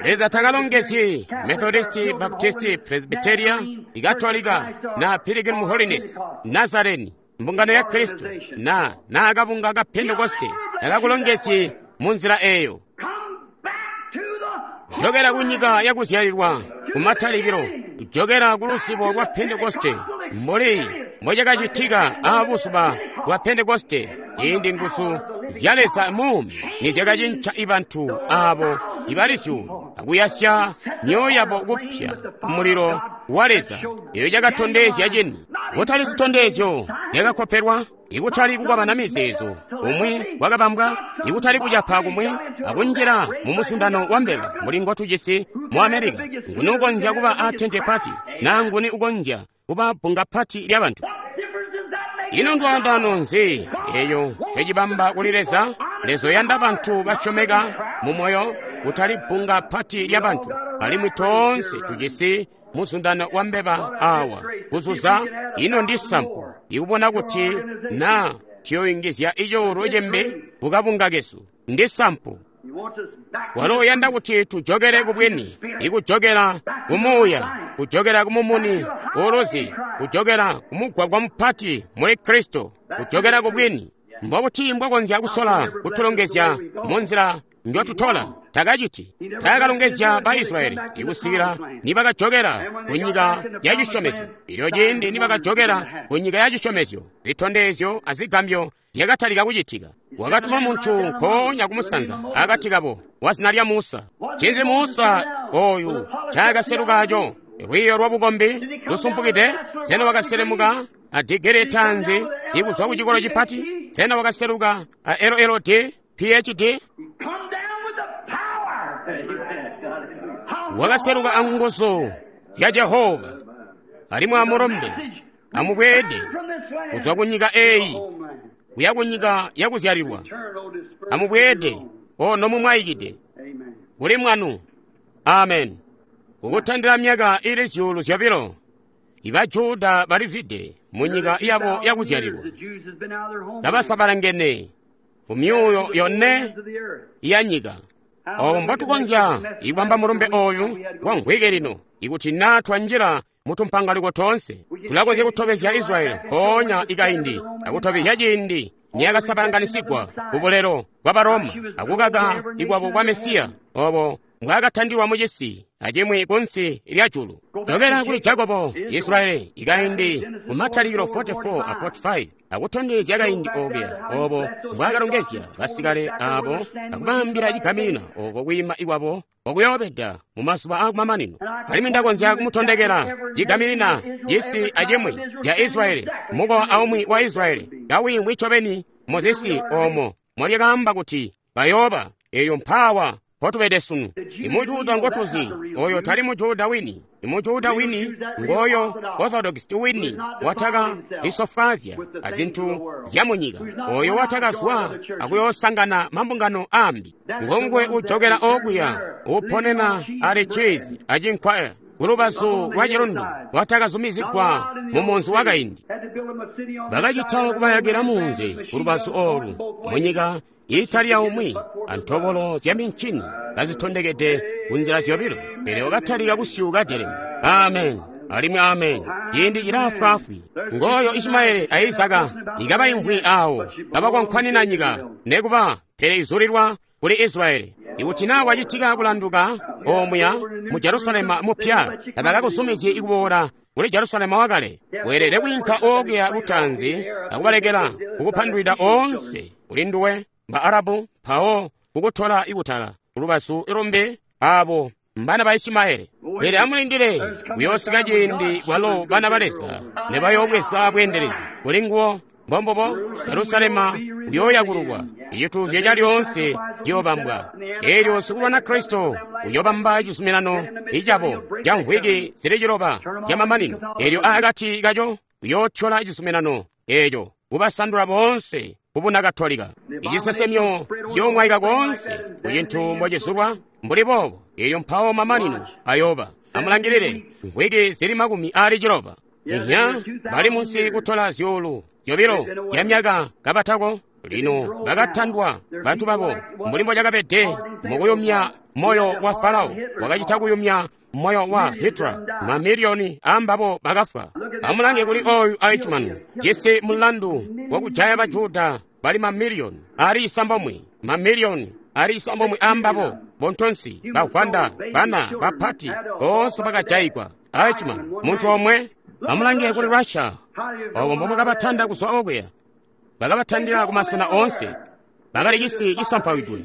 Leza takalongezi Methodisti, Baptisti, Presbyteria, Ikatolika na Pilgrim Holiness, Nazareni, mbungano ya Kristo na nakabunga ka Pentekoste takakulongezi mu nzila eyo. Jokera ku nyika yakuzyalilwa kumatalikilo, jokera ku lusibo lwa Pentekoste mbuli mbocakacitika aabuzuba bwa Pentekoste, ciindi nguzu zya Leza muumi nizyakacinca ibantu aabo ibali zyuulu akuyasya myoyo yabo kupya kumulilo wa Leza. Eyo cakatondezya cini, kutali zitondezyo zyakakkopelwa, ikutali kukwabana mizeezo umwi wakabambwa, ikutali kucapa kumwi akunjila mu musundano wa mbeba mbuli ngotujisi mu Amerika. Nguni ukonzya kuba a tente pati na nguni ukonzya kuba bbunga pati lya bantu? Ino ndwaandano nzi eyo ncecibamba kuli Leza? Leza uyanda bantu basyomeka mu moyo, kutali bbunga pati lya bantu. Alimwi toonse tujisi muzundano wa mbeba awa kuzuza. Ino ndi sampu ikubona kuti na tuyoyungizya icoolwe cimbi kukabunga kesu. Ndi sampu. Walo uyanda kuti tujokere kubwini, ikujokera kumuuya, kujokera kumumuni uuluzi, kujokera kumugwagwa mupati muli Kristo, kujokera kubwini. Mbobuti mbwakonzya kusola kutulongezya mu nzila njotutola. Takaciti. Takalongezya ba Israyeli ikusikila nibakajokela ku nyika ya cisyomezyo. Elyo ciindi nibakajokela ku nyika ya cisyomezyo, zitondezyo azigambyo zyakatalika kucitika. Wakatuma muntu nkoonya kumusanza akati kabo wa zina lya Musa. Ncinzi Musa oyu ncaakaselukaco? Lwiiyo lwa bukombi lusumpukide? Sena wakaselemuka a digiri taanzi ikuzwa ku cikolo cipati? Sena wakaseluka a LLD, PhD? Wakaseluka a nguzu zya Jehova. Alimwi amulombe, amubweede kuzwa ku nyika eeyi kuya ku nyika yakuzyalilwa. Amubweede o nomumwaikide kuli mwanu. Amen. Kukutandila myaka ili 2,000 iba Juda balivide mu nyika yabo yakuzyalilwa, kabasabalangene ku myuuyo yone ya nyika. Obo mbotukonzya ikubamba mulumbe oyu wa mvwiki lino, ikuti naa twanjila mutumpangaliko toonse, tulakonzya kutobezya Israyeli nkoonya ikaindi akutobezya ciindi niyakasabalanganisigwa ku bulelo bwa Baroma akukaka ikwabo kwa Mesiya obo mbwaakatandilwa mu cisi acimwi kunsi lya julu. Jokela kuli Jakobo, Israyeli ikaindi ku Matalikilo 44 a 45 akutondezya kaindi okuya obo mbwaakalongezya basikale abo akubaambila cigamina oko kwiima ikwabo okuyoobeda mu mazuba aakumamanino. Alimwi ndakonzya kumutondekela cigaminina cisi acimwi ca Israyeli, mukowa aumwi wa Israyeli kawiimwi ncobeni muzisi omo molyakaamba kuti bayooba. Elyo mpaawa mpotubede sunu. Imujuda ngotuzi oyo tali mujuda wini. Imujuda wini ngoyo Orthodox wini wataka lisofwaazya azintu zya munyika, oyo watakazwa akuyoosangana mambungano ambi. Ngongwe ujokela okuya uponena ali cheese acinkwa kulubazu lwa cilundu watakazumizigwa mu munzi wakaindi. Bakacita kubayakila munzi kulubazu olu munyika itali yaumwi antobolo zya mincini kazitondekede kunzila zyobilo, pele wakatalika kusyuuka Jeremi. Amen alimwi amen. Ciindi cilaafwaafwi. Ngoyo Ishimaeli a Izaka ikabaimvwi awo kabakwankwanina nyika nekuba, pele izulilwa kuli Israyeli. Ikuti naa wacitika kulanduka omuya mu Jerusalema mupya, tabakakuzumizyi ikuboola kuli Jerusalema wakale. Weelede kwiinka okuya lutaanzi akubalekela kukupandwida oonse kuli nduwe ba Arabu, mpawo kukutola ikutala kulubazu lumbi abo mbana ba Ishimaeli. Pele amulindile kuyoosika ciindi kwalo bana ba Leza nebayoobweza bweendelezi kuli nguwo. Mbombubo Jerusalema uyooyakululwa, icituuzyo calyoonse ciyoobambwa. Eelyo sikulwana Kristo uyoobamba cizuminano icabo ca mvwiki zili 9 zyamamanino. Eelyo akati kaco uyootyola cizuminano eeco kubasandula boonse kubuna Katolika. Icisesemyo ciyoomwaika koonse kucintu mbocizulwa mbuli boobo. Eelyo mpawo mamanino ayooba. Amulangilile mvwiki zili 90. Inya bali munsi kutola 2,000 zya myaka kabatako. Lino bakatandwa bantu babo mbuli mbocakabede mukuyumya moyo wa Farao, wakacita kuyumya moyo wa Hitler. Mamiliyoni ambabo bakafwa. Amulange kuli oyu Eichmann, jisi mulandu wakujaya Bajuda bali mamiliyoni ali 9, mamiliyoni ali 9 ambabo bontonsi, bagwanda, bana, bapati boonse bakajayigwa. Eichmann muntu omwe. Amulange kuli Russia, obo mbomwakabatanda kuzwa okuya. Bakabatandila kumasena oonse, bakali cisi cisampawidwe.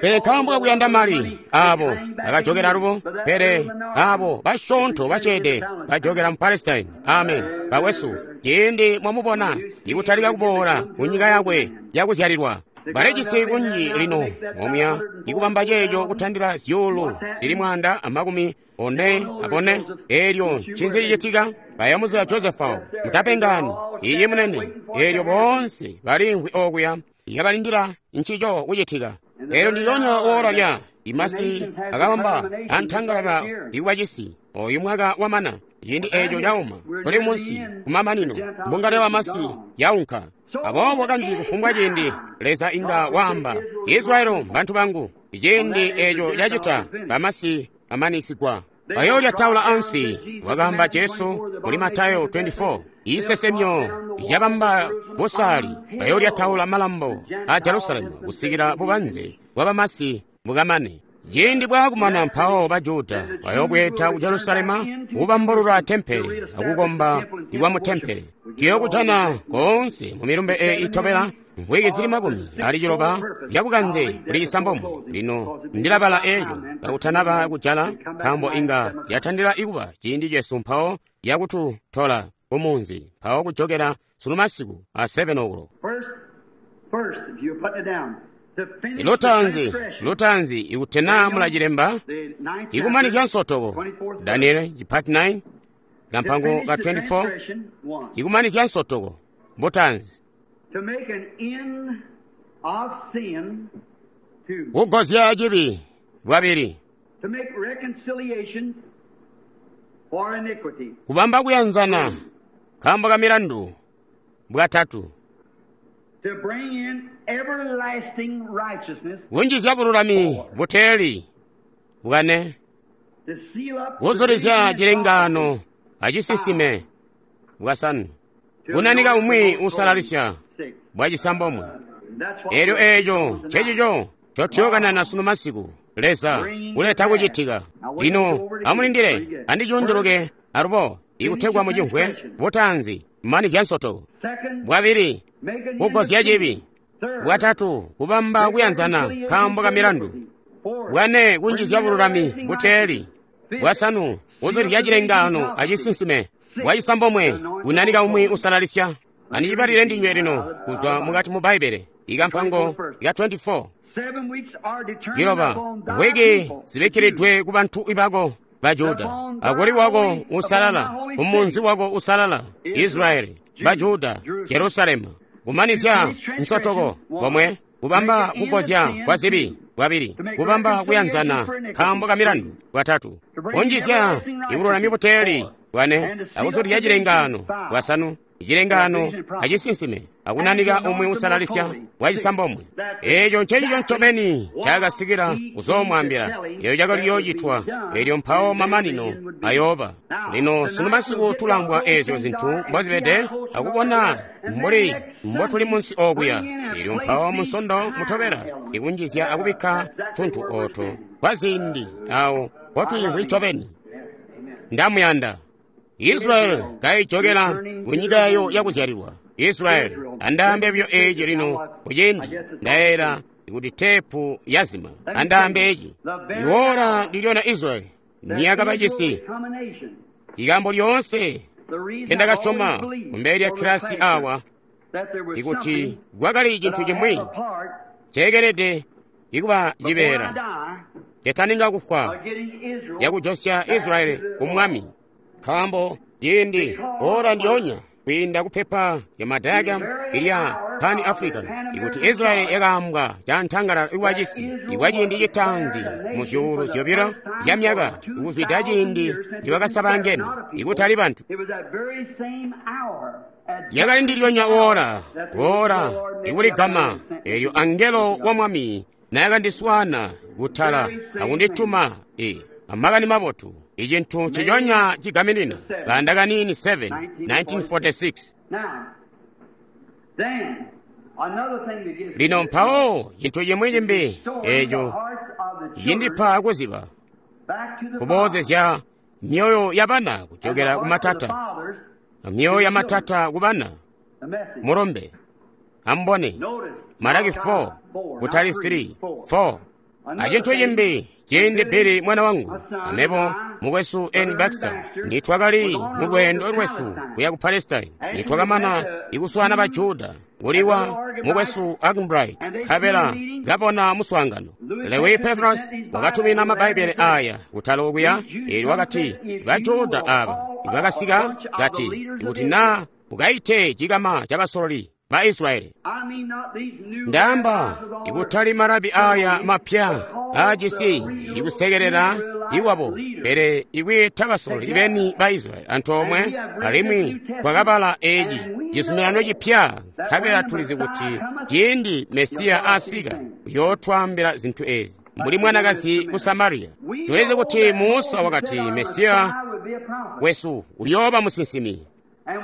Pele nkaambo kakuyanda mali abo bakajokela alubo, pele abo basyoonto baceede bajokela mu Palestine. Amen. Bakwesu, ciindi mwamubona ikutalika kuboola ku nyika yakwe yakuzyalilwa, balijisi kunji lino omuya ikubamba ceeco kutandila 144,000. Eelyo ncinzi cicitika? Bayamuziya Josefa, mutapengani, iye munene. Eelyo boonse balimvwi okuya ikabalindila ncico kucitika. Eelyo ndilyonya oora lya imasi akabamba antangalala ikuba cisi. Oyu mwaka wamana, ciindi eeco cauma, tuli munsi kumamanino, mbungano yabamasi yaunka. Aboobo kanji kufumbwa ciindi Leza inga waamba, Israyeli mbantu bangu. Ciindi eeco cacita, bamasi amanisigwa. Bayoolya taula ansi, wakaamba Jesu muli Matayo 24. Isesemyo yabamba busaali, bayoolya taula malambo a Jerusalemu kusikila bubanze bwabamasi bukamane. Ciindi bwaakumana mpawo ba Juda bayoobweeda ku Jerusalema kubambulula tempele akukomba ikwa mu tempele. Tuyookujana koonse mu milumbe eyi itobela mvwiki zili 60 zyabukanze kuli 9. Lino ndilabala eeco kakutanaba kujala, nkaambo inga yatandila ikuba ciindi cesu mpawo yakututola kumunzi mpawo kujokera sunu masiku a 7 o'clock. Lutanzi ikutena mulacilemba ikumanizya nsotoko Daniel chipati 9 kampango ka 24 ikumanizya nsotoko butanzi kugozya chibi bwabiri kubamba kuyanzana nkaambo ka milandu bwatatu kunjizya bululami buteeli bwane kuzulizya cilengano acisisime bwasanu kunanika umwi usalalisya bwacisambomwe. Elyo eeco ncecico cotyokanana sunu masiku Leza kuleta kucitika. Lino amulindile andicunduluke alubo ikutegwa mucimvwe. Butanzi manizya nsotoko, bwabili kugozya cibi, bwatatu kubamba kuyanzana nkaambo ka milandu, bwane kunjizya bululami buteeli, bwasanu kuzulizya cilengano acisinsime, bwacisambomwe kunanika umwi usalalisya. Andicibalile ndinywe lino kuzwa mukati mu Bbaibele ikampango ka 24. Ciloba mvwiki zibikiridwe ku bantu bako ba Juda, akuli wako usalala, kumunzi wako usalala, Israeli, ba Juda, Jerusalemu. Kumanizya nsotoko pomwe kubamba kugozya kwa zibi bwabili, kubamba kuyanzana nkaambo ka milandu bwatatu, kunjizya ibululami buteeli bwane, akuzulizya cilengano bwasanu, cilengano acisinsime, akunanika umwi usalalisya bwacisambomwe. Eeco ncecico ncobeni cakasikila kuzoomwaambila, eeco cakali yoocitwa, elyo mpawo mamanino ayooba. Lino sunu masiku tulangwa eezyo zintu mbozibede akubona mbuli mbotuli munsi okuya. Elyo mpawo munsondo mutobela ikunjizya akubikka tuntu ooto kwa ziindi awo potwiimvwi ncobeni. Ndamuyanda Israeli kaijokela kunyika yayo yakuzyalilwa. Israeli andaambe byo eeci lino kuciindi ndayeera kuti tepu yazima. Andaambe eci iwora ndilyona Israeli niyakaba cisi. Ikambo lyoonse kendakasyoma kumbele lya kilasi awa ikuti kwakali cintu cimwi ceekelede ikuba cibeela cetaninga kufwa yakujosya Israeli ku mwami, nkaambo ciindi ora ndyonya kwiinda kupepa lya madiagram ilya Pan African ikuti Israeli yakaambwa cantangalala ikwa cisi ikwa ciindi citaanzi mu zyuulu zyobilo zya myaka ikuzwida ciindi nibakasabangene ikutali bantu. Yakali ndilyonya ora ora ikuligama elyo angelo wa mwami nayakandiswana kutala akundituma amakani mabotu icintu ciconya cigaminina kanda kanini 7 1946. Lino mpawo cintu cimwi cimbi eco cindipa kuziba kuboozezya myoyo ya bana kujokera ku matata, myoyo ya matata ku bana. Mulombe ambone Malaki 4 kutali 3 4. Acintu cimbi ciindi Billy mwana wangu amebo mukwesu N. Baxter nitwakali mu lwendo lwesu kuya ku Palestine, nitwakamana ikuswana ba Juda kuliwa mukwesu Arganbright nkabela kabona muswaangano. Lewi Petros wakatumina mabbaibele aya kutala okuya, elyo wakati ba Juda aba bakasika kati ikuti na ukaite cikama ca basololi ba Israeli. Ndaamba ikutali marabi aya mapya ajisi ikusekerera iwabo, pele ikwiita basololi beni ba Israeli antoomwe, alimwi twakabala eci cizuminano cipya, nkabela tulizi kuti ciindi Mesiya asika uyootwaambila zintu ezi mbuli mwanakazi ku Samariya. Tulizi kuti Musa wakati Mesiya wesu uyooba musinsimi.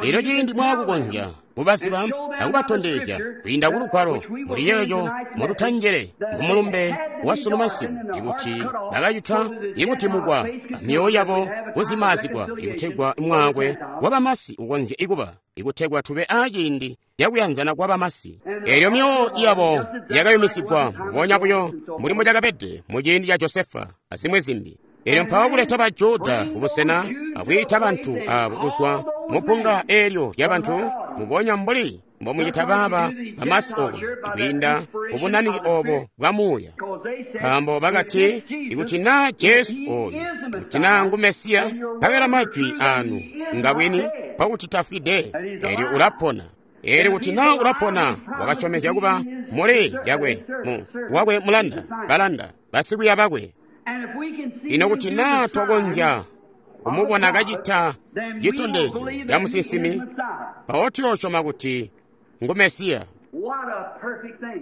Elyo ciindi mwakukonzya kubaziba akubatondezya kwiinda ku Lugwalo muli yeeco mututanjele mumulumbe wa sunu masiku, ikuti bakacita ikutimukwa amyoyo yabo kuzimaazigwa, ikutegwa mwaakwe wa bamasi ukonzye ikuba, ikutegwa tube aaciindi cakuyanzana kwa bamasi. Eelyo myoyo yabo yakayumisigwa mbubonya buyo mbuli mbucakabede muciindi ca Josefa azimwi zimbi. Eelyo mpawo kuleta ba Juda kubusena akwiita bantu aabo kuzwa mupunga eelyo lyabantu, mbubonya mbuli mbomucita baaba bamasi oku, kwiinda kubunaniki obo bwa Muuya. Nkaambo bakati, ikuti naa Jesu oyu, ikuti naa ngu Mesiya, nkabela majwi anu ngabwini, nkokuti tafwide, eelyo ulapona. Eelyo kuti naa ulapona, wakasyomezya kuba muli yakwe, mu wakwe mulanda, balanda, basikwiiya bakwe. Ino kuti naa twakonzya kumubona kacita citondezyo ca musinsimi, mpawo tuyoosyoma kuti ngu Mesiya.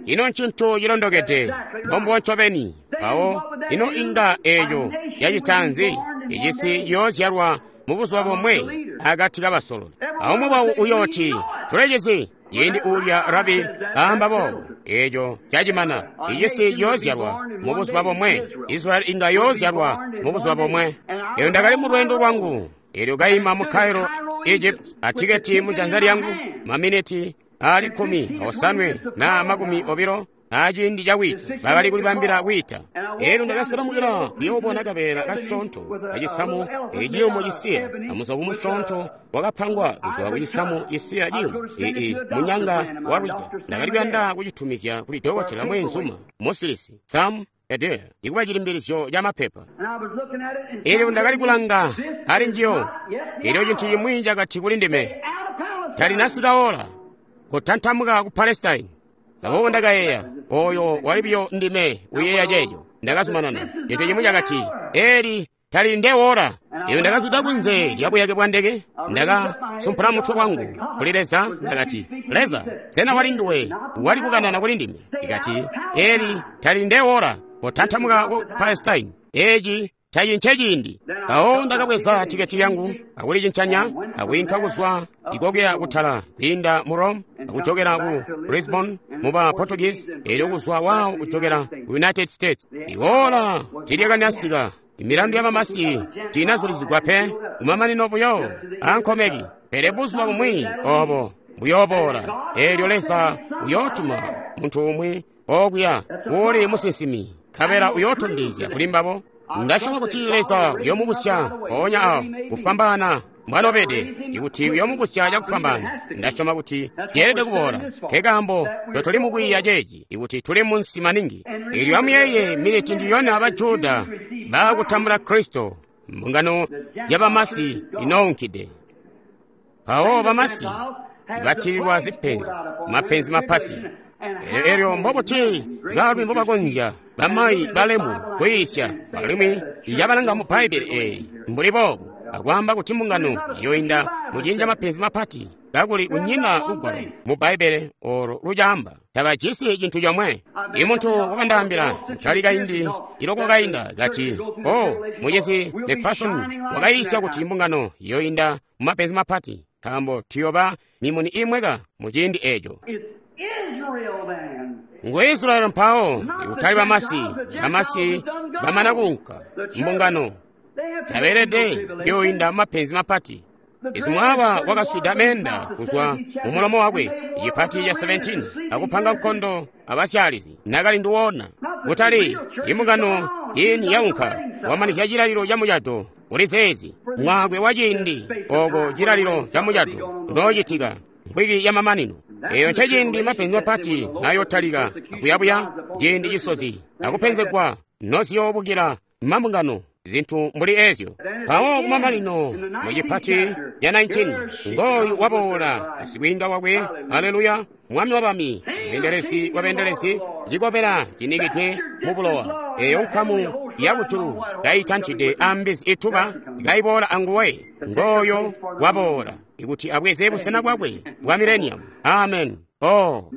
Ino ncintu cilondokede, mbombubo ncobeni. Mpawo ino inga eeco yacita nzi? Icisi ciyoozyalwa mubuzuba bomwe akati kabasololi. Aumwi wawo uyooti, tulecizi. Ciindi uulya rabi aamba boobo, eeco cacimana. Icisi ciyoozyalwa mubuzuba bomwe. Israeli inga yoozyalwa mubuzuba bomwe. Eelyo ndakali mu lweendo lwangu, eelyo kaima mu Cairo, Egypt, atiketi mu janza lyangu, maminiti aali 17 na 20 aciindi cakwiita, bakali kulibambila kwiita. Eelyo ndakaselamukila kuyoobona kabeela kasyoonto kacisamu iciyumu cisiya, amuzovu musyoonto wakapangwa kuzwa kucisamu cisiya ciyumu, ii munyanga wa lwija. Ndakali kuyanda kucitumizya kuli dokotela mweenzuma musilisi Sam Adair, ikuba cilimbilizyo ca mapepa. Eelyo ndakali kulanga ali njiyo, eelyo cintu cimwi cakati kuli ndime, talinasika ola kutantamuka ku Palestine. Aboobo ndakayeeya, oyo wali biyo ndime uyeeya ceeco. Ndakazumanana. Cintu cimwi cakati, eli tali ndewola. Eelyo ndakazwida kunze lya buyake bwa ndeke, ndakasumpula mutwe wangu kuli Leza, ndakati, Leza, sena wali nduwe wali kukanana kuli ndime? Ikati, eli tali ndewola kutantamuka ku Palestine. Eci taci nceciindi. Mpawo ndakabweza tiketi lyangu akulicincanya akwiinka kuzwa ikokeya kutala kwiinda mu Rome akujokera ku Lisbon muba Portuguese, eelyo kuzwa wawo kujokera ku United States. Iwola tilyakanasika, imilandu ya bamasi tiinazulizigwa pe, kumamanino buyo ankomeki. Pele buzuba bumwi obo buyooboola, eelyo Leza uyootuma muntu umwi okuya uuli musinsimi, nkabela uyootondezya kuli mbabo. Ndasyoma kuti Leza uyoomubusya mpoonya awo kufwambaana mbwanobede, ikuti uyoomubusya cakufwambaana. Ndasyoma kuti yeelede kuboola. Nkekaambo totuli mukwiiya ceeci, ikuti tuli munsi maningi. Eelyo amuyeeye miniti ndiyona aba Juda baakutambula Kristo, mbungano ya bamasi inounkide. Mpawo bamasi batililwa zipenzi, mapenzi mapati. Eelyo mbobuti baalumi mbobakonzya bamayi balemu kwiisya alimwi yabalanga mu Bbaibbele eeyi mbuli boobu, akwaamba kuti mbungano iyoinda muciindi ca mapenzi mapati, kakuli kunyina lugwalo mu Bbaibbele olo lucaamba. Tabajisi cintu comwe. Imuntu wakandaambila ntali kaindi iloko kainda kati, o mucizi McPherson wakayiisya kuti mbungano iyoinda mu mapenzi mapati, nkaambo tuyoba mimuni imweka mu ciindi eeco. Ngu Israeli mpawo, ikutali bamasi. Bamasi bamana kuunka, mbungano tabeelede kuyoinda mapenzi mapati. Isimwaaba wakaswida meenda kuzwa mumulomo wakwe, cipati ca 17, akupanga nkondo abasyalizi nakali nduwona. Kutali imbungano ini yaunka wamanizya cilalilo ca mucado kuli zeezi mwaakwe wa ciindi oko cilalilo ca mucado noocitika mvwiki ya mamanino. Eyo nceciindi mapenzi mapati nayotalika akuyabuya, ciindi cisozi akupenzegwa noziyoobukila mambungano, zintu mbuli ezyo. Mpawo kumamanino mu cipati ya 19, ngooyu waboola sikwiinga wakwe, haleluya, mwami wa bami, mweendelezi wa beendelezi, cikobela cinikidwe mu bulowa. Eyo nkamu yakujulu kaitantide ambizi ituba kaiboola anguwe, ngooyo waboola ikuti abweze busena bwakwe bwa millennium. Amen. Oh,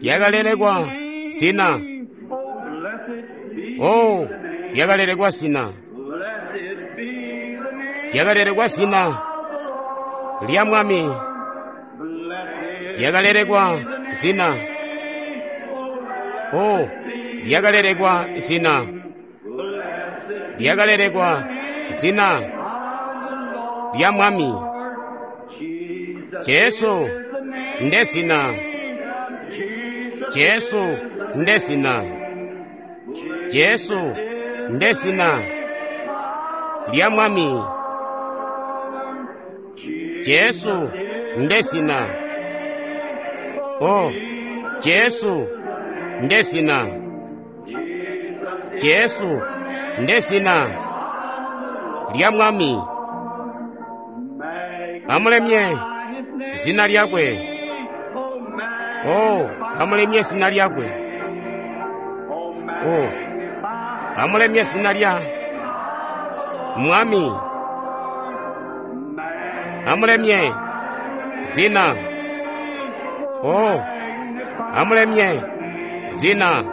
yakalelekwa zina. Oh, yakalelekwa zina. Yakalelekwa zina lya Mwami. Lyakalelekwa zina. Oh, lyakalelekwa zina. Lyakalelekwa zina lya Mwami. Jesu nde zina. Jesu nde zina. Jesu nde zina lya Mwami. Jesu nde zina. Oh, Jesu nde zina. Jesu nde zina lya Mwami. Amulemye zina lyakwe. Oh, amulemye zina lyakwe. Oh, amulemye zina lya Mwami. Amulemye zina. Oh, amulemye zina.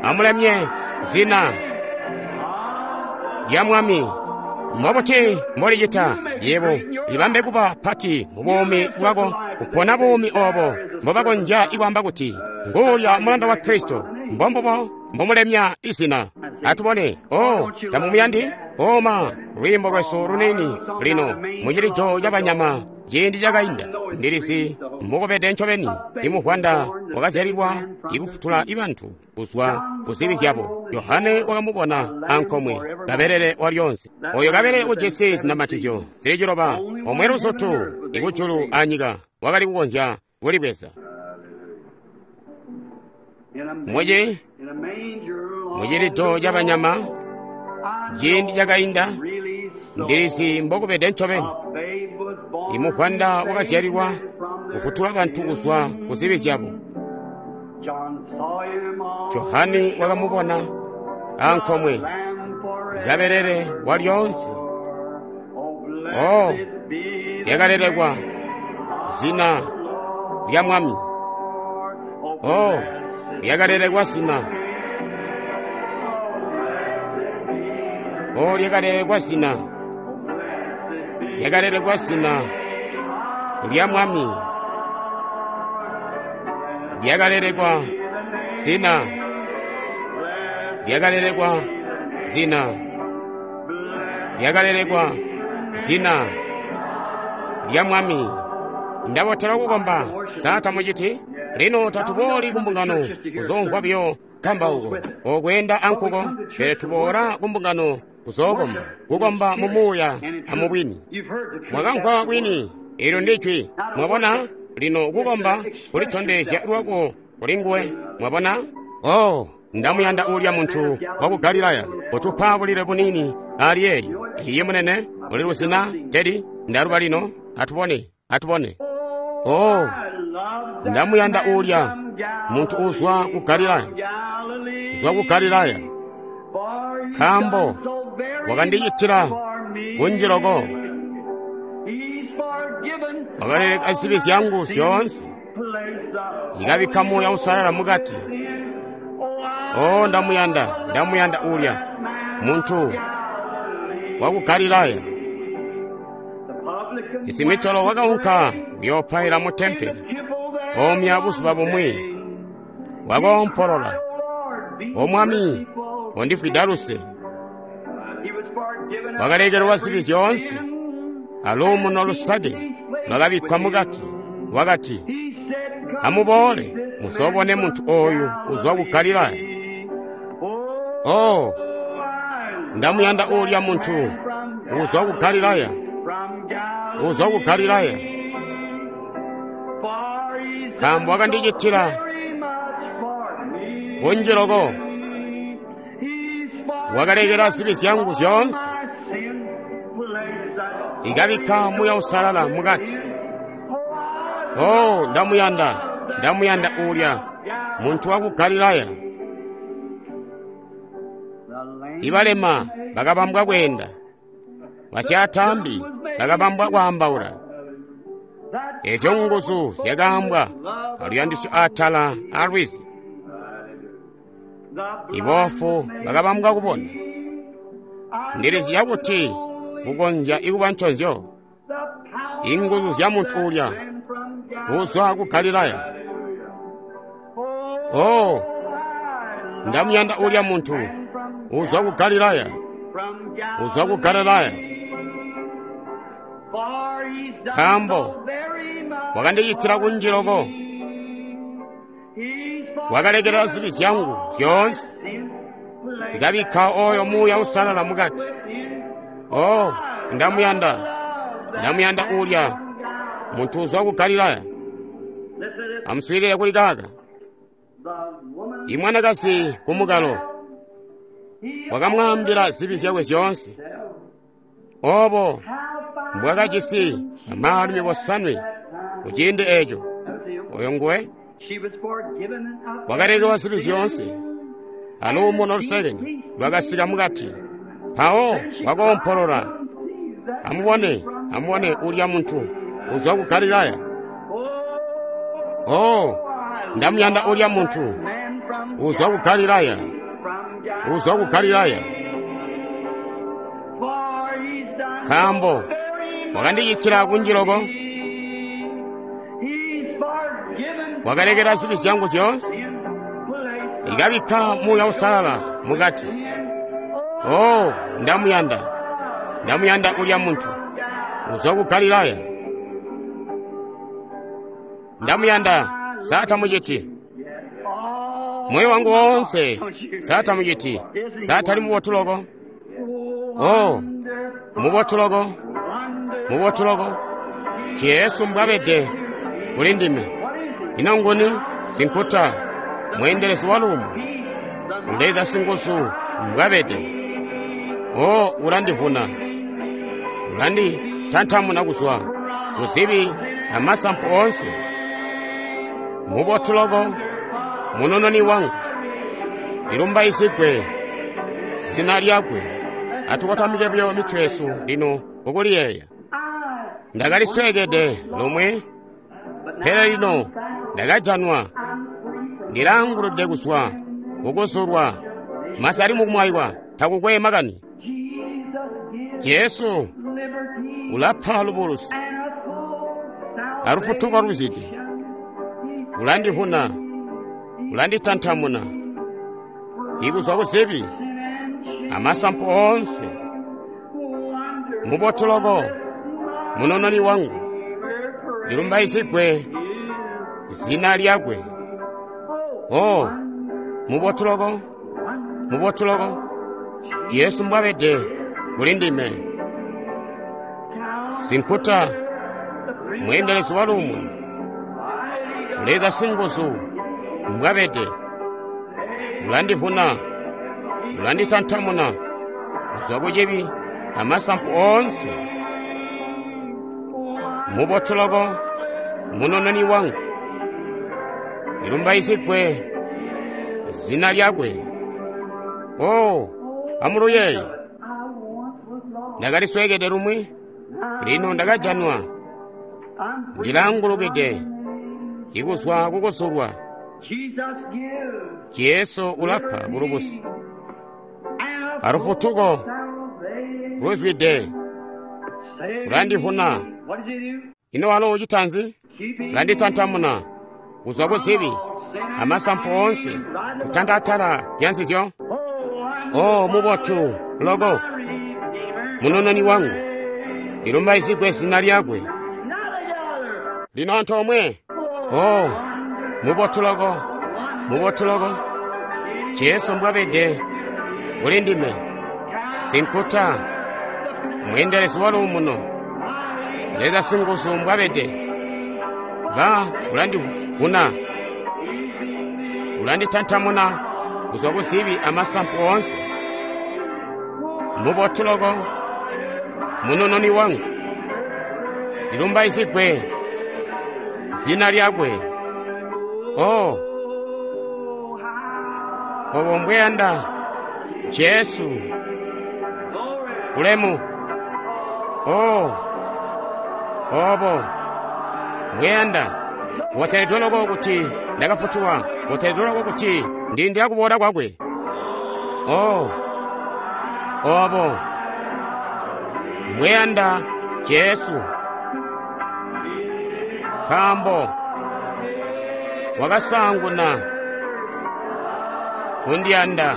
Amulemye zina lya Mwami. Mbobuti mbolicita yebo libambe kuba pati mu buumi bwako, kupona buumi obo mbobakonzya ikwaamba kuti nguulya mulanda wa Kristo. Mbombubo mbomulemya izina. Atubone. Oh, tamumuyandi? Oh ma, lwiimbo lwesu luniini lino mucilido cabanyama ciindi cakainda. Ndilizi mbukubede ncobeni. Imuvwanda wakazyalilwa ikufutula ibantu kuzwa kuzibi zyabo. Yohane wakamubona ankomwe kabelele walyonse. Oyo kabelele ujisi zinamatizyo zili 9, omwe luzutu ikujulu anyika wakali kukonzya kulibweza. Mucilido cabanyama ciindi cakainda, ndilizi mbokubede ncobeni. Imuvwanda wakazyalilwa kufutula bantu kuzwa kuzibi zyabo. Johane wakamubona ankomwe kabelele walyonse. Oh, lyakalelekwa zina lya Mwami. Oh, lyakalelekwa zina. Oh, lyakalelekwa zina. Lyakalelekwa zina lya Mwami. Lyakalelekwa zina. Lyakalelekwa zina. Lyakalelekwa zina lya Mwami. Ndabotela kukomba. Sa tamuciti? Lino tatubooli kumbungano kuzoomvwa biyo kambauko okweenda ankuko, pele tuboola kumbungano kuzookomba, kukomba mu muuya amubwini. Mwakamvwa bwini, eelyo ndi jwi. Mwabona? Lino kukomba kulitondezya lwako kuli nguwe. Mwabona? Oh, ndamuyanda ulya muntu waku Galilaya utupa bulile bunini ali eelyo. Iye munene, uli luzina tedi ndaluba lino. Atubone, atubone. Oh, ndamuyanda ulya muntu uzwa ku Galilaya, uzwa ku Galilaya, nkaambo wakandicitila kunji loko. Wakaleleka zibi zyangu zyoonse, ikabikka Muuya Uusalala mukati. Oh, ndamuyanda, ndamuyanda ulya muntu waku Galilaya. Isimitolo wakaunka kuyoopaila mu tempele omya buzuba bumwi. Wakoompolola, O Mwami, kondifwida luse. Wakalekelelwa zibi zyoonse, aluumuno lusake lwakabikkwa mukati. Wakati, amuboole muzoobone muntu oyu uzwa ku Galilaya. Oh, ndamuyanda ulya muntu uzwa ku Galilaya, uzwa ku Galilaya, nkaambo wakandicitila kunji loko. Wakalekela zibi zyangu zyoonse, ikabikka Muuya Uusalala mukati. Oh, ndamuyanda, ndamuyanda ulya muntu waku Galilaya. Ibalema bakabambwa kweenda, basyaataambi bakabambwa kwaambaula. Ezyo nguzu zyakaambwa aluyandisyo atala alwizi. Iboofu bakabambwa kubona. Ndilizya kuti kukonzya ikuba nconzyo. Inguzu zya muntu ulya uzwa ku Galilaya. Oh, ndamuyanda ulya muntu uzwa ku Galilaya, uzwa ku Galilaya. Nkaambo wakandicitila kunji loko, wakalekela zibi zyangu zyoonse, ndikabikka oyo Muuya Uusalala mukati. Oh, ndamuyanda, ndamuyanda ulya muntu uzwa ku Galilaya. Amuswiilile kuli kaka. Imwanakazi kumukalo wakamwaambila zibi zyakwe zyoonse, obo mbwakajisi amaalumi bosanwe ku ciindi eeco. Oyo nguwe wakalekelwa zibi zyoonse, aluumuno lusekeni lwakasika mukati. Mpawo wakoompolola, amubone, amubone ulya muntu uzwa ku Galilaya. Oh, ndamuyanda ulya muntu uzwa ku Galilaya, uzwa ku Galilaya. Nkaambo wakandicitila kunji loko, wakalekela zibi zyangu zyoonse, ikabikka Muuya Uusalala mukati. Oh, ndamuyanda, ndamuyanda ulya muntu uzwa ku Galilaya. Ndamuyanda, satamuciti moyo wangu woonse, satamuciti, satali mubotu loko. Oh, mubotu loko, mubotu loko. Jesu mbwabede kuli ndime. Ino nguni sinkuta, mweendelezi wa lumu, Leza singuzu mbwabede. Oh, ulandivuna, ulanditantamuna kuzwa kuzibi amasampu oonse. Mubotu loko, munononi wangu, lilumbaizigwe zina lyakwe. Atukotamike buyo mitwe yesu lino ukuliyeeya. Ndakalisweekede lomwe, pele lino ndakajanwa, ndilaangulukide kuzwa kukuzulwa. Masi ali mukumwaiwa, takukwe makani. Jesu ulapa lubulusi alufutuko luzidi, ulandivuna, ulanditantamuna ikuzwa kuzibi amasampu oonse. Mubotu loko, munononi wangu, lilumbaizigwe zina lyakwe. Oh, mubotu loko, mubotu loko, Yesu mbwabede kuli ndime. Sinkuta, mweendelezi wa luumuno, Leza singuzu mbwabede, ulandivuna, ulanditantamuna kuzwa kucibi amasampu oonse. Mubotu loko, munononi wangu, lilumbaizigwe zina lyakwe. Oh, amuluyeeye, ndakalisweekede lumwi, lino ndakajanwa, ndilaangulukide ikuzwa kukusulwa. Jesu ulapa bulubusi alufutuko luzwide, ulandivuna. Ino walo ucita nzi? Ulanditantamuna kuzwa kuzibi amasampu oonse, kutanda atala lya nzizyo. Oh, mubotu loko, munononi wangu, lilumbaizigwe zina lyakwe. Lino antoomwe. Oh, mubotu loko, mubotu loko, Jesu mbwabede kuli ndime. Sinkuta, mweendelezi wa luumuno, Leza singuzu mbwabede. Ba ulandivuna, ulanditantamuna kuzwa kuzibi amasampu oonse. Mubotu loko, munononi wangu, lilumbaizigwe zina lyakwe. Oh, obo mbweyanda Jesu ulemu. Oh, obo mbweyanda boteledwe loko kuti ndakafutulwa, boteledwe loko kuti ndilindila kuboola kwakwe. Oh, obo mbweyanda Jesu, nkaambo wakasaanguna kundiyanda.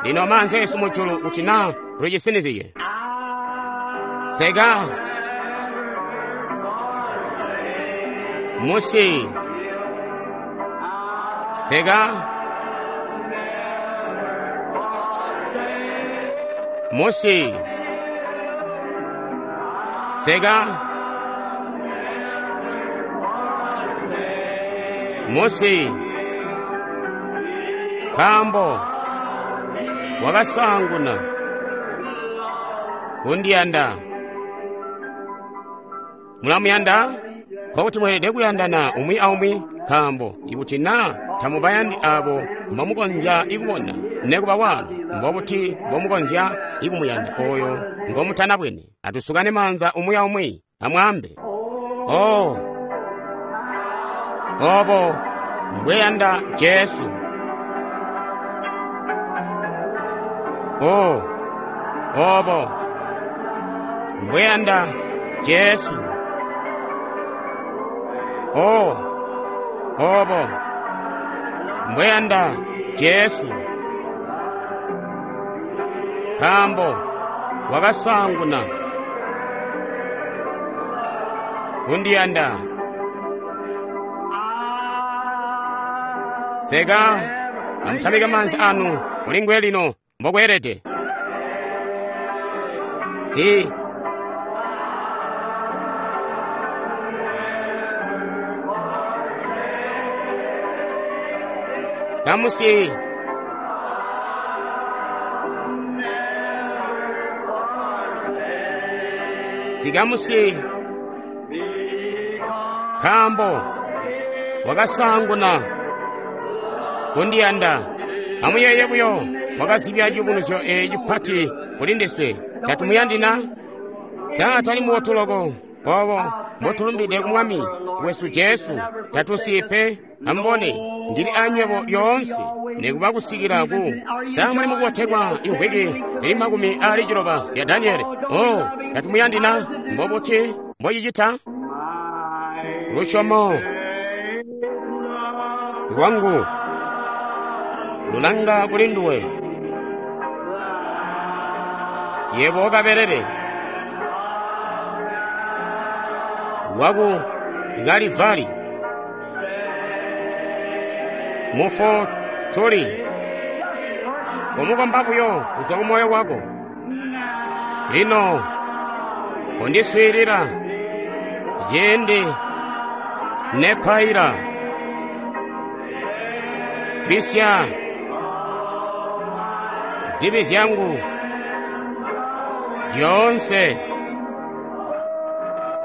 Lino maanza esu mujulu kuti naa tucisinizye. Seka musi seka musi seka musi nkaambo wakasaanguna kundiyanda. Mulamuyanda? Nkokuti mweelede kuyandana umwi aumwi, nkaambo ikuti naa tamubayandi abo mbomukonzya ikubona nekuba wanu, mbobuti mbomukonzya ikumuyanda oyo ngomutanabwene? Atusukane maanza umwi aumwi, amwaambe, "Oh, obo mbweyanda Jesu. Oh, obo mbweyanda Jesu. Oh, obo mbweyanda Jesu." Nkaambo wakasaanguna kundiyanda. Seka amutamike maanza anu mulinguwe lino mbokweelede. Si kamusi sikamusi nkaambo wakasaanguna kundiyanda. Amuyeeye buyo, wakazibya ciyubunuzyo eeci cipati kuli ndiswe. Tatumuyandi na? Sa tali mubotu loko obo mbotulumbide ku Mwami wesu Jesu? Tatusiyi pe. Amubone, ndili anywebo lyoonse nikuba kusikila ku. Sa muli mukubotelwa imvwiki zili 60 zya Daniele? Oh, tatumuyandi na? Mbobuti mbocicita? Lusyomo lwangu lulanga kuli nduwe, yebo kabelele waku Kalivali. Mufotoli, komukomba buyo kuzwa ku moyo wako. Lino kondiswiilila ciindi nepaila. Gwisya zibi zyangu zyoonse,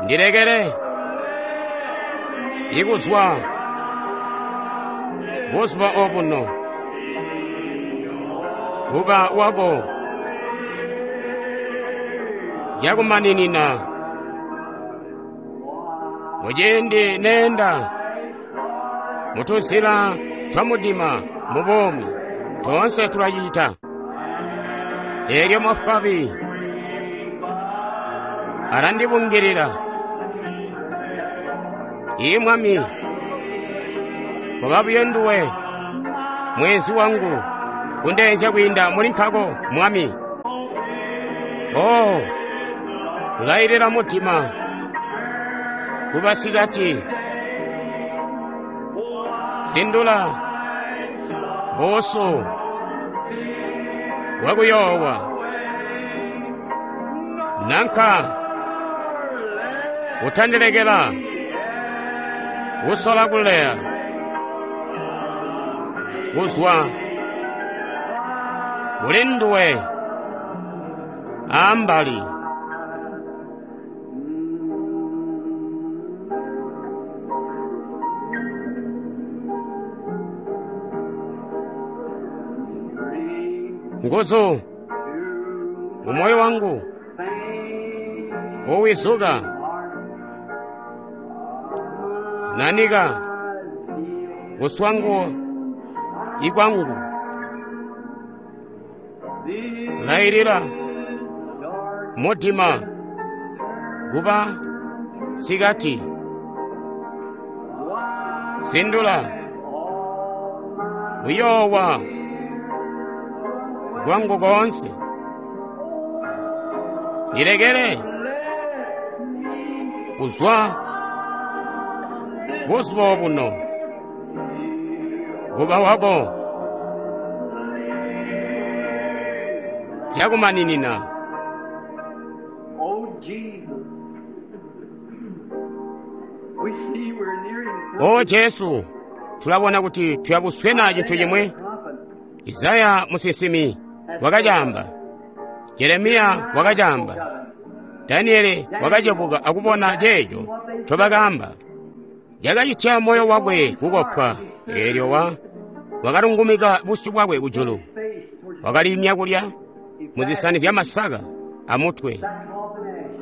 ndilekele ikuzwa buzuba obuno kuba wako cakumaninina. Muciindi neenda mutuzila twa mudima mu buumi, toonse tulacita. Eelyo mafabi alandibungilila. Ii Mwami, koba buyo nduwe mweenzi wangu, kundeenzya kwiinda muli nkako, Mwami. Oh, lailila mudima kuba sikati, sindula busu bwakuyoowa, nanka utandilekela kusola kuleya kuzwa kuli nduwe ambali. Nguzu umoyo wangu uwizuka nanika kuswangu ikwangu lailila mudima kuba sikati sindula Kuyoowa kwangu koonse. Ndilekele kuzwa buzuba obuno kuba wako cakumaninina. Oh, Jesus. We see we're nearing O Jesu, tulabona kuti tuyabuswena cintu chimwe. Isaya musinsimi wakacaamba, Jeremiya wakacaamba, Daniele wakacebuka akubona ceeco ncobakaamba. Cakacitya moyo wakwe kukopwa, eelyo wakalungumika busyu bwakwe kujulu, wakaliimya kulya muzisani zyamasaka amutwe,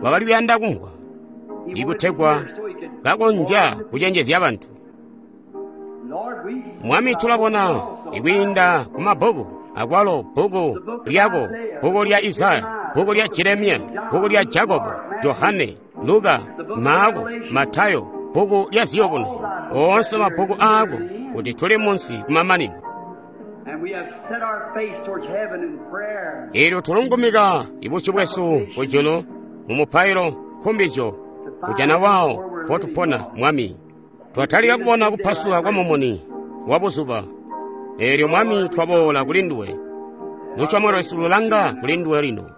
wakali kuyanda kumvwa ikutegwa kakonzya kucenjezya bantu. Lord, we Mwami tulabona ikwiinda ku mabbuku akwalo bbuku lyako, bbuku lya Isaya, bbuku lya Jeremiya, bbuku lya Jakobo, Johane, Luka, Maako, Matayo, bbuku lya Ziyubunuzyo, oonse mabbuku aako kuti tuli munsi kumamanino. and we have set our face towards heaven in prayer. Eelyo tulungumika ibusyu bwesu kujulu mu mupailo nkumbizyo kujana wawo mpotupona Mwami. Twatalika kubona kupasuka kwa mumuni wa buzuba. Eelyo Mwami twaboola kuli nduwe. Lusyomo lwesu lulanga kuli nduwe lino.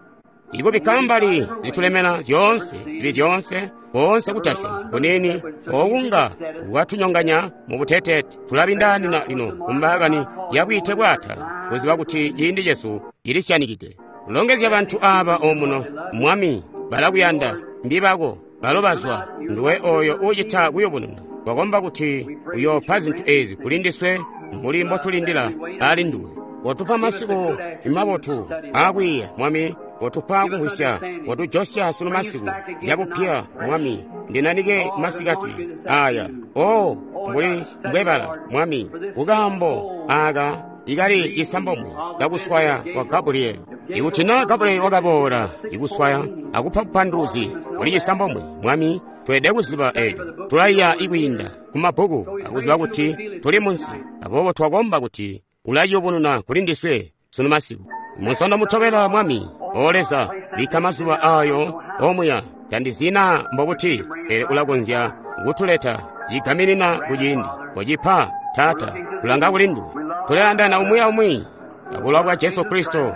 Ikubikka mbali zitulemena zyoonse, zibi zyoonse, koonse kutasyoma kuniini okunga kwatunyonganya mu buteteete. Tulabindaanina lino kumbaakani yakwiite bwaatala, kuziba kuti ciindi cesu cilisyanikide. Longezya bantu aaba omuno, Mwami, balakuyanda, mbibako, balo bazwa, nduwe oyo uucita kuyubununa. Twakomba kuti uyoopa zintu eezi kuli ndiswe mbuli mbotulindila ali nduwe. Kotupa masiku mabotu aakwiiya, Mwami, kotupa kumvwisya, kotujosya sunu masiku cabupya, Mwami, ndinanike masikati aya. O, mbuli mbwebala, Mwami, kukaambo aaka ikali cisambomwe kakuswaya kwa Gabrieli. Ikuti naa Gabrieli wakaboola ikuswaya akupa bupanduluzi kuli cisambomwe, Mwami, tweelede kuziba eeco. Tulaiya ikwiinda kumabbuku akuziba kuti tuli munsi. Aboobo twakomba kuti ulayubununa kuli ndiswe sunu masiku. Munsondo mutobela Mwami, O Leza, bikka mazuba aayo omuya tandizina mbobuti, pele ulakonzya kutuleta cigaminina kuciindi. Kocipa, Taata, tulanga kuli nduwe. Tulayandana umwi aumwi abulowa bwa Jesu Kristo,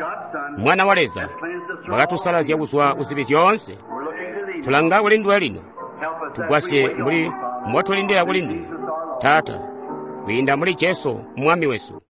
Mwana wa Leza, wakatusalazya kuzwa kuzibi zyoonse. We're looking to thee. Tulanga kuli nduwe lino. Help us as we Tugwasye wait mbuli on you, Father. mbotulindila kuli nduwe, Taata, kwiinda muli Jesu Mwami wesu.